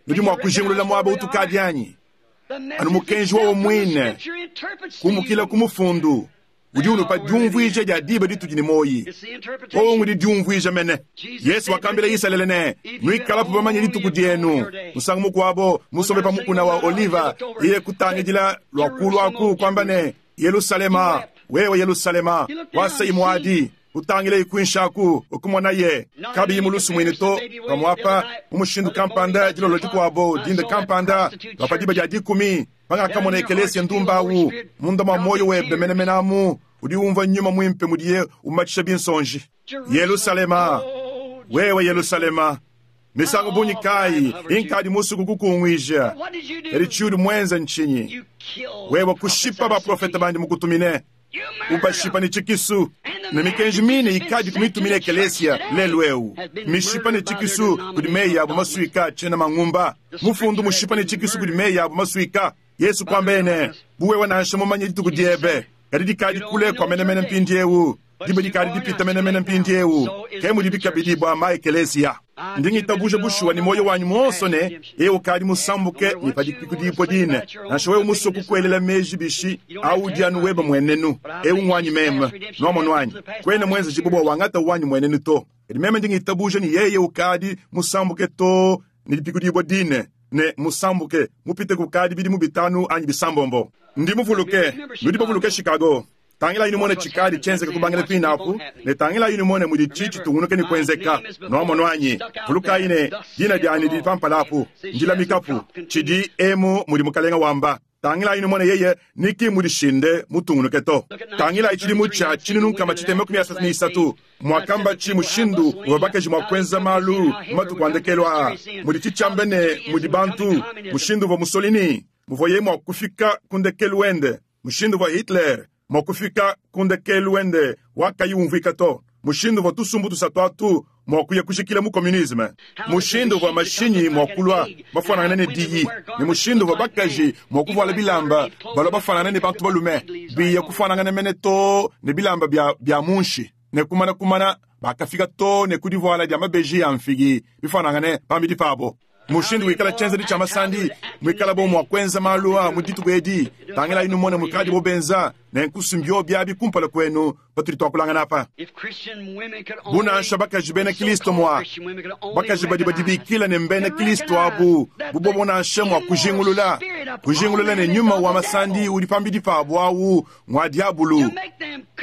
Nudi mua kujingulula muaba utukadi anyi? Anu mukenji wowo muine, kumukila ku mufundu, udi unupa diumvuija dia diba ditudi ne muoyi. Wowo ngudi diumvuija mene. Yesu wakambila Isalele ne, Nuikalapu bamanye dituku dienu. Musangu mukuabo, musombe pa mukuna wa Oliva, yeye kutangidila lua kulu aku, kuamba ne, Yelusalema, wewe Yelusalema, wasayi muadi, utangileyi kuinshi aku, ukumonaye kabiyi mu lusumuinu to, pamuapa mu mushindu kampanda dilolo dikuabo, dinda kampanda, lua pa diba dia dikumi, pangakamona ekelesia ndumba awu, munda mua muoyo webe menemene amu, udi umvua Nyuma Muimpe mudiye umatshisha binsonji. Yelusalema, wewe Yelusalema, misangu bungi kayi inkadi musue kukukunguija, kadi tshiudi muenze ntshinyi? Wewe kushipa baprofete bandi mukutumine, ubashipa ne tshikisu, ne mikenji mine ikadi kumitumina ekelesia lelu eu, mishipa ne tshikisu kudi meyi abu masuika tshiena mangumba, mufundu mushipa ne tshikisu kudi meyi abu masuika. Yesu kuambaye ne, Bu wewe nansha mumanye dituku diebe, kadi dikadi kule kua menemene mpindieu. Diba dikadi dipita menemene mpindieu. Ke mudibi kabidi bua ma-ekeleziya. Ndi ngitabuja bushuwa ne muoyo wanyi muonso ne, yeye ukadi musambuke ne pa dipikudibua dine. Nansha wewe musue kukuelela meji bishi, awu udi anu webe mmuenenu. Eu ngwanyi meme. Nwamonu anyi? Kuena muenzejibue bua wangata wanyi mmuenenu to. Kadi meme ndi ngitabuja ne yeye ukadi musambuke too ne dipikudibua dine, ne musambuke mupite kukadi bidimu bitanu anyi bisambombo. Ndi muvuluke, nudi bavuluke Chicago. Tangilayi numone tshikadi tshienzeka kubangila kuine apu, ne tangilayi numone muditshi tshitungunuke ne kuenzeka. Nwamonu anyi? Vulukayi ne, dina dianyi didi pa mpala apu. Ndilamikapu. Tshidi emu mudi Mukalenga wamba. Tangilayi numone yeye ni ki mudishinde mutungunuke to. Tangilayi tshidimu tshia 1633, muakambatshi mushindu uvua bakaji mua kuenza malu mu matuku a ndekelu aa, muditshi tshiamba ne mudi bantu, mushindu uvua Mussolini, muvuaye mua kufika ku ndekelu wende, mushindu uvua Hitler mua kufika ku ndekelu wende wa kayi umvuika to, mushindu uvua tusumbu tusatu atu mua kuya kujikila mu communisme, mushindu uvua mashinyi mua kulua mafuanangane ne diyi, ne mushindu uvua bakaji mua kuvuala bilamba balua bafuanangane ne bantu balume, biya kufuanangana mene too ne bilamba bia bia munshi, ne kumana kumana bakafika too ne ku divuala dia mabeji a mfigi bifuanangane pambidi pabo. Mushindu wikala tshienzedi tshia masandi muikalabo mua kuenza malu a mu dituku edi, tangilayi numone mukadibo benza, nenku mbiobi abi kumpala kuenu patudi tuakulangana apa. Bu nansha bakaji bena Kilisto mua, bakaji badi badibikila ne mbena Kilisto abu, bu bobo nansha mua kujingulula, kujingulula ne nyuma wa masandi udi pambidi pabo awu ngua diabulu,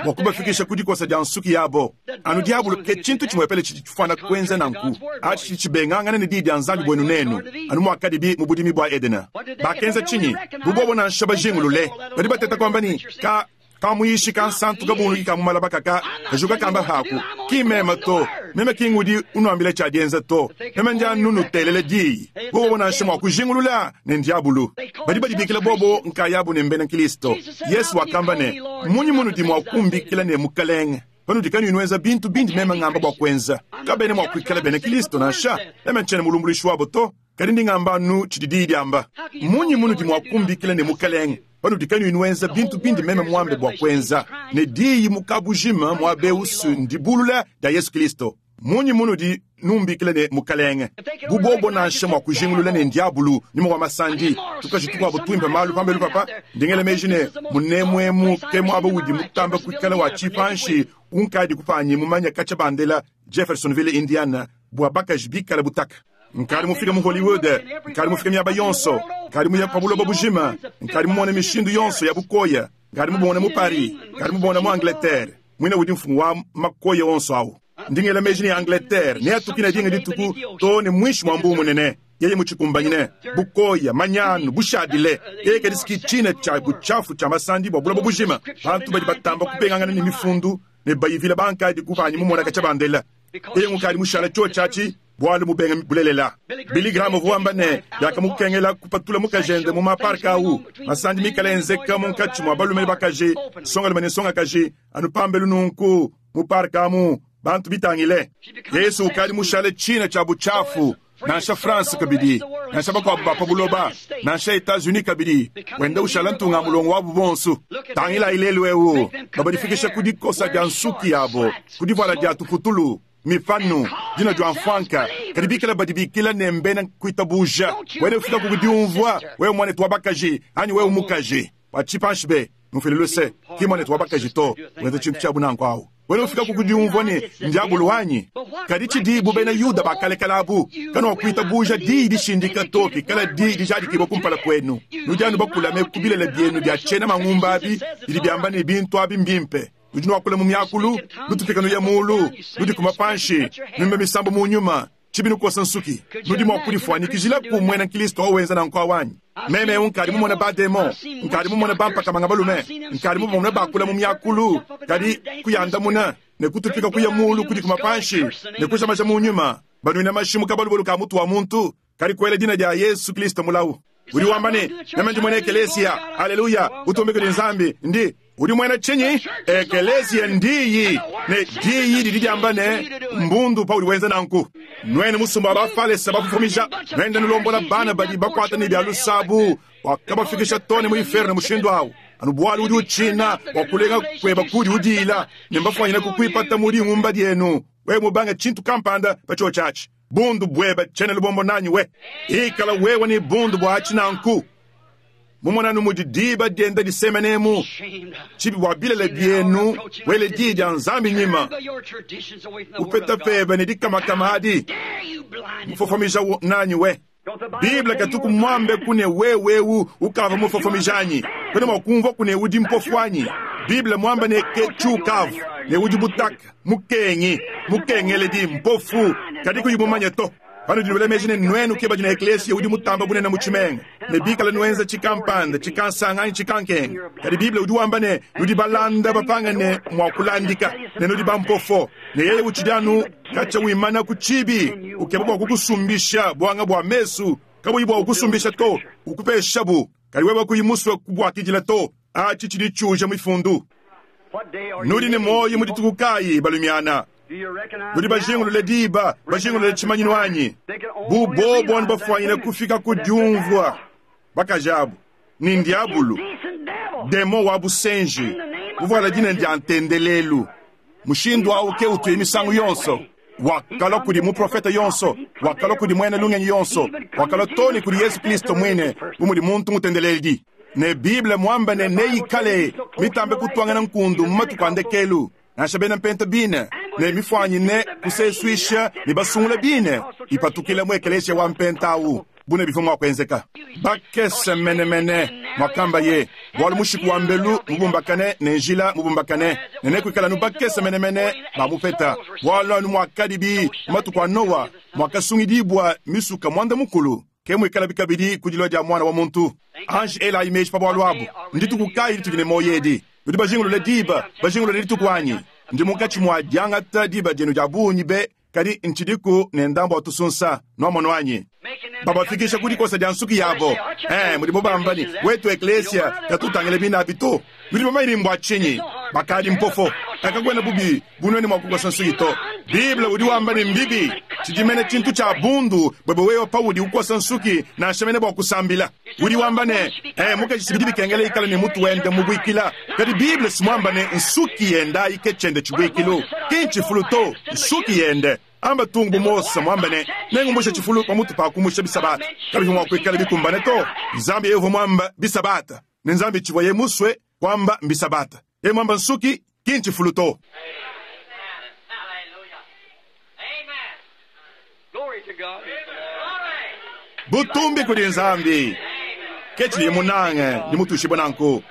bua kubafikisha ku dikosa dia nsuki yabo. Anu diabulu ke tshintu tshimuepele tshidi tshifuana kuenza nanku. Atshi tshidi tshibengangana ne Diyi dia Nzambi buenu nenu, anu muakadibi mu budimi bua Edena. Bakenza tshinyi? Bu bobo nansha bajingulule, badi bateta kuamba ne, Ka, ka muyishi kansantu kabunguluki ka mu malaba kaka kajuka kamba haku. Ki meme to. Meme ki ngudi unuambila tshia dienza to. Meme ndi anu nutelela diyi. Bu bobo nansha mua kujingulula ne ndiabulu. Badi badibikila bobo nkayabu ne mbena Kilisto. Yesu wakamba ne, Mmunyi munudi mua kumbikila ne Mukalenge, panudi kanuyi nuenza bintu bindi meme ngamba bua kuenza? Kabena mua kuikala bena Kilisto nansha. Meme ntshiena mulumbuluishi wabo to, kadi ndi ngamba anu tshidi Diyi diamba. Mmunyi munudi mua kumbikila ne Mukalenge, panudi kanuyi nuenza bintu bindi meme muambe bua kuenza? Ne Diyi mu kabujima muaba eu ndibulula dia Yesu Kilisto. Mmunyi munudi numbikila ne, Mukalenge? Bu bobo nansha mua kujingulula ne, Ndiabulu, nyuma wa masandi, tukaji tukuabo tuimpe malu pambelu papa, ndi ngela meji ne, munemu emu ke muaba udi mutambe kuikala wa tshipanshi unkadi kupanyi mumanye katshia bandela Jeffersonville, Indiana, bua bakaji bikale butaka. Nkadi mufike mu Hollywood, nkadi mufike miaba yonso, nkadi muye pa buloba bujima, nkadi mumone mishindu yonso ya bukoya, nkadi mubumone mu Paris, nkadi mubumone mu Angleterre. Muine udi mfumu wa makoya onso au. Ndi ngela meji ne Angleterre neatukine dinga dituku too ne muinshi mua mbuu munene, yeye mutshikumbanyine. Bukoya, manyanu, bushadile, yeye kadi si tshina tshia butshiafu tshia masandi bua buloba bujima. Bantu badi batamba kubengangana ne mifundu ne bayivila bankadi ku panyi mumona katshia bandela. Yeye ngukadi mushala tshiotshi atshi bualu mubenga bulelela. Billy Graham uvua wamba ne, biakamukengela kupatula mukajende mu maparka au, masandi mikale enzeka munkatshi mua balume ne bakaji, nsongalume ne nsongakaji, anu pambelu nunku mu parka amu, bantu bitangile. Yesu ukadi mushale tshina tshia butshiafu, nansha France kabidi, nansha bakuabu ba pa buloba, nansha Etats-Unis kabidi, wenda ushala ntunga-mulongo wabu bonso. Tangilayi lelu eu, babadifikisha ku dikosa dia nsuki yabo, ku divuala dia tuputulu, mipanu, dina dia mfuanka, kadi bikale badibikila ne mbena kuitabuja. Wena ufika ku diumvua, wewe muanetu wa bakaji anyi wewe mukaji wa tshipanshi be, mufile luse, ki muanetu wa bakaji to, wenza tshintu tshia bunanku awu. Wena ufika ku diumvua ne ndiabulu wanyi. Kadi tshidibu bena Yuda ba kalekale abu, kanuakuitabuja diyi dishindika to pikala diyi dijadikibua kumpala kuenu. Nudi anu bakulame ku bilele bienu bia tshiena mangumba abi bidi biamba ne bintu abi mbimpe. Nudi nuakula mu miakulu, nutupika nuya muulu, nudikuma panshi, nuimba misambu mu nyuma, tshibi nukosa nsuki. Nudi mua kudifuanyikijilaku muena nkristo wawenza nanku awu anyi? Meme eu nkadi mumone ba-demon, nkadi mumone bampaka-manga balume, nkadi mubamone bakula mu miakulu, kadi kuyandamuna, ne kutupika kuya muulu, kudikuma panshi, ne kuja maja mu nyuma, banuina mashi mu kabalubelu ka mutu wa muntu, kadi kuela dina dia Yesu Kristo mulawu. Udi wamba ne, Meme ndi muena ekeleziya. Aleluya! Butumbi kudi Nzambi! Ndi. Udi muena tshinyi? Ekeleziya ndiyi, ne diyi didi diamba ne, mbundu paudi wenza nanku. Nuenu musumba wa Bafalese bafofomija, nuenda nulombola bana badi bakuata ne bia lusabu, wakabafikisha too ne mu inferno mushindu au, anu bualu udi utshina bua kulenga kueba kudi udiila, ne mbafuanyine kukuipata mu dingumba dienu wewe mubange tshintu kampanda pa tshiotshi atshi. Bundu bwebe tshiena lubombo nanyi we. Ikala wewe ne bundu bwa tshinanku. Mumona anu mudi diba dienda disemenemu, tshibi bua bilele bienu wele diyi dia Nzambi nyima. Upeta pebe ne dikamakama adi, mufofomija nanyi we. Bible katuku muambe ku ne wewe eu ukava mufofomija anyi? Kuena mua kumvua ku ne udi mpofu anyi? Bible muambe ne ke tshiukavu ne udi butaka, mukengi, mukengeledi, mpofu, kadi kuyi mumanye to. Panudi nuela meji ne nuenu ke badi ne ekleziya udi mutamba bunene mu tshimenga, ne bikala nuenza tshikampanda, tshikansanga anyi tshikankenga, kadi Bible udi wamba ne nudi balanda bapangane mua kulandika, ne nudi bampofo, ne yeye utshidi anu katshia wimana ku tshibi, ukeba bua kukusumbisha buanga bua mesu, kabuyi bua kukusumbisha to, ukupeshabu, kadi wewe kuyi musue kubuakidila to. Atshi tshidi tshiuja mifundu. Nudi ne muoyo mu dituku kayi, balumiana? Nudi bajingulule diba, bajingulule tshimanyinu anyi? Bu bobo anu bafuanyine kufika ku diumvua bakaji abu ne ndiabulu, demon wa busenji, muvuala dina dia ntendelelu. Mushindu au ke utuye misangu yonso. Wakalua kudi muprofete yonso, wakalua kudi muena lungenyi yonso, wakalua too ne kudi Yezu Kristo muine, bu mudi muntu mutendeledi. Ne Bible muambe ne neikale mitambe kutuangana nkundu mu matuku a ndekelu, nansha bena mpenta bine ne mifuanyine kusesuisha ne basungula bine ipatukila mu ekeleziya wa mpenta au, bu ne bivua mua kuenzeka. Bakese menemene, muakambaye, bualu mushiku wa mbelu mubumbakane ne njila mubumbakane, ne nekuikale anu bakese menemene bamupeta, bualu anu muakadibi mu matuku a Noa, muakasungidibua misuka muanda-mukulu, ke muikalabi kabidi ku dilua dia Muana wa muntu. Anji elayi meji pa bualu abu. Ndituku kayi ditudi ne muoyo edi? Nudi bajingulule diba, bajingulule dituku anyi? Ndi munkatshi mua diangata diba dienu dia bungi be, kadi ntshidiku ne ndambu wa tusunsa, nuamonu anyi? Babafikisha ku dikosa dia nsuki yabo. Eh, mudibo bamba ne, Wetu eklesia katutangile binabi to. Nudi bamanye ne mbua tshinyi? Bakadi mpofo. Kakuena bubi bu nuenu mua kukosa nsuki to. Bible udi wamba ne mbibi. Tshidi mene tshintu tshia bundu buebe wewe paudi ukosa nsuki, nansha mene bua kusambila. Udi wamba ne, Eh, mukaji si bidi bikengela ikale ne mutu wende mubuikila. Kadi Bible si muamba ne nsuki yende ayi ke tshiende tshibuikilu. Ki ntshifulu to, nsuki yende. Amba tung bu Mose muambe ne, Nengumbushe tshifulu pamutu pa kumusha bisabata. Kabivua mua kuikala bikumbane to. Nzambi yeye uvua muamba bisabata, ne Nzambi tshivuaye musue kuamba mbisabata. Yeye muamba nsuki, ki ntshifulu to. Butumbi kudi Nzambi! Ke tshidiye munange, ndi mutuishibue nanku.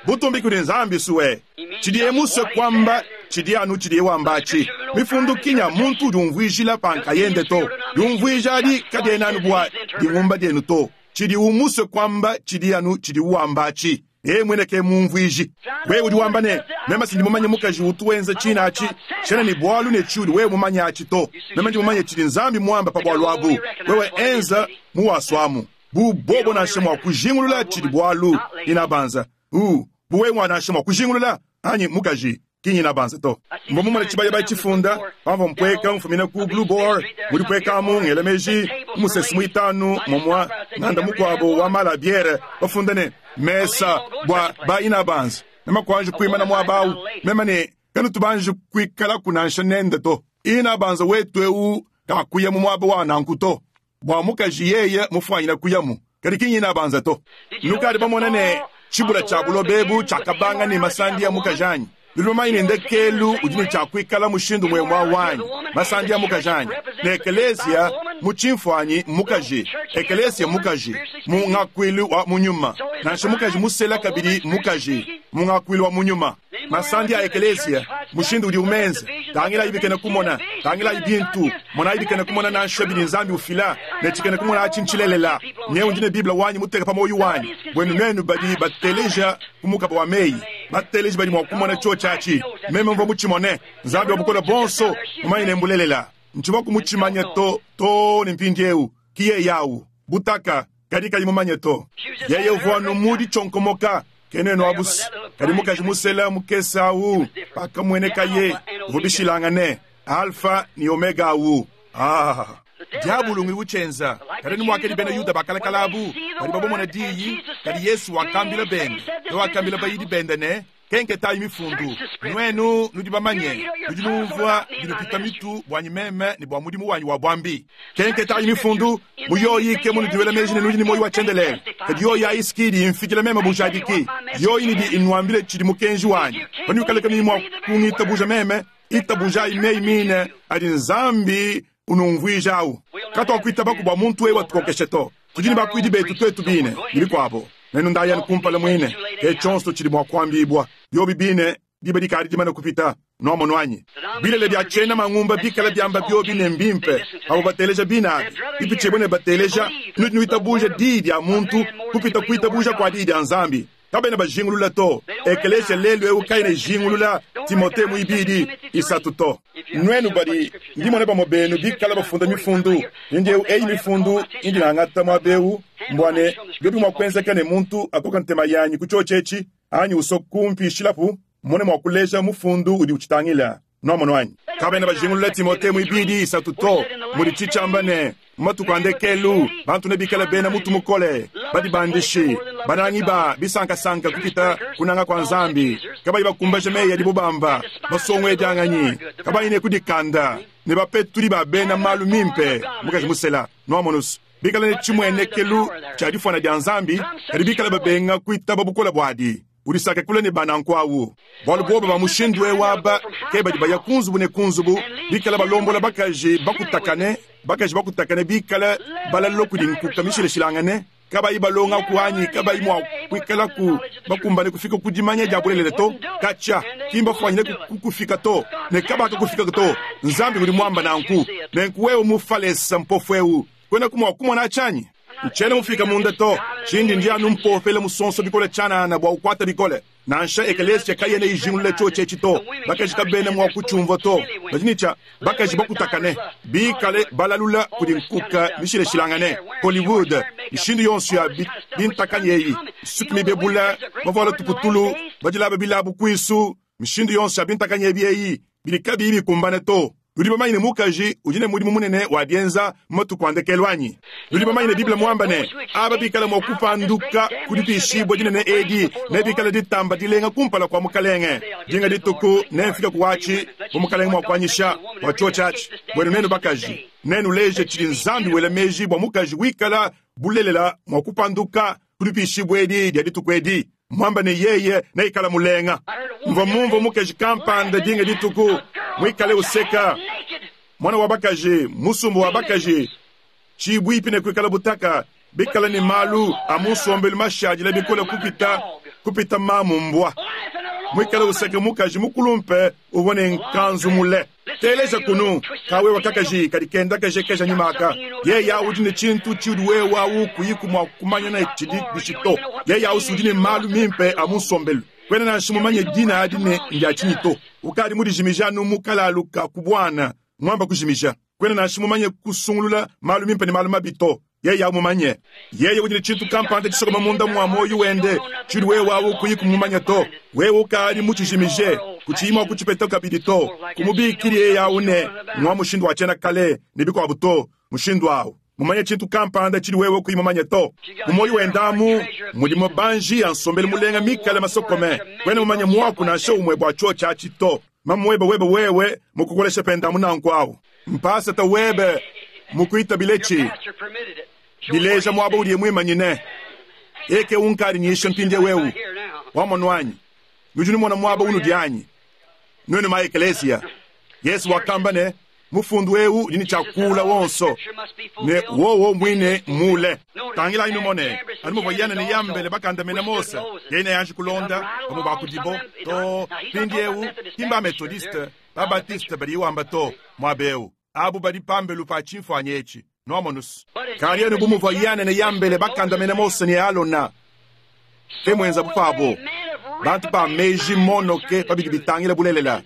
Butumbi kudi Nzambi, sue. Tshidiye musue kuamba tshidi anu tshidiye wamba atshi. Mifundu ki nya muntu udi umvuijila pa nkayende to. Diumvuija adi kadiena anu bua dingumba dienu to. Tshidiwu musue kuamba tshidi anu tshidiwu wamba atshi. Yeye muine ke mumvuiji. Wewe udi wamba ne, Meme si ndi mumanye mukaji utu wenza tshine atshi. Tshiena ne bualu ne tshiudi wewe mumanye atshi to. Meme ndi mumanye tshidi Nzambi muambe pa bualu abu. Wewe enza muwasuamu. Bu bobo nansha mua kujingulula tshidi bualu, inabanza. Bu wewe nansha mua kujingulula, anyi mukaji, ki nyinabanza to. Mvua mumone tshibayabayi tshifunda pamvua mpueka mfumina ku Blue Boar, mu dipueka amu ngela meji ku musesu muitanu momua nganda mukuabo wa mala a biere bafunda ne, Mesa bua ba inabanza. Meme kuanji kuimana muaba au, meme ne, Kanutu banji kuikalaku nansha nende to. Inabanza wetu eu kakuya mu muaba wa nanku to. Bua mukaji yeye mufuanyine kuyamu, kadi ki nyinabanza to. Nukadi bamone ne, tshibula tshia buloba ebu tshiakabanga ne masandi a mukaji anyi? Nudi bamanye ne ndekelu udi ne tshia kuikala mushindu umue wa wanyi, masandi a mukaji anyi? Ne ekeleziya mu tshimfuanyi mmukaji, ekeleziya mmukaji mu ngakuilu wa mu nyuma, nansha mukaji musela kabidi mmukaji mu ngakuilu wa mu nyuma. Masandi a ekeleziya, mushindu udiwu menze. Tangilayi bikena kumona, tangilayi bintu, monayi bikena kumona nansha bidi Nzambi ufila, ne tshikena kumona atshi ntshilelela. Nyewu ndi ne Bible wanyi muteka pa muoyo wanyi. Buenu nuenu badi bateleja ku mukaba wa meyi, bateleji badi mua kumona tshiotshi atshi. Meme mvua mutshimone. Nzambi wa Bukole Buonso mumanye ne mbulelela. Ntshivua kumutshimanya to, too ne mpindieu. Ki yeye au, butaka, kadi kayi mumanye to. Yeye uvua anu mu ditshionkomoka. Ke nuenu abu's. Kadi mukaji musela mukese awu, pakamuenekaye, uvua bishilangane, Alfa ne Omega awu. Ah! Diabulu ngudi utshienza. Kadi anu muakadi bena Yuda ba kalakala abu, badi babomona diyi, kadi Yesu wakambila bende, ne wakambila bayidi bende ne, Kenketayi Mifundu. Nuenu nudi bamanye, nudi numvua binupita mitu buanyi meme ne bua mudimu wanyi wa buambi. Kenketayi Mifundu, mu yoyi ke munudi nuela meji ne nudi ne muoyo wa tshiendelele. Kadi yoyi ayi si ki idi imfikila meme bujadiki. Yoyi idi inuambila tshidi mukenji wanyi. Panuikala kanuyi mua kungitabuja meme, itabujayi meyi mine adi Nzambi unumvuija au. Katuakuitabaku bua muntu eu atukokeshe to. Tudi ne bakuidi betu tuetu bine, ne bikuabo. Nenu ndayanu kumpala muine, ke tshionso tshidi mua kuambibua. Biobi bine, diba dikadi dimane kupita. Nuamonu anyi? Bilele bia tshiena mangumba bikala biamba biobi ne mbimpe, abo bateleja bine abi, bipitshibue ne bateleja, nudi nuitabuja diyi dia muntu kupita kuitabuja kua diyi dia Nzambi. Kabena bajingulula to. Ekelesia lelu eu kayena ijingulula Timote muibidi, isatu to. Nuenu badi, ndi mona bamue benu bikala bafunda mifundu. Mpindieu eyi mifundu indi ngangata muaba eu mbua ne biobi mua kuenzeka ne muntu akoka ntema yanyi ku tshiotshi etshi anyi usua kumpishilapu, mmone mua kuleja mufundu udi utshitangila. Nuamonu anyi? Kabena bajingulula Timote muibidi, isatu to, mudi tshiamba ne, Mu matuku a ndekelu, bantu nebikale bena mutu mukole, badibandishi, banangi ba bisankasanka kupita kunanga kua Nzambi, kabayi bakumbaja meyi adibo bamba, basonguedianganyi, kabayi ne kudikanda, ne bapetudi ba bena malu mimpe. Mukaji musela, nuamonus, bikale ne tshimuenekelu tshia difuana dia Nzambi, kadi bikale babenga kuitaba bukole buadi. Udisake kule ne ba nanku awu, bualu bobu ba mushindu eu aba ke badi baya ku nzubu ne ku nzubu, bikale balombola bakaji bakutakane, bakaji bakutakane bikale balalula kudi nkuka mishilashilangane, kabayi balongaku anyi kabayi mua kuikalaku bakumbane kufika ku dimanya dia bulelela to. Katshia, ki mbafuanyine kukufika to, ne kabakakufika to. Nzambi ngudi muamba nanku. Nenku wewe Mufalesa mpofu eu, kuenaku mua kumona tshianyi? Ntshiena mufika munda to. Tshindi ndi anu mpopela musonso bikole tshianana bua ukwata bikole. Nansha ekelesia kayena ijingulula tshiotshi etshi to. Bakaji kabena mua kutshiumvua to. Badi ne tshia bakaji bakutakane, bikale balalula kudi nkuka mishilashilangane, Hollywood, mishindu yonso ya bintakanyi eyi, nsuki mibebula, bavuala tuputulu, badilaba bilabu kuisu, mishindu yonso ya bintakanyi ebi eyi, bidi kabiyi bikumbane to. Nudi bamanye ne mukaji udi ne mudimu munene wa dienza mu matuku a ndekelu anyi? Nudi bamanye ne Bible muamba ne, aba bikala mua kupanduka ku dipishibua dinene edi nebikale ditamba dilenga kumpala kua Mukalenge. Dinga dituku nemfike ku atshi, bu Mukalenge mua kuanyisha bua tshiotshi atshi. Buenu nenu bakaji, nenuleje tshidi Nzambi wela meji bua mukaji wikala bulelela mua kupanduka ku dipishibua edi dia dituku edi. Muamba ne yeye neikala mulenga. Mvua mumvue mukaji kampanda dinga dituku muikale useka muana wa bakaji, musumba wa bakaji tshibuipi ne kuikala butaka, bikale ne malu a mu nsombelu mashadile bikole kupita kupita mamu mbua, muikale useka mukaji mukulumpe uvua ne nkanzu mule. Teleja kunu, kawewa kakaji kadi kenda kejekeja nyuma aka. Yeye udi ne tshintu tshiudi wewe awu kuyiku mua kumanya ne tshidi bishi to. Yeye awu udi ne malu mimpe a mu nsombelu. Kuena nansha mumanye dina adi ne ndia tshinyi to. Ukadi mudijimije anu mu kalalu ka ku buana, muamba kujimija. Kuena nansha mumanye kusungulula malu mimpe ne malu mabi to. Yeye awu mumanye. Yeye udi ne tshintu kampanda tshisokoma munda mua muoyo wende tshiudi wewe awu kuyi kumumanya to. Wewe ukadi mutshijimije, kutshiyi mua kutshipeta kabidi to. Kumubikidi yeye awu ne ngwa mushindu wa tshiena kale ne bikuabu to. Mushindu awu mumanye tshintu kampanda tshidi wewe kuyi mumanye to. Mu muoyo wende amu mudi mabanji a nsombelu mulenga mikale masokome. Kuena mumanye muaku nansha umue bua tshiotshi atshi to. Mamuebe webe wewe mukukoleshe pende amu nanku awu. Mpasata webe mukuitabiletshi, bileja muaba udiye muimanyine. Yeye ke unkadi nyisha mpindieu eu. Wamonu anyi? Nudi numona muaba unudi anyi? Nuenu ma ekelesia. Yesu wakamba ne, Mufundu eu udi ne tshia kuula wonso, ne wowo muine mmuule. Tangilayi numone, anu muvua Yane ne Yambele bakandamena Mose, yeye neanji kulonda bamue ba kudibo to. Mpindieu, ki mba-Methodiste, ba-Baptiste badiye wamba to, muaba eu. Abu badi pambelu pa tshimfuanyi etshi. Nuamonus? Kadi anu bu muvua Yane ne Yambele bakandamena Mose ne Alona, ke muenzabu pabo. Bantu ba meji monoke pa bidi bitangila bulelela,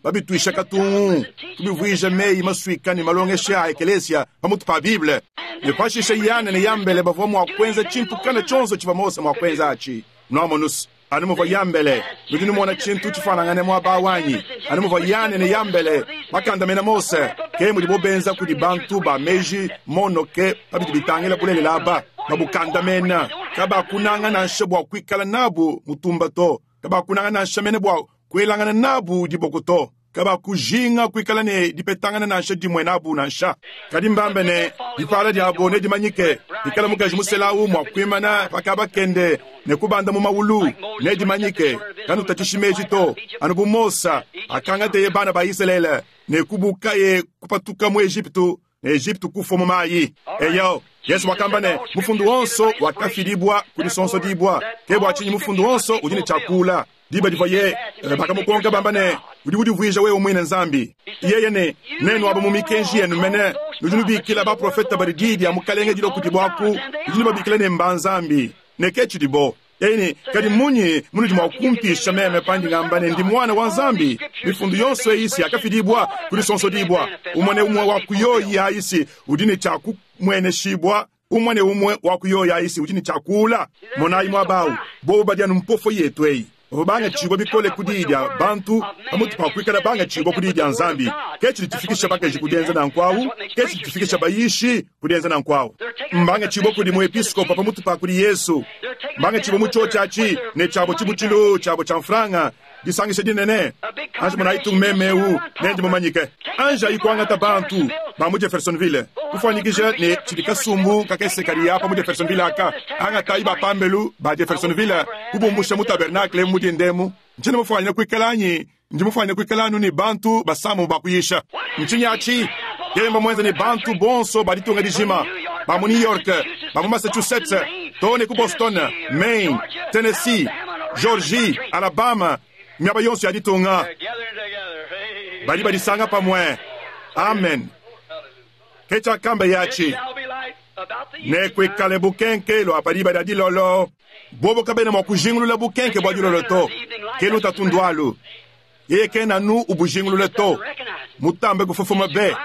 babituisha katungu, kubivuija meyi masuika ne malongesha a ekelesia pamutu pa Bible. Ne pashishe Yane ne Yambele bavua mua kuenza tshintu kana tshionso tshivua Mose mua kuenza atshi. Nuamonus? Anu muvua Yambele, nudi numona tshintu tshifuanangane muaba awu anyi? Anu muvua Yane ne Yambele bakandamena Mose, ke mudibo benza kudi bantu ba meji monoke pa bidi bitangila bulelela aba, babukandamena. Kabakunanga nansha bua kuikala nabu mutumba to. Kabakunanga nansha mene bua kuelangana nabu diboko to. Kabakujinga kuikala ne dipetangana nansha dimue nabu nansha. Kadi mbambe ne, dipala diabo nedimanyike, pikala mukaji musela awu mua kuimana pa kaba kende ne kubanda mu mawulu, nedimanyike. Kanutatshishi meji to, anu bu Mosa akangateye bana ba Isalele ne kubukaye kupatuka mu Ejipitu, ne Ejipitu kufua mu mayi. Eyo, Yesu wakamba ne, mufundu wonso wakafidibua ku disonsodibua. Ke bua tshinyi mufundu wonso udi ne tshia kuula. Diba divuaye bakamukonka bamba ne, Udi udivuija wewe muine Nzambi. Yeye ne, Nuenu aba mu mikenji yenu mene nudi nubikila baprofete badi diyi dia Mukalenge dilua kudibo aku, nudi nubabikila ne mba nzambi, ne ke tshidibo. Yeye ne, Kadi mmunyi munudi mua kumpisha meme pandi ngamba ne ndi Muana wa Nzambi? Mifundu yonso eyi si yakafidibua ku disonsodibua, umue ne umue wa ku yoyi ayi si udi ne tshia kumueneshibua. Umue ne umue wa ku yoyi ayi si udi ne tshia kuula. Monayi muaba awu, bobu badi anu mpofo yetu eyi. Bavua bangatshibua bikole ku diyi dia bantu pamutu pa kuikala bangatshibua ku diyi dia Nzambi. Ke tshidi tshifikisha bakaji ku dienza nanku awu. Ke tshidi tshifikisha bayishi ku dienza nanku awu. Mbangatshibua kudi muepiskopo pamutu pa kudi Yesu. Mbangatshibua mu tshiotshi atshi ne tshiabo tshibutshilu tshiabo tshia mfranga, disangisha dinene. Anji monayi tung meme eu, ne ndi mumanyike. Anjayi kuangata bantu ba mu Jeffersonville, kufuanyikija ne tshidi kasumbu kakese kadi apa mu Jeffersonville aka. Angatayi ba pambelu ba Jeffersonville, kubumbusha mu tabernakle emu mu dinda emu. Ntshiena mufuanyine kuikala anyi ndi mufuanyine kuikala anu ne bantu basambu ba kuyisha. Ntshinyi atshi? Yeye mbamuenze ne bantu bonso ba ditunga dijima, ba mu New York, ba mu Massachusetts, too ne ku Boston, Maine, Tennessee, Georgie, Alabama, miaba yonso ya ditunga. Badi badisanga pamue. Amen. Ke tshiakamba yatshi. Nekuikale bukenke lua pa diba dia dilolo. Bobo kabena mua kujingulula bukenke bua dilolo to. Ke lutatu ndualu. Yeye kena anu ubujingulula to. Mutambe kufofoma be.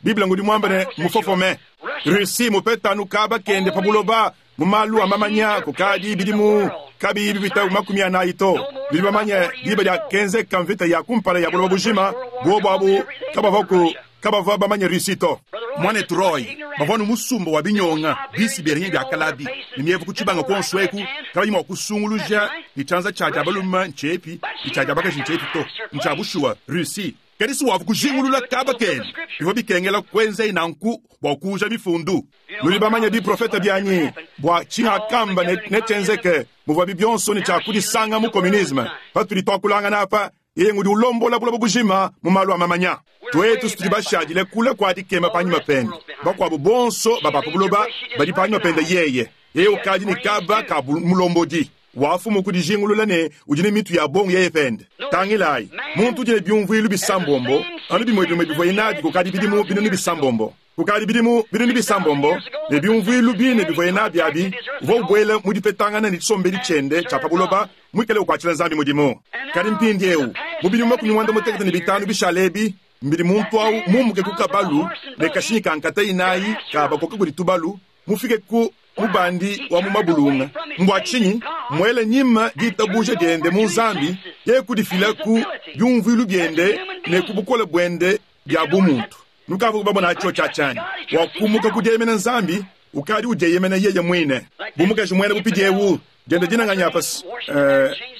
Bible ngudi muambe ne, mufofome. Russie mupeta anu kaba kende pa buloba mu malu a mamanya kukadi bidimu kabiyi bipita 40 to. Nudi bamanye diba diakenzeka mvita ya kumpala ya buloba bujima, buobu abu kabavuaku kabavua bamanye Russie to. Muanetu Roy, bavua anu musumba wa binyonga bi-Siberiens bia kalabi ne mievu ku tshibanga kuonso eku, kabayi mua kusunguluja ne tshianza tshia dia balume ntshiepi ne tshia dia bakaji ntshiepi to. Ntshia bushuwa, Russie. Kadi si wavua kujingulula kaba kende. Bivua bikengela kuenzaye nanku bua kuuja Mifundu. Nudi bamanye biprofete bianyi bua tshingakamba ne netshienzeke, muvuabi bionso ne tshia kudisanga mu communisme. Patudi tuakulangana apa, yeye ngudi ulombola buloba bujima mu malu a mamanya. Tuetu tudi bashadile kule kua dikema panyima pende. Bakuabu bonso ba ba pa buloba badi panyima pende yeye. Yeye ukadi ne kaba ka mulombodi. Wafumu ku dijingulula ne udi ne mitu ya bongo yeye pende. Tangilayi, muntu udi ne biumvuilu bisambombo, anu bimue bimue bivuaye nabi kukadi bidimu binunu bisambombo. Kukadi bidimu binunu bisambombo, ne biumvuilu bine bivuaye nabi abi, uvua ubuela mu dipetangana ne tshisombedi tshiende tshia pa buloba, muikale ukuatshila Nzambi mudimu. Kadi mpindieu, mu bidimu 55 bishale ebi, mbidi muntu au mumbuke ku kabalu ne kashinyi ka nkata inayi ka bakoka kudi tubalu, mufike ku mubandi wa mu mabulunga. Mbua tshinyi? Mmuele nyima ditabuja diende mu Nzambi, yeye kudifila ku biumvuilu biende ne ku bukole buende bia bumuntu. Nukavua babona tshiotshi atshi anyi? Wakumuka ku dieyemena Nzambi, ukadi udieyemena yeye muine. Bu mukaji muena bupidi eu, diende dina nganyi apa?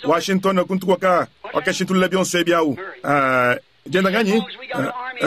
Washington kuntu kuaka wakashintulula bionso ebi au. Dienda nganyi?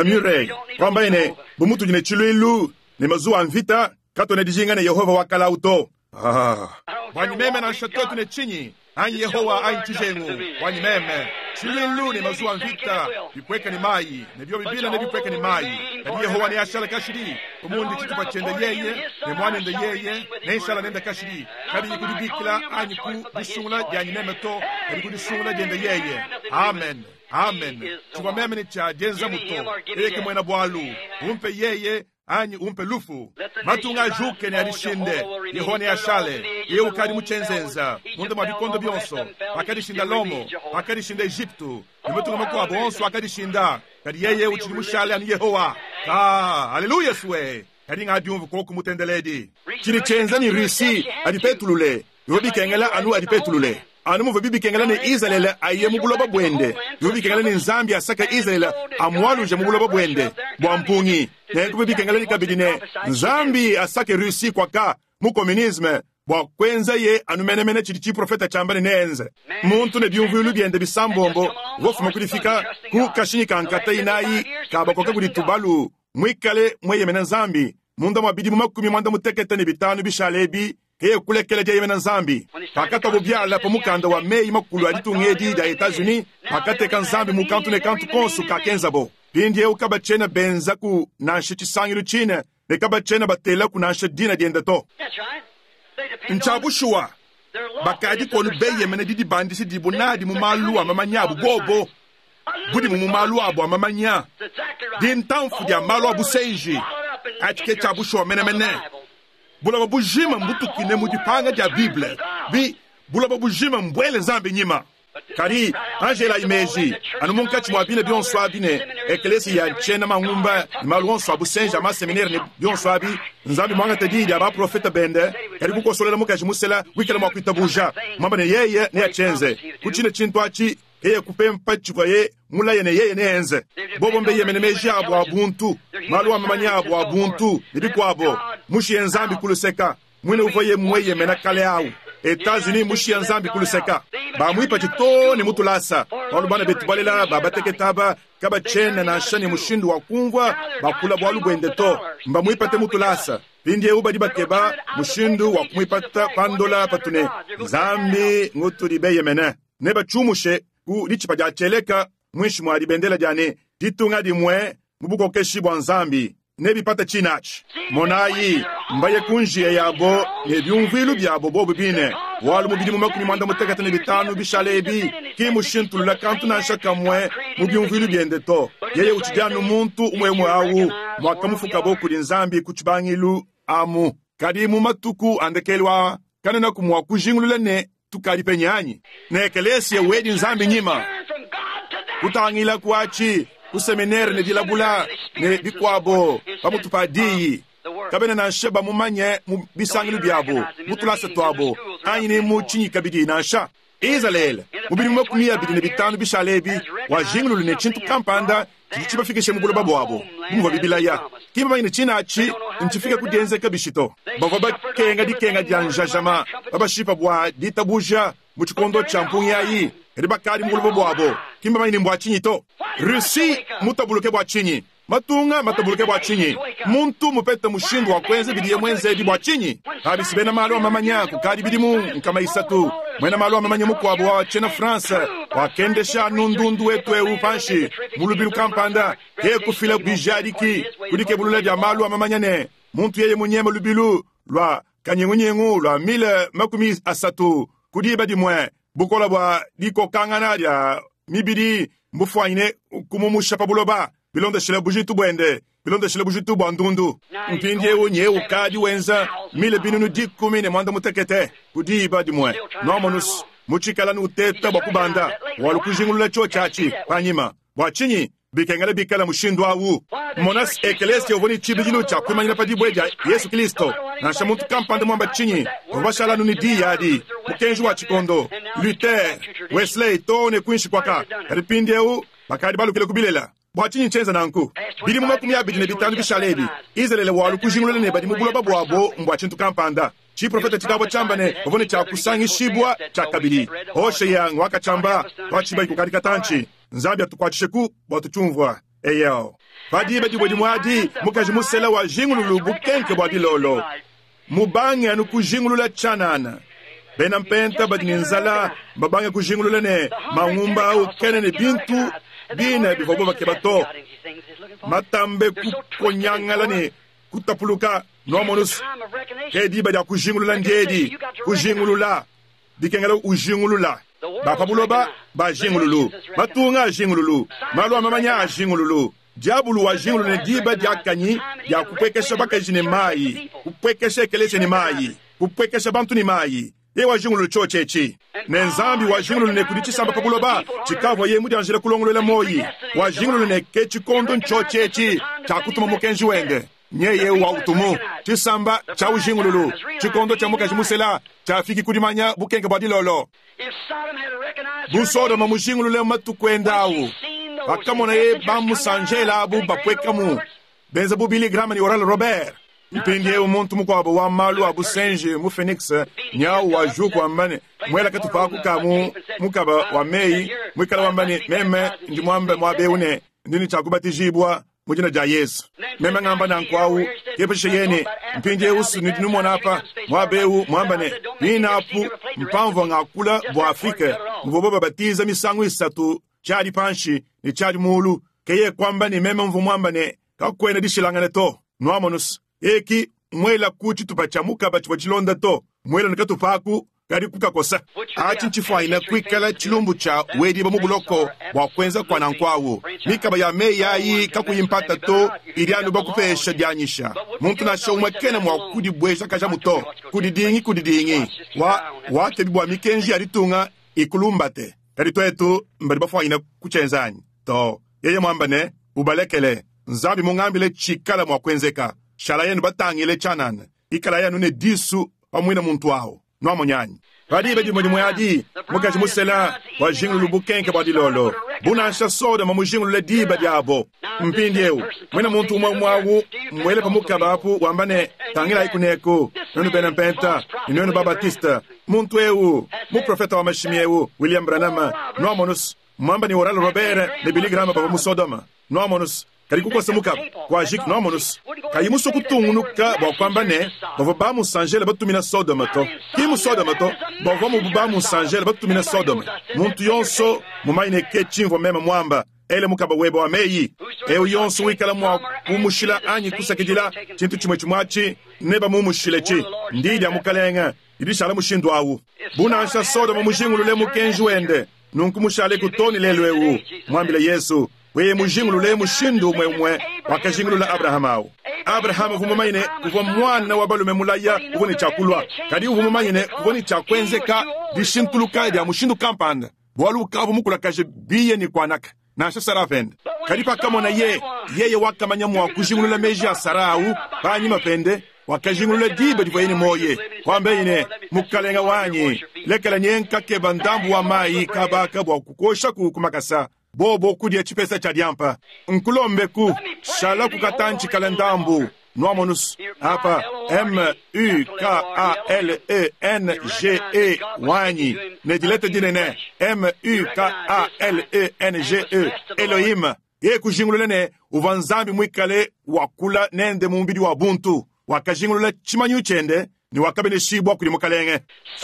Murray. Kuambaye ne, bu mutudi ne tshiluilu ne mazuwa a mvita, katuena dijinga ne Yehova wa kalawu to. Ah. Buanyi meme nansha tuetu ne tshinyi, anyi Yehowa anyi tshijengu, buanyi meme, tshiluilu ne mazuwa a mvita bipueke ne mayi, ne biobi bine nebipueke ne mayi, kadi Yehowa neashale kashidi. Bu mundi tshitupa tshiende yeye ne muanende yeye, nenshala nende kashidi, kabiyi ku dibikila anyi ku disungula dianyi meme to, kadi ku disungula diende yeye. Amen. Amen. Tshivua meme ne tshia dienzamu to. Yeye ke muena bualu. Umpe yeye anyi umpe lufu. Matunga ajuke ne adishinde, Yehowa neashale. Yeye ukadi mu tshienzenza munda mua bikondo bionso. Pakadishinda Lomo, pakadishinda Ejipitu, ne matunga makuabu onso akadishinda, kadi yeye utshidi mushale anu Yehowa. Ka, haleluya sue! Kadi ngadiumvu koku mutendeledi. Tshidi tshienza ne Russie adipetulule, bivua bikengela anu adipetulule. Anu muvuabi bikengela ne Izalele aye mu buloba buende, bivua bikengela ne Nzambi asake Izalele amualuje mu buloba buende bua mpungi. Nenku bivua bikengela kabidi ne Nzambi asake Russie kuaka mu communisme. Bua kuenzaye anu menemene tshidi tshiprofeta tshiamba ne neenze. Muntu ne biumvuilu biende bisambombo uvua ufuma ku difika ku kashinyi ka nkata inayi ka bakoka kudi tubalu, muikale mueyemene Nzambi munda mua bidimu 55 bishale ebi, yeye kulekela dieyemena Nzambi. Pakatuabu biala pa mukanda wa meyi makulu a ditunga edi dia Etats-Unis, bakateka Nzambi mu kantu ne kantu konso kakenzabo. Mpindieu kabatshiena benzaku nansha tshisangilu tshine ne kabatshiena batelaku nansha dina diende to. Ntshia bushuwa, bakadi konu beyemena didibandisha didibo nadi mu malu a mamanya abu bobo, budimu mu malu abu a mamanya, dintamfu dia malu a busenji. Atshi ke tshia bushuwa menemene. Buloba bujima mbutukine mu dipanga dia Bible. Bi, buloba bujima mbuele Nzambi nyima. Kadi, anji elayi meji, anu munkatshi mua bine bionso abi ne ekeleesiya ya tshiena mangumba ne malu onso a busenji a maseminere ne bionso abi, Nzambi muangate diyi dia baprofeta bende, kadi kukosolela mukaji musela wikala mua kuitabuja, muamba ne yeye neatshienze. Ku tshine tshintu atshi, yeye kupempa tshivuaye mulaye ne yeye neenze. Bobo mbeyemene meji abo a buntu, malu a mamanya abo a buntu, ne bikuabo, mushiye Nzambi ku luseka. Muine uvuaye mueyemena kale au. Etats-Unis mmushiya Nzambi ku luseka. Bamuipatshi too ne mu tulasa, bualu bana betu balela ba batekete aba kabatshiena nansha ne mushindu wa kumvua bakula bualu buende to. Mbamuipate mu tulasa. Mpindieu badi bakeba mushindu wa kumuipata pa ndola patu ne, Nzambi ngutudi beyemene. Nebatshiumushe ku ditshipa dia tshieleka muinshi mua dibendela dia ne, Ditunga dimue mu bukokeshi bua Nzambi. Nebipate tshina atshi. Monayi, mbaye ku njiya yabo ne biumvuilu biabo bobo bine, bualu mu bidimu 55 bishale ebi, ki mmushintulula kantu nansha kamue mu biumvuilu biende to. Yeye utshidi anu muntu umue-umue awu muakamufukabo kudi Nzambi ku tshibangilu amu. Kadi mu matuku a ndekelu aa, kanuenaku mua kujingulula ne tukadi penyi anyi? Ne ekeleesiya wedi Nzambi nyima, kutangila ku aci, ku seminere ne dilabula ne bikwabo, pamutu pa Diyi. Kabena nansha bamumanye mu bisangilu byabo, mu tulasa twabo, anyi ni mu cinyi kabidi nansha. Izaleele, mu bidimu 25 bishaale ebi, wajingululu ne cintu kampanda tshidi tshibafikishe mu buloba buabo, bu muvuabi bilaya. Ki mbamanye ne tshine atshi ntshifike ku dienzeka bishi to. Bavua bakenga dikenga dia njajama, babashipa bua ditabuja mu tshikondo tshia mpungi ayi, kadi bakadi mu buloba buabo. Ki mbamanye ne mbua tshinyi to. Russie mmutabuluke bua tshinyi? Matunga matabuluke bua tshinyi? Muntu mupete mushindu wa kuenza bidiye muenze ebi bua tshinyi? Pabi si bena malu a mamanya kukadi bidimu 300, muena malu a mamanya mukuabu wa tshiena France wakendesha anu ndundu wetu eu panshi mu lubilu kampanda, ke kufila bijadiki ku dikebulula dia malu a mamanya ne, muntu yeye munyeme lubilu lua kanyingunyingu lua mile 30 ku diba dimue, bukole bua dikokangana dia mibidi mbufuanyine kumumusha pa buloba bilondeshile bujitu buende, bilondeshile bujitu bua ndundu. Mpindieu nyeye ukadi wenza mile 18000 ku diba dimue. Nuamonus, mutshikala nuteta bua kubanda, walu kujingulula tshiotshi atshi panyima. Bua tshinyi bikengela bikala mushindu au? Monas, ekelesia uvua ne tshibidilu tshia kuimanyina pa dibue dia Yesu Kilisto. Nansha muntu kampanda muamba tshinyi, bavua bashala anu ne diyi adi, mukenji wa tshikondo, Luther, Wesley, too ne kuinshi kuaka. Kadi mpindieu bakadi balukile ku bilela. Bua tshinyi ntshienza nanku? Bidimu 25 bishale ebi, Izalele walu kujingulula ne badi mu buloba buabo mbua tshintu kampanda. Tshiprofete tshikavua tshiamba ne bavua ne tshia kusangishibua tshiakabidi. Hoshea nguakatshiamba, tuatshibayi kukadi katantshi. Nzambi atukuatshisheku bua tutshiumvua. Eyo. Pa diba dimue dimue adi, mukaji musela wajingululu bukenke bua dilolo. Mubange anu kujingulula tshianana. Bena mpenta badi ne nzala mbabange kujingulula ne, mangumba au kena ne bintu bine bivuabu bakeba to. Matambe kukonyangala ne kutapuluka. Nuamonus, ke diba dia kujingulula ndiedi, kujingulula. Bikengela ujingulula. Ba pa buloba bajingululu, matunga ajingululu, malu a mamanya ajingululu. Diabulu wajingulula ne diba diakanyi dia kupuekesha bakaji ne mayi, kupuekesha ekeleziya ne mayi, kupuekesha bantu ne mayi. Yeye wajingulula tshiotshi etshi. Ne Nzambi wajingulula ne kudi tshisamba pa buloba tshikavuaye mudianjile kulongoluela muoyi. Wajingulula ne ke tshikondo ntshiotshi etshi tshia kutuma mukenji wende. Nyeye wa utumu. Tshisamba tshia ujingululu, tshikondo tshia mukaji musela tshiafiki ku dimanya bukenke bua dilolo. Bu Sodoma mujingulule matuku ende au, pakamonaye bamusanjela abu bapuekamu, benza bu Billy Graham ne Oral Robert. Mpindiewu muntu mukuabo wa malu a busenji mu Phoenix nyawu wajuka wamba ne, Muela katupa aku ka mu mukaba wa meyi, muikale wamba ne, Meme ndi muambe muaba eu ne, ndi ne tshia kubatijibua mu dina dia Yezu. Meme ngamba nanku awu, ke pashishe yeye ne, Mpindiewu's nudi numona apa, muaba eu, muamba ne, Pine apu mpamvua ngakula bua Afrike, muvuabo babatiza misangu isatu, tshiadi panshi ne tshiadi muulu. Ke yeye kuamba ne, Meme mvua muamba ne, kakuena dishilangana to. Nwamonu's, yeye ki mmwelaku citupa cya mukaba civwa cilonda to, mmwela ne katupa aku kadi kukakosa. Aci ncifwanyine kwikala cilumbu cya wediibwa mu buloko bwa kwenza kwa nanku awu. Mikaba ya meyi ayi kakuyi mpata to idi anu bakupeesha dyanyisha. Muntu nansha umwe kena mwa kudibwejakajamu to. Kudidingi, kudidingi. Wa, wakebi bwa mikenji ya ditunga ikulumbate. Kadi twetu mbadi bafwanyine kucyenza anyi? To. Yeye mwamba ne, Ubalekele. Nzambi mungambile tshikala mua kuenzeka. Shalayenu batangile tshianana, ikalayi anu ne disu pa muine muntu awu. Nuamonyi anyi? Pa diba dimue dimue adi, mukaji musela wajingulula bukenke bua dilolo, bu nansha Sodoma mujingulule diba diabo. Mpindiewu, muine muntu umue umue awu mmuele pa mukaba apu, wamba ne, Tangilayi kuneku, nuenu bena Mpenta, ne nuenu ba-Batiste. Muntu ewu, muprofeta wa mashimi ewu, William Branham, nuamonu's, Mwamba ne Oral Robert ne Billy Graham bavua mu Sodoma, nwamonu's, kadi kukosa mukaba kwajiki, nwamonu's, kayi musue kutungunuka bua kuamba ne bavua bamusanjele batumina Sodoma to. Ki mu Sodoma to, bavua mu bamusanjele batumina Sodoma. Muntu yonso mumanye ne ke tshimvua meme muamba, ele mukaba webe wa meyi. Eu yonso wikala mua kumushila anyi kusakidila tshintu tshimue tshimue atshi, nebamumushiletshi. Ndiyi dia Mukalenge didi dishala mushindu awu. Bu nansha Sodoma mujingulule mukenji wende, Nunku mushaleku too ne lelu eu, muambile Yezu, wewe mujingulule mushindu umue umue wakajingulula Abrahama au. Abrahama uvua mumanye ne, kuvua muana wa balume mulaya uvua ne tshia kulua, kadi uvua mumanye ne, kuvua ne tshia kuenzeka dishintuluka dia mushindu kampanda, bualu ukavua mukulakaje biye ne kuanaka, nansha Sara pende. Kadi pakamonaye, yeye wakamanya mua kujingulula meji a Sara au panyima pende, Wakajingulula diba divuaye ne muoyo, kuambaye ne, Mukalenga wanyi, lekela nye nkakeba ndambu wa mayi kaba aka bua kukuoshaku ku makasa, bobo kudia tshipesa tshia diampa. Nkulombeku, shalaku katantshi kale ndambu. Nuamonus apa, M-U-K-A-L-E-N-G-E, wanyi, ne dileta dinene, M-U-K-A-L-E-N-G-E, Elohim. Yeye kujingulula ne, uvua Nzambi muikale wakula nende mu mubidi wa buntu. Wakajingulula tshimanyinu tshiende ne wakabeneshibua kudi Mukalenge.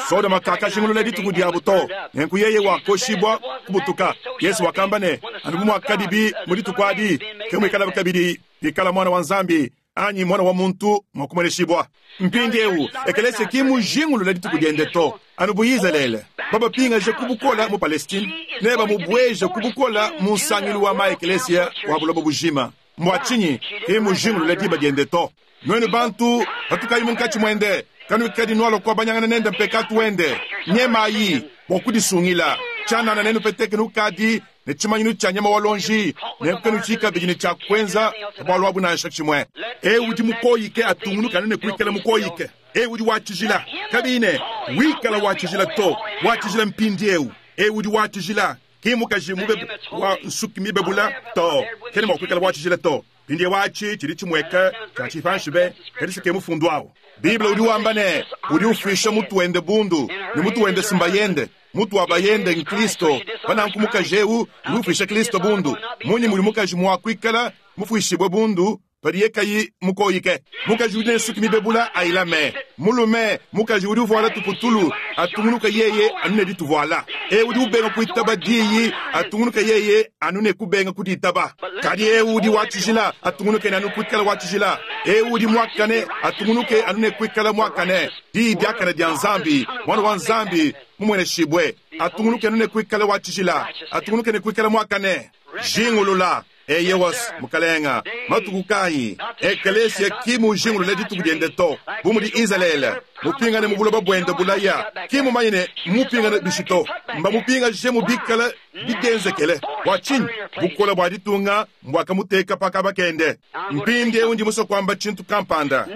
Sodoma kakajingulula dituku diabu to, nenku yeye wakoshibua kubutuka. Yezu wakamba ne, Anu bu muakadibi mu dituku adi, ke muikalabi kabidi pikala Muana wa Nzambi anyi Muana wa muntu mua kumueneshibua. Mpindieu, ekelesia ki mmujingulule dituku diende to, anu bu Izalele. Babapingaje ku bukola mu Palestine ne bamubueje ku bukola mu nsangilu wa ma-ekelesia wa buloba bujima. Mbua tshinyi ki mmujingulule diba diende to? Nuenu bantu, patukayi munkatshi muende, kanuikadi nualua kuabanyangana nende mpekatu wende. Nyemayi bua kudisungila. Tshianana nenupeteke nukadi ne tshimanyinu tshia nyama wa luonji, nenku kanutshiyi kabidi ne tshia kuenza pa bualu abu nansha tshimue. Eu udi mukoyike atungunuke anu ne kuikala mukoyike, eu udi wa tshijila, kabiyi ne, wikala wa tshijila to, wa tshijila mpindieu, eu udi wa tshijila, ki mmukaji mube wa nsuki mibebula to, kena mua kuikala wa tshijila to. Mpindieu atshi tshidi tshimueka tshia tshipanshi be, kadi se ke mufundu au. Bible udi wamba ne, Udi ufuisha mutu wende bundu, ne mutu wende si mbayende. Mutu wa bayende n'Kristo. Pa nanku mukaji eu udi ufuisha Kristo bundu. Mmunyi mudi mukaji mua kuikala mufuishibue bundu padiye kayi mukoyike? Mukaji udi ne nsuki mibebula ayilame. Mulume, mukaji udi uvuala tuputulu atungunuke yeye anu ne dituvuala. Eu udi ubenga kuitaba diyi atungunuke yeye anu ne kubenga kuditaba. Kadi eu udi wa tshijila atungunuke ne anu kuikala wa tshijila. Eu udi muakane atungunuke anu ne kuikala muakane. Diyi diakane dia Nzambi, Muana wa Nzambi mumueneshibue, atungunuke anu ne kuikala wa tshijila, atungunuke ne kuikala muakane. Jingulula! Eyowas, mukalenga. Matuku kayi? Ekeleesiya ki mujingulule dituku dyende to. Bu mudi Izaleele mupingane mu buloba bwende bulaya, ki mumanye ne mmupingane bishi to. Mbamupingajemu bikale bidyenzekele. Bwa cinyi? Bukole bwa ditunga mbwakamuteeka pa kaba kende. Mpindyewu ndi muswe kwamba cintu kampanda.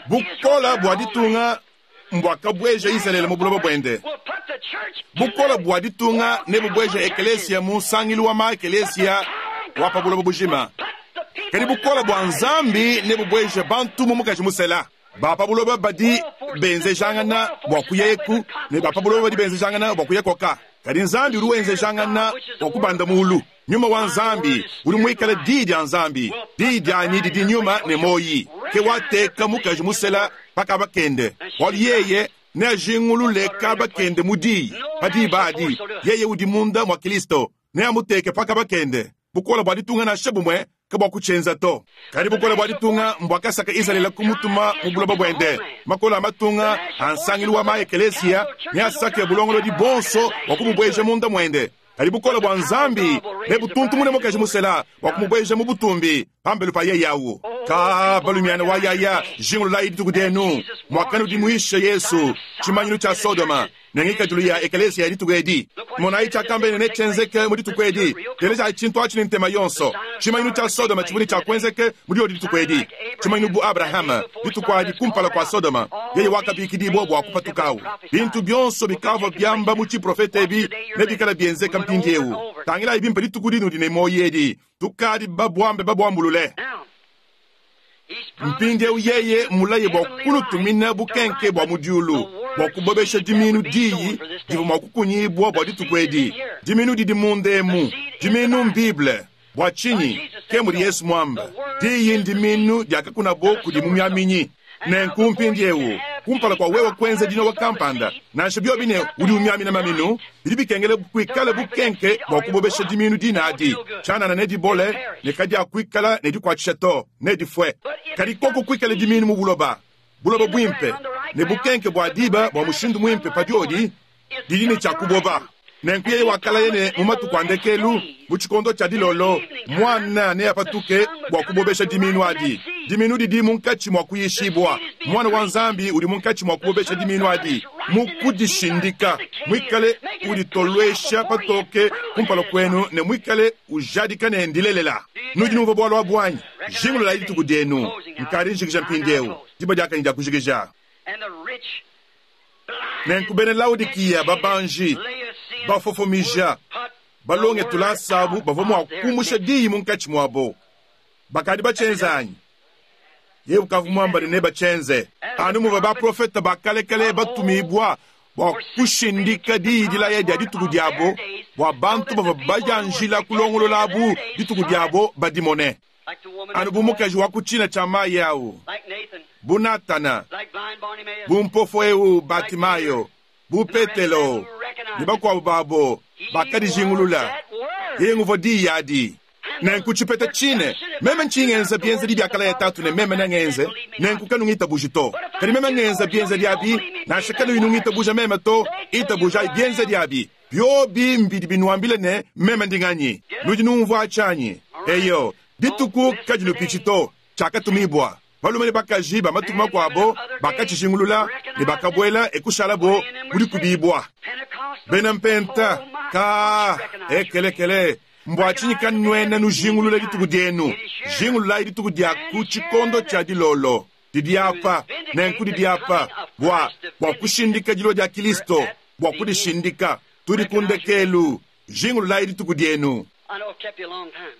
Bukole bwa ditunga mbuakabueja Izalele mu buloba buende. Bukole bua ditunga nebubueje ekelesia mu nsangilu wa ma-ekelesia wa pa buloba bujima. Kadi bukole bua Nzambi nebubueje bantu mu mukaji musela. Ba pa buloba badi benzejangana bua kuya eku, ne ba pa buloba badi benzejangana bua kuya koka. Kadi Nzambi udi wenzejangana bua kubanda muulu. Nyuma wa Nzambi udi muikale Diyi dia Nzambi. Diyi dianyi didi nyuma ne muoyi. Ke wateka mukaji musela pa kaba kende, bualu yeye neajingulule kaba kende mu Diyi. Pa diba adi, yeye udi munda mua Kilisto neamuteke pa kaba kende. Bukole bua ditunga nansha bumue kabuakutshienza to. Kadi bukole bua ditunga mbuakasaka Izalele kumutuma mu buloba buende. Makole a matunga a nsangilu wa ma-ekeleziya neasake bulongolodi buonso bua kububueja munda muende. Kadi bukole bua Nzambi nebutuntumune mukaji musela bua kumubueja mu butumbi pambelu pa yeye au. Ka balumiana wa yaya, jingululayi dituku dienu muakanudimuisha Yesu, tshimanyinu tshia Sodoma ne ngikadilu ya ekeleziya ya dituku edi. Monayi tshiakambeye ne netshienzeke mu dituku edi. Telejayi tshintu atshi ne ntema yonso. Tshimanyinu tshia Sodoma tshivua ne tshia kuenzeke mu diodi dituku edi. Tshimanyinu bu Abrahama, dituku adi kumpala kua Sodoma, yeye wakabikidibua bua kupatukawu. Bintu bionso bikavua biamba mu tshiprofete ebi nebikale bienzeka mpindieu. Tangilayi bimpe dituku dinudi ne muoyo edi. Tukadi babuambe babuambulule. Mpindieu yeye mmulaye bua kunutumina bukenke bua mu diulu bua kubobesha dimiinu diyi divua mua kukunyibua bua dituku edi. Dimiinu didi munda emu. Dimiinu m'Bible. Bua tshinyi? Ke mudi Yesu muambe. Diyi ndimiinu diakakunabo kudi mumiaminyi. Nenku mpindieu, kumpala kua wewe kuenza dinowa kampanda, nansha biobi ne udi umiamina maminu, bidi bikengela kuikale bukenke bua kubobesha dimiinu dine adi. Tshianana nedibole ne kadiakuikala ne dikuatshisha to, nedifue. Kadi koku kuikale dimiinu mu buloba, buloba buimpe, ne bukenke bua diba bua mushindu muimpe pa diodi, didi ne tshia kuboba. Nenku yeye wakalaya ne, mu matuku a ndekelu, mu tshikondo tshia dilolo, Muana neapatuke bua kubobesha dimiinu adi. Dimiinu didi munkatshi mua kuyishibua. Muana wa Nzambi udi munkatshi mua kubobesha dimiinu adi, mu kudishindika, muikale uditoluesha patoke kumpala kuenu ne muikale ujadika ne ndilelela. Nudi numvua bualu abu anyi? Jingululayi dituku dienu. Nkadi njikija mpindieu. Diba diakanyi dia kujikija. Nenku bena Laodikiya babanji, bafofomija, balonge tulasa abu bavua mua kumusha diyi munkatshi muabo. Bakadi batshienze anyi? Yeye ukavua muamba ne nebatshienze. Anu muvua baprofete ba kalekale batumibua bua kushindika diyi dilaya dia dituku diabo, bua bantu bavua badianjila kulongolola abu dituku diabo badimone. Anu bu mukaji wa ku tshina tshia mayi au, bu Natana, bu mpofo eu Batimayo, bu Petelo ne bakuabu babo bakadijingulula, yeye nguvua diyi adi. Nenku tshipeta tshine, meme ntshiyi ngenza bienzedi biakalaya Tatu ne meme nengenze, nenku kanungitabuji to. Kadi meme ngenza bienzedi abi, nansha kanuyi nungitabuja meme to, itabujayi bienzedi abi. Biobi mbidi binuambile ne, meme ndi nganyi. Nudi numvua tshianyi? Eyo, dituku kadinupitshi to. Tshiakatumibua. Balume ne bakaji ba matuku makuabo bakatshijingulula ne bakabuela e kushalabo mu dikubibua. Bena Mpenta, kaa, ekelekele, mbua tshinyi kanuena nujingulula dituku dienu? Jingululayi dituku dia ku tshikondo tshia dilolo. Didi apa, nenku didi apa bua, bua kushindika dilua dia Kilisto, bua kudishindika. Tudi ku ndekelu. Jingululayi dituku dienu.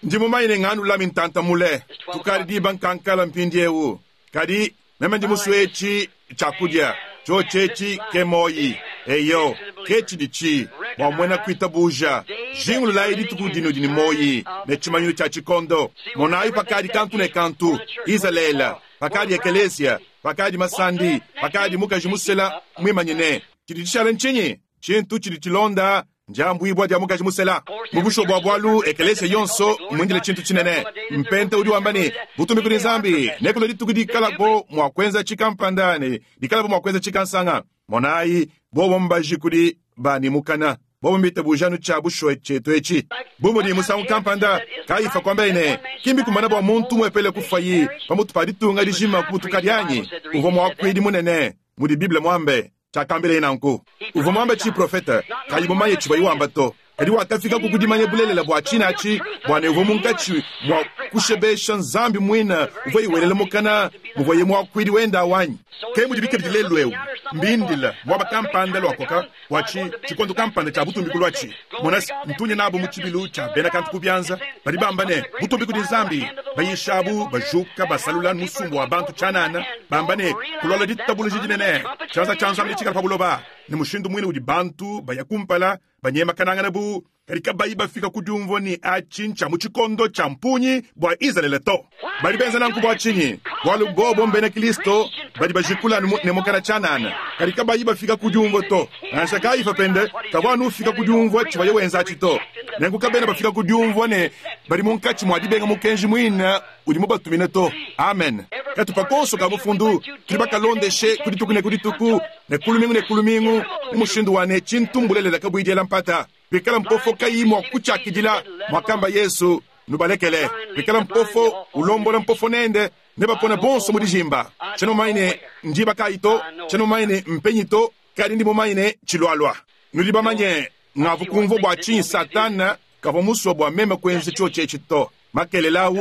Ndi mumanye ne nganulami ntanta mule. Tukadi diba nkankala mpindiewu. Kadi meme ndi musue etshi tshiakudia. Tshiotshi etshi ke muoyi. Eyo, ke tshiditshi bua muena kuitabuja. Jingululayi dituku dinudi ne muoyi ne tshimanyinu tshia tshikondo. Monayi pakadi kantu ne kantu, Izalele, pakadi ekeleziya, pakadi masandi, pakadi mukaji musela muimanyine. Tshidi tshishale ntshinyi? Tshintu tshidi tshilonda ndiambuibua dia mukaji musela. Mu bushuwa bua bualu, ekeleziya yonso mmuindile tshintu tshinene. Mpenta udi wamba ne, Butumbi kudi Nzambi, nekulue dituku dikalabo mua kuenza tshikampanda ne dikalabo mua kuenza tshikansanga. Monayi, bobo mbaji kudi ba ne mukana, bobo mbitabuja anu tshia bushuwa tshietu etshi. Bu mudi musangu kampanda Kayifa kuambaye ne, Ki mbikumbane bua muntu umuepele kufuaye pamutu pa ditunga dijima kubutukadi anyi? Uvua muakuidi munene, mudi Bible muambe. Tshiakambileye nanku. Uvua muambe tshiprofete, kayi mumanye tshivuaye wamba to. Kadi wakafikaku ku dimanya bulelela bua tshine atshi, bua ne uvua munkatshi mua kushebesha Nzambi muine uvuaye welela mukana. muvwaye mwakwidi wende awu anyi? Ke mudibi kabidi lelu ewu. Mbindile mwaba kampanda lwakoka bwa ci, cikondo kampanda cya butumbi kulwaci. Mona's, ntunya nabo mu cibilu cya bena kantu ku byanza, badi bamba ne, Butumbi kudi Nzambi! Bayishabu bajuka basalula musumba wa bantu tshianana, bamba ne, Kulwalwa ditabuluja dinene, tshianza tshia Nzambi netshikale pa buloba. Ne mushindu muine udi bantu baya kumpala, banyemakanangana bu kadi kabayi bafika ku diumvua ne atshi ntshia mu tshikondo tshia mpungi bua Izalele to. Badi benza nanku bua tshinyi? Bualu bobo mbena Kristo badi bajikula anu ne mukana tshianana, kadi kabayi bafika ku diumvua to. Nansha Kayifa pende kavua anu ufika ku diumvua tshivuaye wenza atshi to. Nenku kabena bafika ku diumvua ne, badi munkatshi mua dibenga mukenji muine udi mubatumine to. Amen. Katupa konso ka mufundu tudi bakalondeshe ku dituku ne ku dituku ne ku lumingu ne ku lumingu mu mushindu wa ne, tshintu mbulelela kabuyi diela mpata. Pikala mpofo kayi mua kutshiakidila, muakamba Yezu, nubalekele. Pikala mpofo ulombola mpofo nende, nebapone bonso mu dijimba. Tshiena mumanye ne ndiba kayi to, tshiena mumanye ne mpenyi to, kadi ndi mumanye ne tshilualua. Nudi bamanye, ngavu kumvua bua tshinyi Satana kavua musue bua meme kuenza tshiotshi etshi to. Makelela au,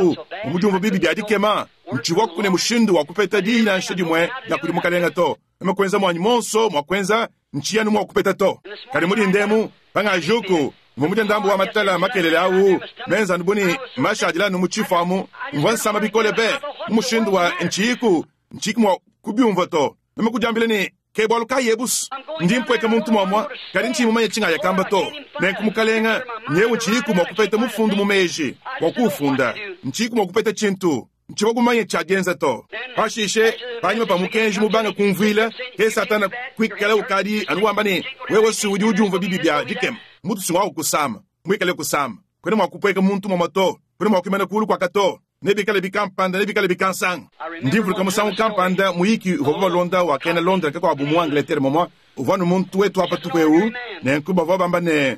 bu mudiumvua bibi bia dikema, ntshivuaku ne mushindu wa kupeta diyi nansha dimue dia kudi Mukalenge to. Meme kuenza muanyi muonso mua kuenza, ntshiyi anu mua kupeta to. Kadi mu dinda emu, pangajuku, mvua mudie ndambu wa matala makelela au, menza anu bu ne, mashadile anu mu tshifu amu. Mvua nsama bikole be, mu mushindu wa ntshiyiku ntshiyiku mua kubiumvua to. Meme kudiambila ne, Ke bualu kayi ebu's, ndi mpueka muntu muamua, kadi ntshiyi mumanye tshingaya kamba to. Nenku, Mukalenge, nyewu ntshiyiku mua kupeta mufundu mu meji bua kuwufunda. Ntshiyiku mua kupeta tshintu. Ntshivua mumanye tshia dienza to. Pashishe, panyima pa mukenji mubange kumvuila, ke Satana kuikala ukadi anu wamba ne, Wewe si udi udiumvua bibi bia dikema, mutu si ngua kukusama, muikale kusama. Kuena mua kupueka muntu muamua to, kuena mua kuimana kuulu kuaka to. Nebikale bikampanda, nebikale bikansanga. Ndi mvuluka musangu kampanda muyiki uvuabu balonda wa kena Londres kakuabu mu Angleterre momua uvua anu muntu wetu wa patupu eu. Nenku bavua bamba ne,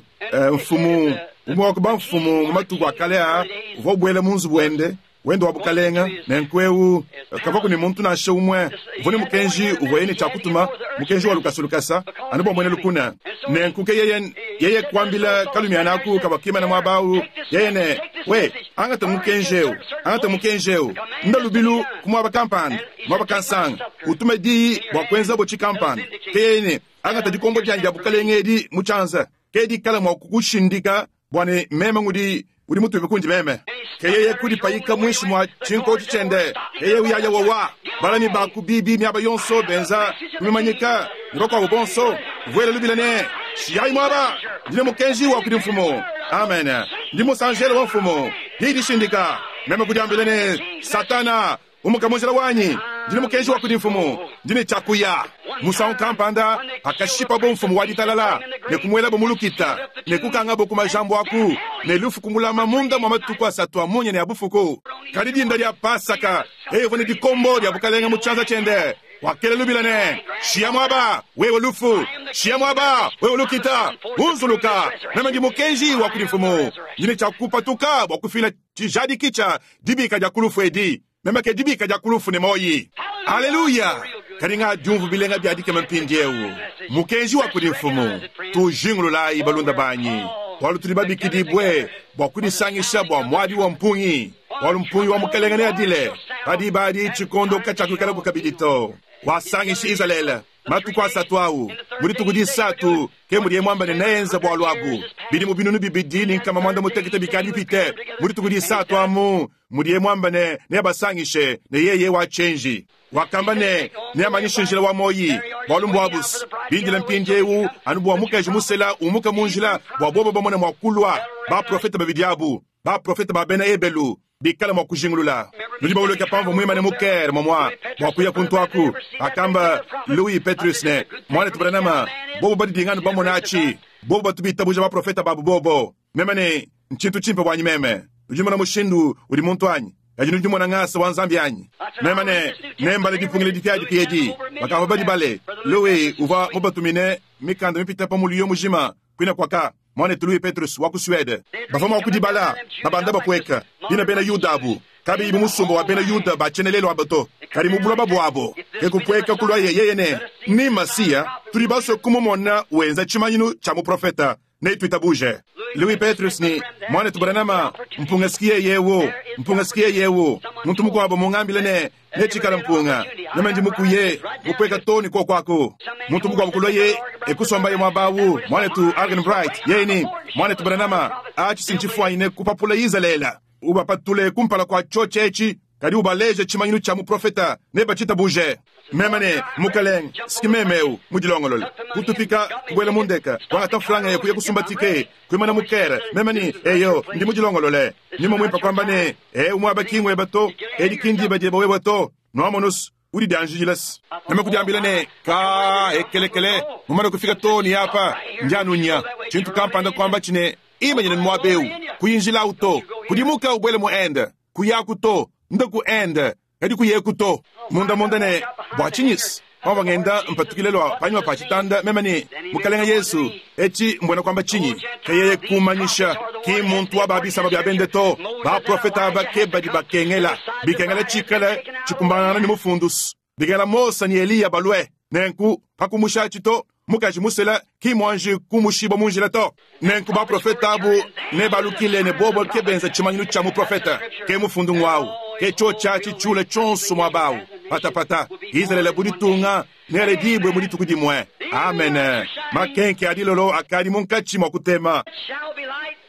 mfumu umue wa ku bamfumu mu matuku a kale aa uvua ubuela mu nzubu wende wende wa bukalenga. Nenku eu kavuaku ne muntu nansha umue uvua ne mukenji uvuaye ne tshia kutuma, mukenji wa lukasa lukasa anu bua muena lukuna. Nenku ke yeye yeye kuambila kalumiana aku kavua kimana muaba au, yeye ne, We, angata mukenji eu, angata mukenji eu, nda lubilu ku muaba kampanda, muaba kansanga, utume diyi bua kuenzabo tshikampanda. Ke yeye ne, Angata dikombo dianyi dia bukalenge edi mu tshianza, ke dikala mua kukushindika bua ne meme ngudi udi mutume kundi meme. Ke yeye kudipayika muinshi mua tshinkotshi tshiende, yeye uyaya wowa balami ba ku biibi miaba yonso benza kumimanyika ne bakuabo bonso, uvuela lubila ne, Shiyayi muaba! Ndi ne mukenji wa kudi mfumu. Amen. Ndi musanjelo wa mfumu. Diyi dishindika. Meme kudiambila ne, Satana, Umuka mu njila wanyi, ndi ne mukenji wa kudi mfumu, ndi ne tshia kuya. Musangu kampanda pakashipabo mfumu wa ditalala ne kumuelabo mu lukita ne kukangabo ku majambu aku ne lufu kumulama munda mua matuku asatu a munya ne a bufuku. Kadi dinda dia Pasaka, yeye uvua ne dikombo dia bukalenge mu tshianza tshiende, wakela lubila ne, Shiya muaba, wewe lufu! Shiya muaba, wewe lukita! Unzuluka! Meme ndi mukenji wa kudi mfumu, ndi ne tshia kupatuka bua kufila Tshijadiki tshia dibika dia ku lufu edi, meme ke dibika dia ku lufu ne muoyi. Aleluya! Kadi ngadiumvu bilenga bia dikema mpindiewu. Mukenji wa kudi Mfumu. Tujingululayi, balunda banyi, bualu tudi babikidibue bua kudisangisha bua muadi wa mpungi, bualu mpungi wa Mukelenge neadile. Pa diba adi tshikondo katshiakuikalaku kabidi to. Wasangishi Izalele. Matuku asatu au, mu dituku disatu, ke mudiye muamba ne neenze bualu abu. Bidimu 2800 bikadi bipite, mu dituku disatu amu mudiye muamba ne neabasangishe ne yeye wa tshienji. Wakamba ne neamanyishe njila wa muoyi, bualu mbuabu's bindile mpindieu anu bua mukaji musela umuka mu njila bua bobo bamone mua kulua baprofete babidi abu, baprofete ba bena Ebelu bikale mua kujingulula. Nudi bavuluke pamvua muimane mu Caire momua bua kuya kuntu aku, pakamba Louis Petrus ne, Muanetu Branham, bobo badidinga anu bamona atshi, bobo batu bitabuja baprofete babu bobo. Meme ne, Ntshintu tshimpe buanyi meme. Nudi numona mushindu udi muntu anyi? Kadi nudi numona ngasa wa Nzambi anyi? Meme ne, Nembale dipungila dipiadipia edi. Bakavua badibale. Louis uvua mubatumine mikanda mipite pa muliyo mujima kuine kuaka. Muanetu Louis Petrus wa ku Suede. Bavua mua kudibala babanda bapueka, bine bena Yuda abu, kabiyi bu musumba wa bena Yuda ba tshienelelu aba to, kadi mu buloba buabo. Ke kupueka kuluaye yeye ne, Ni Masiya, tudi basue kumumona wenza tshimanyinu tshia muprofete, netuitabuje. Louis Petrus ne, Mwanetu Branham, mpunga s'ki yeye ewu. Mpunga s'ki yeye ewu. Muntu mukwabo mungambile ne, Necikale mpunga. Meme ndi mukuye, mupweka too ne kwoko aku. Muntu mukwabo kulwaye e kusombaye mwaba awu, Mwanetu Arganbright, yeye ne, Mwanetu Branham, aci si ncifwanyine kupapula Izaleela. Ubapatule kumpala kwa cyoci eci, kadi ubaleje cimanyinu cya muprofeta, nebacitabuje. Meme ne, Mukalenge, s'ki meme ewu mudilongolole. Kutupika, kubwela mu ndeka, kwangata mfranga ya kuya kusumba tike, kwimana mu kere. Meme ne, Eyo, ndi mudilongolole. Nyuma mwimpe kwamba ne, Ewu mwaba ki ngweba to, edi ki ndiba dyeba wewa to. Nwamonu's, udi dyanjijila's. Meme kudyambila ne, Kaa, ekelekele, mumane kufika too ne apa, ndi anu nya. Cintu kampanda kwamba ci ne, Imanyine mwaba ewu, kuyinjilawu to. Kudimuka ubwele mu Inde. Kuyaku to, ndaku Inde, kadi kuyeku to. Munda-munda ne, Bwa tshinyi's? Pamvua ngenda mpatukile lua panyima pa tshitanda, meme ne, Mukalenga Yesu, etshi mbuena kuamba tshinyi? Ke yeye kummanyisha, ki mmuntu wa ba bisamba bia bende to. Baprofete aba ke badi bakengela. Bikengela tshikale tshikumbanangana ne Mufundu's. Bikengela Mose ne Eliya balue. Nenku, pa kumusha atshi to, mukaji musela ki muanji kumushibua mu njila to. Nenku baprofete abu nebalukile ne bobo ke benza tshimanyinu tshia muprofete. Ke mufundu ng'wawu. Ke tshiotshi atshi tshiule tshionso muaba awu. Patapata, Izalele bu ditunga nealedibue mu dituku dimue. Amene. Makenke a dilolo akadi munkatshi mua kutema.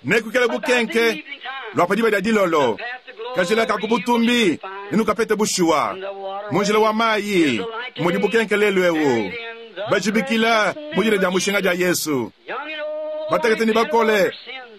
Nekuikale bukenke lua pa diba dia dilolo. Kajila ka ku butumbi nenukapete bushuwa. Mu njila wa mayi mudi bukenke lelu eu. Bajibikila mu dina dia mushinga dia Yesu. Batekete ne bakole,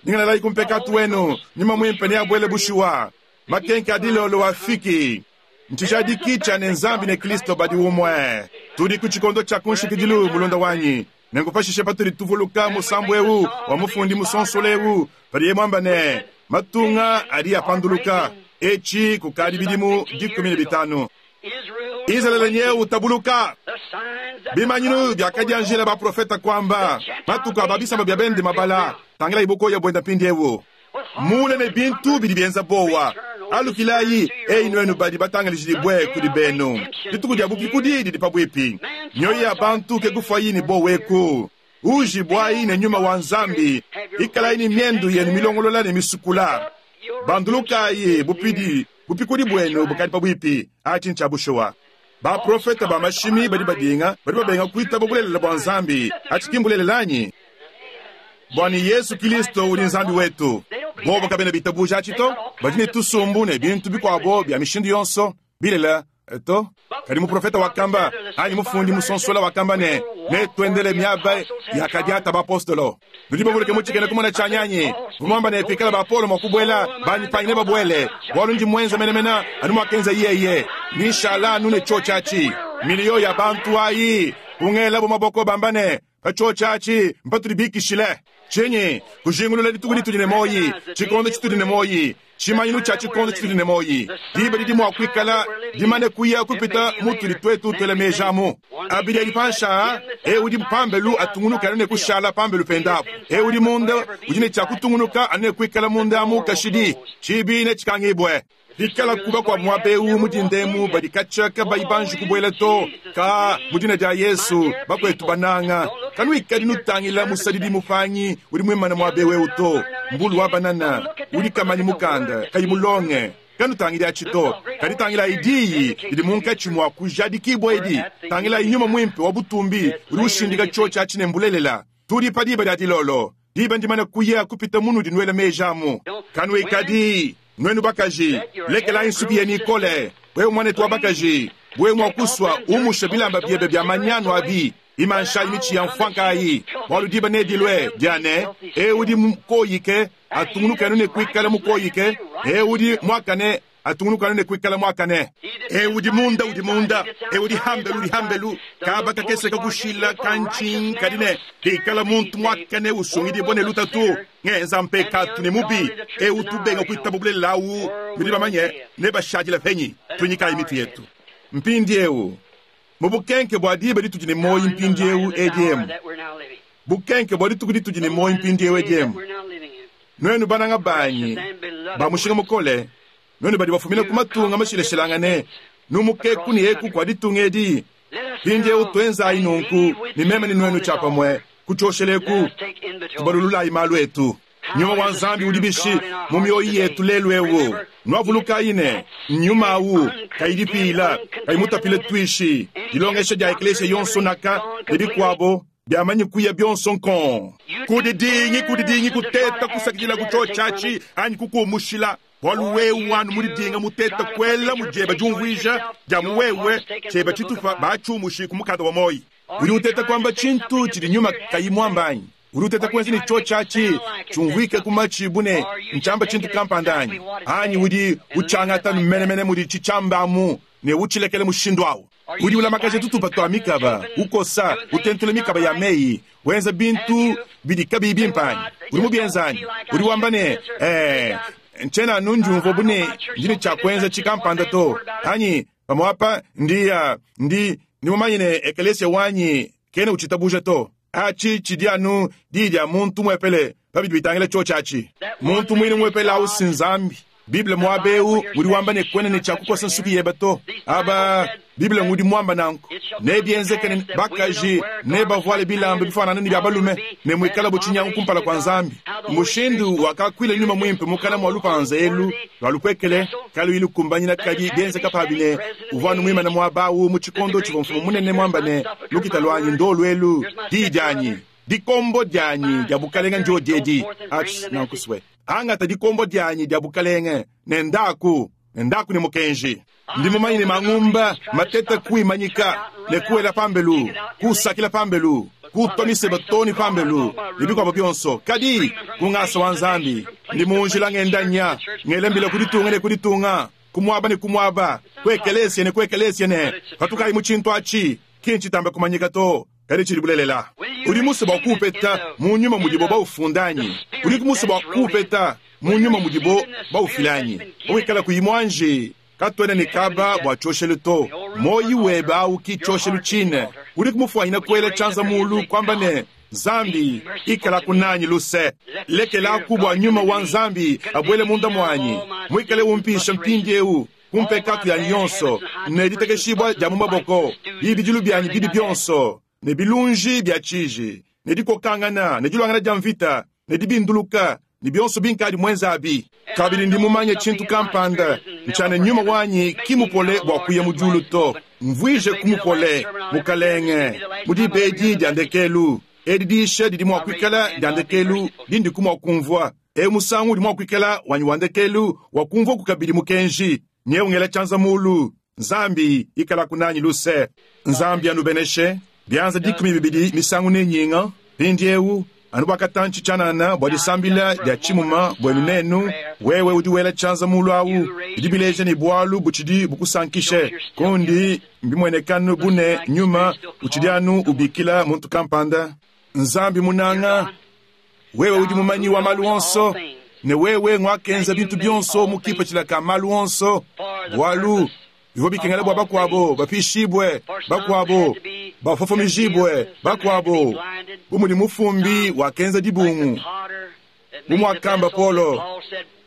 nyingalalayi ku mpekatu wenu, Nyuma Muimpe neabuele bushuwa. Makenke a dilolo afiki. Ntshijadiki tshia ne Nzambi ne Kristo badi umue. Tudi ku tshikondo tshia ku nshikidilu, mulunda wanyi. Nenku pashishe patudi tuvuluka musambu eu wa mufundi musonsola eu padiye muamba ne, Matunga adi apanduluka, etshi kukadi bidimu 15. Izalele nyeu utabuluka. Bimanyinu biakadianjila baprofeta kuamba, matuku a ba bisamba bia bende mabala. Tangilayi bukoya buenda mpindieu. Muule ne bintu bidi bienza buowa. Alukilayi, eyi nuenu badi batangalijibue kudi benu, dituku dia bupikudi didi pabuipi. Mioyo ya bantu ke kufuayi ne buowa eku. Uujibuayi ne nyuma wa Nzambi, ikalayi ne miendu yenu milongolola ne misukula. Bandulukayi, bupidi, bupikudi buenu bukadi pabuipi. Atshi ntshia bushuwa. Baprofete ba mashimi badi badinga, badi babenga kuitaba bulelela bua Nzambi. Atshi ki mbulelela anyi? Bua ne Yesu Kilisto udi Nzambi wetu. Bobo kabena bitabuja atshi to. Badi ne tusumbu ne bintu bikuabo bia mishindu yonso, bilela to. Kadi muprofete wakamba, anyi mufundi musonsola wakamba ne, Netuendele miaba yakadiata bapostolo. Nudi bavuluke mu tshikena kumona tshianyi anyi? Mvua muamba ne, pikala ba Paulo mua kubuela, banyi panyi nebabuele, bualu ndi muenza menemene anu muakenza yeye. Ndi nshala anu ne tshiotshi atshi. Miliyo ya bantu ayi kungelabu maboko bamba ne, Pa tshiotshi atshi mpatudi bikishile. Tshinyi? Kujingulula dituku ditudi ne muoyi, tshikondo tshitudi ne muoyi, tshimanyinu tshia tshikondo tshitudi ne muoyi. Diba didi mua kuikala dimane kuya kupita mutudi tuetu tuela meji amu. Abidi adi panshi aa, eu udi pambelu atungunuke anu ne kushala pambelu pende apu. Eu udi munda udi ne tshia kutungunuka anu ne kuikala munda amu kashidi. Tshiibi netshikangibue. Pikalaku bakuabu muaba eu mu dinda emu badi katshia kabayi banji kubuela to, ka mu dina dia Yesu, bakuetu bananga, kanuikadi nutangila musadidi mupangi udi muimane muaba eu eu to, mbulu wa banana udi kamanyi mukanda, kayi mulonge. Kanutangidi atshi to, kadi tangilayi Diyi didi munkatshi mua kujadikibua edi. Tangilayi Nyuma Muimpe wa butumbi udi ushindika tshiotshi atshi ne mbulelela. Tudi pa diba dia dilolo. Diba ndimane kuya kupita munudi nuela meji amu. Kanuikadi, nuenu bakaji, lekelayi nsuki yenu ikole. Wewe muanetu wa bakaji, wewe mua kusua, umushe bilamba biebe bia manyanu abi, imanshayi mitshi ya mfuanka ayi, bualu diba nedilue dia ne, eu udi mukoyike atungunuke anu ne kuikala mukoyike, eu udi muakane atungunuka anu ne kuikala muakane. Eu udi munda udi munda, eu udi hambelu udi hambelu. Kaba kakese kakushila kantshinyi kadi ne bikala muntu muakane usungidibua ne lutatu, ngenza mpekatu ne mubi, eu tubenga kuitaba bulelela au, nudi bamanye nebashadile penyi? Tuinyikayi mitu yetu mpindieu mu bukenke bua diba ditudi ne muoyo mpindieu edi emu, bukenke bua dituku ditudi ne muoyo mpindieu edi emu. Nuenu bananga banyi ba mushinga mukole, nuenu badi bafumina ku matunga mashilashilangane, numukeku ne eku kua ditunga edi, mpindieu tuenzayi nunku ne meme ne nuenu tshiapamue ku tshioshelu eku, tubalululayi malu etu. Nyuma wa Nzambi udi bishi mu mioyo yetu lelu eu? Nwavulukayi ne, nyuma awu kayi dipiila, kayi mutapile tuishi, dilongesha dia eklesia yonso naka ne bikuabo biamanyi kuya bionso nkong. Kudidingi, kudidingi kuteta kusakidila ku tshiotshi anyi kukumushila, bualu wewe anu mudidinga muteta kuela mu dieba diumvuija dia mu wewe tshieba tshitupa batshiumushi ku mukanda wa muoyo. Udi uteta kuamba tshintu tshidi nyuma kayi muamba anyi? Udi uteta kuenza ne tshiotshi atshi tshiumvuike ku matshi bu ne ntshiamba tshintu kampanda anyi? Anyi udi utshiangata menemene mudi tshitshiamba amu ne utshilekela mushindu au? Udi ulamakaja tutupa tua mikaba, ukosa, utentula mikaba ya meyi, wenza bintu bidi kabiyi bimpe anyi? Udi mubienza anyi? Udi wamba ne, Ee, ntshiena anu ndiumvua bu ne ndi ne tshia kuenza tshikampanda to, anyi pamuapa ndi, ndi, ndi mumanye ne ekelesia wanyi kena utshitabuja to. Atshi tshidi anu diyi dia muntu umuepele pa bidi bitangila tshiotshi atshi. Muntu muine umuepele au si Nzambi. Bible muaba eu udi wamba ne, kuena ne tshia kukosa nsuki yebe to. Aba, Bible ngudi muamba nanku. Nebienzeke ne bakaji nebavuale bilamba bifuanangane ne bia balume, ne muikalabu tshinyangu kumpala kua Nzambi. Mushindu wakakuila Nyuma Muimpe mukana mua lupanza elu lua lupuekele kaluyi lukumbanyina kadi bienzeka pabi ne, uvua anu muimane muaba au mu tshikondo tshivua mfumu munene muamba ne, Lukita luanyi ndolu elu, diyi dianyi, dikombo dianyi dia bukalenge ndiodi edi. Atshi nanku swe. Angata dikombo dianyi dia bukalenge ne ndaku, ne ndaku ne mukenji. Ndi mumanye ne mangumba mateta kuimanyika ne kuela pambelu, kusakila pambelu, kutua miseba too ne pambelu, ne bikuabo bionso. Kadi, ku ngasa wa Nzambi, ndi mu njila ngenda nya, ngela mbila ku ditunga ne ku ditunga, ku muaba ne ku muaba, ku ekelesia ne ku ekelesia ne, Patukayi mu tshintu atshi, ki ntshitambe kumanyika to, kadi tshidi bulelela. Udi musue bua kuupeta mu nyuma mudibo baufunda anyi? Udiku musue bua kuupeta mu nyuma mudibo baufila anyi? Pawikala kuyi muanji, katuena ne kaba bua tshioshelu to. Muoyi webe au ki tshioshelu tshine. Udiku mufuanyine kuela tshianza mulu, kuamba ne, Nzambi, ikalaku nanyi luse. Lekelaku bua nyuma wa Nzambi abuele munda muanyi, muikale umpisha mpindieu ku mpekatu yanyi yonso, ne ditekeshibua dia mu maboko, bibidilu bianyi bibi bionso, ne bilunji bia tshiji, ne dikokangana, ne diluangana dia mvita, ne dibinduluka, ne bionso binkadi muenze abi. Kabidi ndi mumanye tshintu kampanda, ntshia ne nyuma wanyi ki mupole bua kuya mu diulu to. Mvuije ku mupole, Mukalenge, mu diba edi dia ndekelu. Edi diyisha didi mua kuikala dia ndekelu dindiku mua kumvua. Eu musangu udi mua kuikala wanyi wa ndekelu wa kumvuaku kabidi mukenji. Nyewu ngela tshianza mulu. Nzambi, ikalaku nanyi luse. Nzambi anubeneshe. Bianza 12 misangu ne nyinga. Mpindiewu, anu bua katantshi tshianana bua disambila dia tshimuma buenu nenu, wewe udi wela tshianza mulu awu, bidi bileja ne bualu butshidi bukusankishe. Kundi mbimuenekanu bu ne nyuma utshidi anu ubikila muntu kampanda. Nzambi munanga, wewe udi mumanyi wa malu onso, ne wewe nguakenza bintu bionso mu kipatshila ka malu onso, bualu bivua bikengela bua bakuabo bapishibue, bakuabo bafofomijibue, bakuabo bu mudi mufumbi wakenza dibungu, bu muakamba Paulo,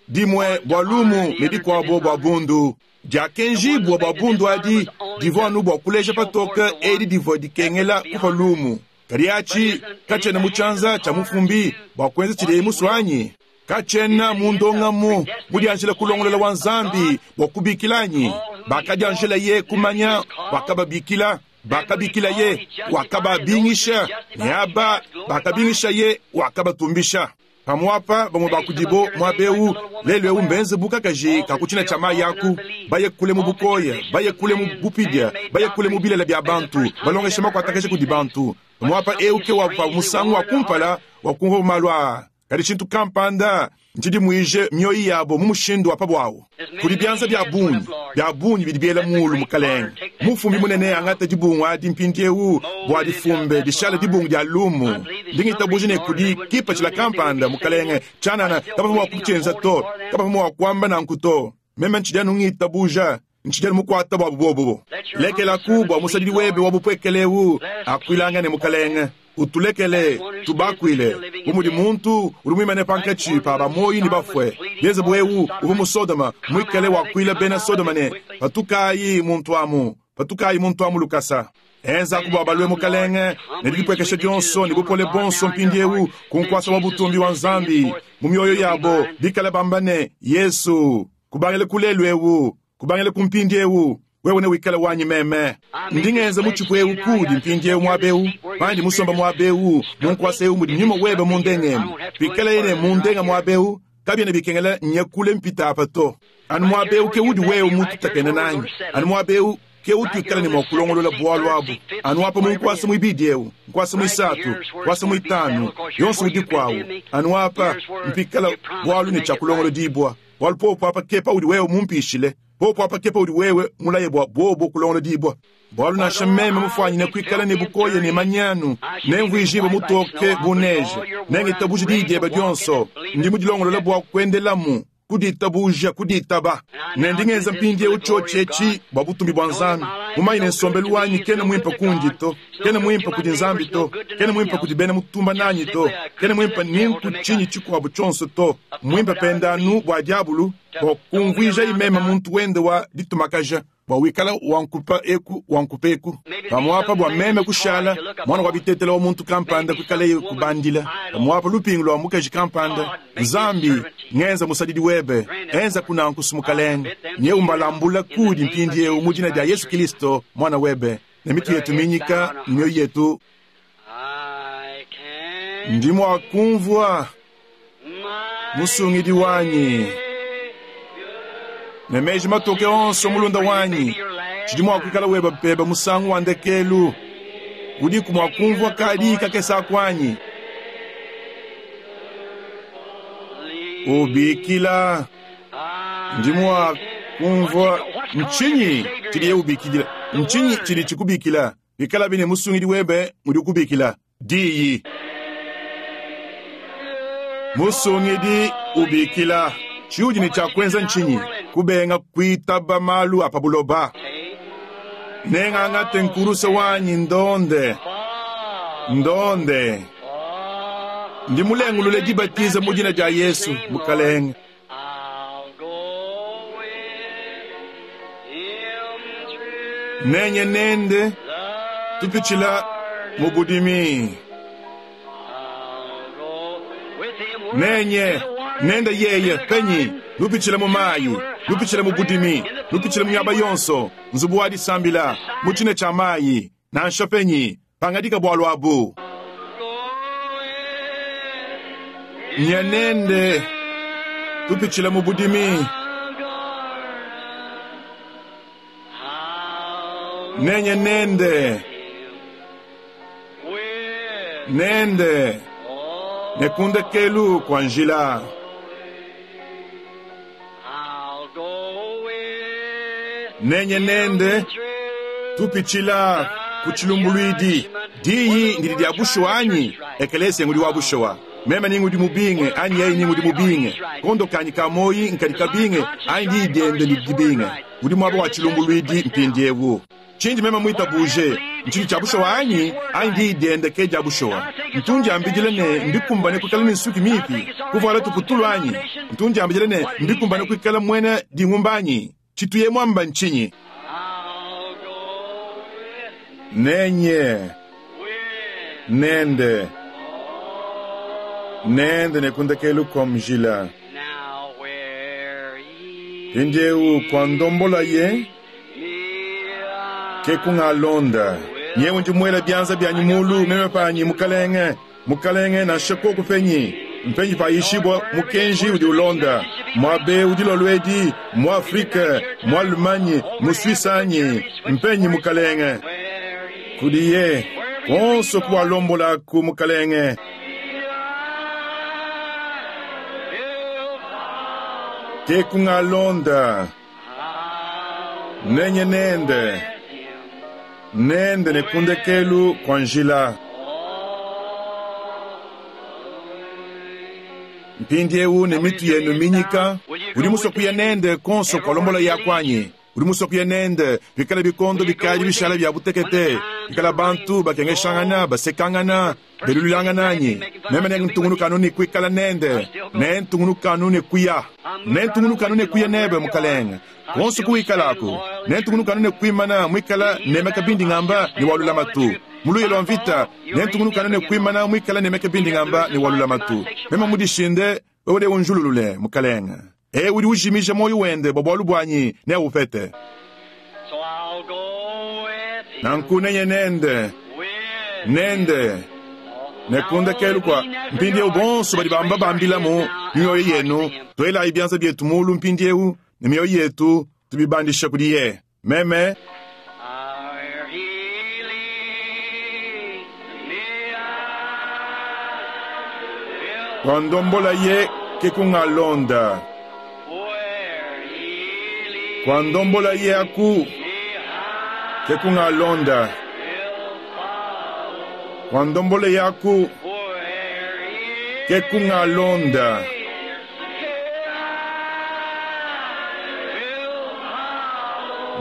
dimue bua lumu ne dikuabo bua bundu. Diakenjibua bua bundu adi divua anu bua kuleja patoke edi divua dikengela kupua lumu. Kadi atshi katshiena mu tshianza tshia mufumbi bua kuenza tshidiye musue anyi? Katshiena mu ndongamu mudianjila kulongolola wa Nzambi bua kubikila anyi? Bakadianjilaye kumanya, wakababikila, bakabikilaye, wakababingisha, ne aba bakabingishaye, wakabatumbisha. Pamuapa bamue ba kudibo muaba eu lelu eu mbenze bu kakaji ka ku tshina tshia mayi aku, baye kule mu bukoya, baye kule mu bupidia, baye kule mu bilele bia bantu, balongesha makuatakaja kudi bantu. Pamuapa eu ke wa pa musangu wa kumpala wa kumvua malu aa. Kadi tshintu kampanda ntshidimuije mioyo yabo mu mushindu wa pa buawu. Kudi bianza bia bungi, bia bungi bidi biela muulu, Mukalenge. Mufumbi munene angate dibungu adi mpindieu bua difumbe, dishale dibungu dia lumu. Ndi ngitabuja ne kudi kipatshila kampanda, Mukalenge. Tshianana kabavua mua kutshienza to. Kabavua mua kuamba nanku to. Meme ntshidi anu ngitabuja. Ntshidi anu mukuata buabu buobu. Lekelaku bua musadidi webe wa bupuekele eu akuilangane, Mukalenge. Utulekele tubakuile, bu mudi muntu udi muimane pankatshi pa ba muoyo ne bafue, bienze bu eu uvua mu Sodoma muikale wakuila bena Sodoma ne, Patukayi muntu amu, patukayi muntu amu lukasa. Enzaku bua balue, Mukalenge, ne didipuekesha dionso ne bupole buonso mpindieu ku nkuasa wa butumbi wa Nzambi mu mioyo yabo, bikale bamba ne, Yesu, kubangila ku lelu eu, kubangila ku mpindieu, wewe newikale wanyi meme. Ndi ngenza mutshipu eu kuudi mpindieu muaba eu, pandi musomba muaba eu mu nkuasa eu mudi nyuma webe mundengemu. Pikaleye ne mundenga muaba eu, kabiena bikengela nye kule mpita apa to. Anu muaba eu ke udi wewe mututakene nanyi. Anu muaba eu ke utuikala ne mua kulongolola bualu abu. Anu apa mu nkuasa muibidi eu, nkuasa muisatu, nkuasa muitanu, yonso udiku awu. Anu apa mpikala bualu ne tshia kulongolodibua. Bualu popo apa ke paudi wewe mumpishile. Popo apa ke paudi wewe mulaye bua buobo kulongolodibua. Bualu nansha meme mufuanyine kuikala ne bukoya ne manyanu, nemvuijibue mutoke bu neje. Nengitabuje diyi diebe dionso. Ndi mudilongolole bua kuendelamu, ku ditabuja, ku ditaba. Ne ndi ngenza mpindieu tshiotshi etshi bua butumbi bua Nzambi, mumanye ne nsombelu wanyi kena muimpe kundi to, kena muimpe kudi Nzambi to, kena muimpe kudi bena mutumba nanyi to, kena muimpe ni nku tshinyi tshikuabu tshionso to, mmuimpe pende anu bua diabulu, bua kumvuijaye meme muntu wende wa ditumakaja, bua wikala wankupa eku wankupa eku, pamuapa bua meme kushala muana wa bitetela wa muntu kampanda kuikaleye kubandila, pamuapa lupingu lua mukaji kampanda. Nzambi, ngenza musadidi webe, enza kunanku, Mukalenge, nyeu mbalambula kuudi mpindieu mu dina dia Yesu Kilisto muana webe, ne mitu yetu minyika ne mioyo yetu. Ndi mua kumvua Musungidi wanyi ne meji matoke onso, mulunda wanyi, tshidi mua kuikala weba pebe musangu wa ndekelu. Udiku mua kumvua kadiyi kakese aku anyi? Ubikila, ndi mua kumvua. Ntshinyi tshidiye ubikidila? Ntshinyi tshidi tshikubikila? Bikalabi ne Musungidi webe ngudi ukubikila, diyi. Musungidi ubikila, tshiudi ne tshia kuenza ntshinyi? Kubenga kuitaba malu a pa buloba. Nengangate nkuruse wanyi ndonde, ndonde. Ndi mulengulule dibatiza mu dina dia Yesu, Mukalenge. Nenye nende tupitshila mu budimi. Nenye nende yeye penyi nupitshila mu mayi, nupitshila mu budimi, nupitshila mu miaba yonso, nzubu wa disambila, mu tshina tshia mayi, nansha penyi, pangadika bualu abu. Nye nende tupitshila mu budimi. Nenye nende, nende, ne ku ndekelu kua njila. Nenye nende tupitshila ku tshilumbuluidi. Diyi ndidi dia bushuwa anyi? Ekelesia ngudi wa bushuwa. Meme ni ngudi mubinge anyi yeye ni ngudi mubinge? Kondo kanyi ka muoyi nkadi kabinge anyi diyi diende ndidi dibinge? Udi muaba wa tshilumbuluidi mpindieu. Tshindi meme muitabuje ntshidi tshia bushuwa anyi? Anyi diyi diende ke dia bushuwa? Ntu ndiambidila ne, mbikumbane kuikala ne nsuki mipi, kuvuala tuputulu anyi? Ntu ndiambidila ne, mbikumbane kuikala muena dingumba anyi? Tshituye muamba ntshinyi? Nenye nende, nende ne ku ndekelu kua mjila. Mpindieu kua ndombolaye ke kungalonda. Nyewu ndi muela bianza bianyi mulu, meme panyi, Mukalenge, Mukalenge, nansha koku penyi, mpenyi payishibua mukenji udi ulonda, muaba eu dilolo edi, mu Afrike, mu Allemagne, mu Suisse anyi, mpenyi, Mukalenge? Kudiye, kuonso kuwalombolaku, Mukalenge. Ke kungalonda, nenye nende, nende ne ku ndekelu kua njila. Mpindieu ne mitu yenu minyika, udi musue kuya nende kuonso kualombola yaku anyi? Udi musue kuya nende pikala bikondo bikadi bishala bia butekete? Pikala bantu bakengeshangana, basekangana, belululangana anyi, meme nentungunuka anu ne kuikala nende, nentungunuka anu ne kuya, nentungunuka anu ne kuya nebe, Mukalenge, kuonso kuwikalaku, nentungunuka anu ne kuimana muikala nemeka bindi ngamba ne wa lulamatu. Mu luya lua mvita, nentungunuka anu ne kuimana muikala nemeka bindi ngamba ne wa lulamatu. Meme mudishinde, wewe neunjululule, Mukalenge. Eu udi ujimija muoyo wende bua bualu buanyi neaupete. Nanku nenye nende, nende, ne ku ndekelu kua mpindieu bonso badi bamba bambilamu mioyo yenu, tuelayi bianza bietu mulu mpindieu ne mioyo yetu tubibandisha kudiye. Meme kuandombolaye ke kungalonda, kuandombolaye aku ke kungalonda, kuandombolaye aku ke kungalonda.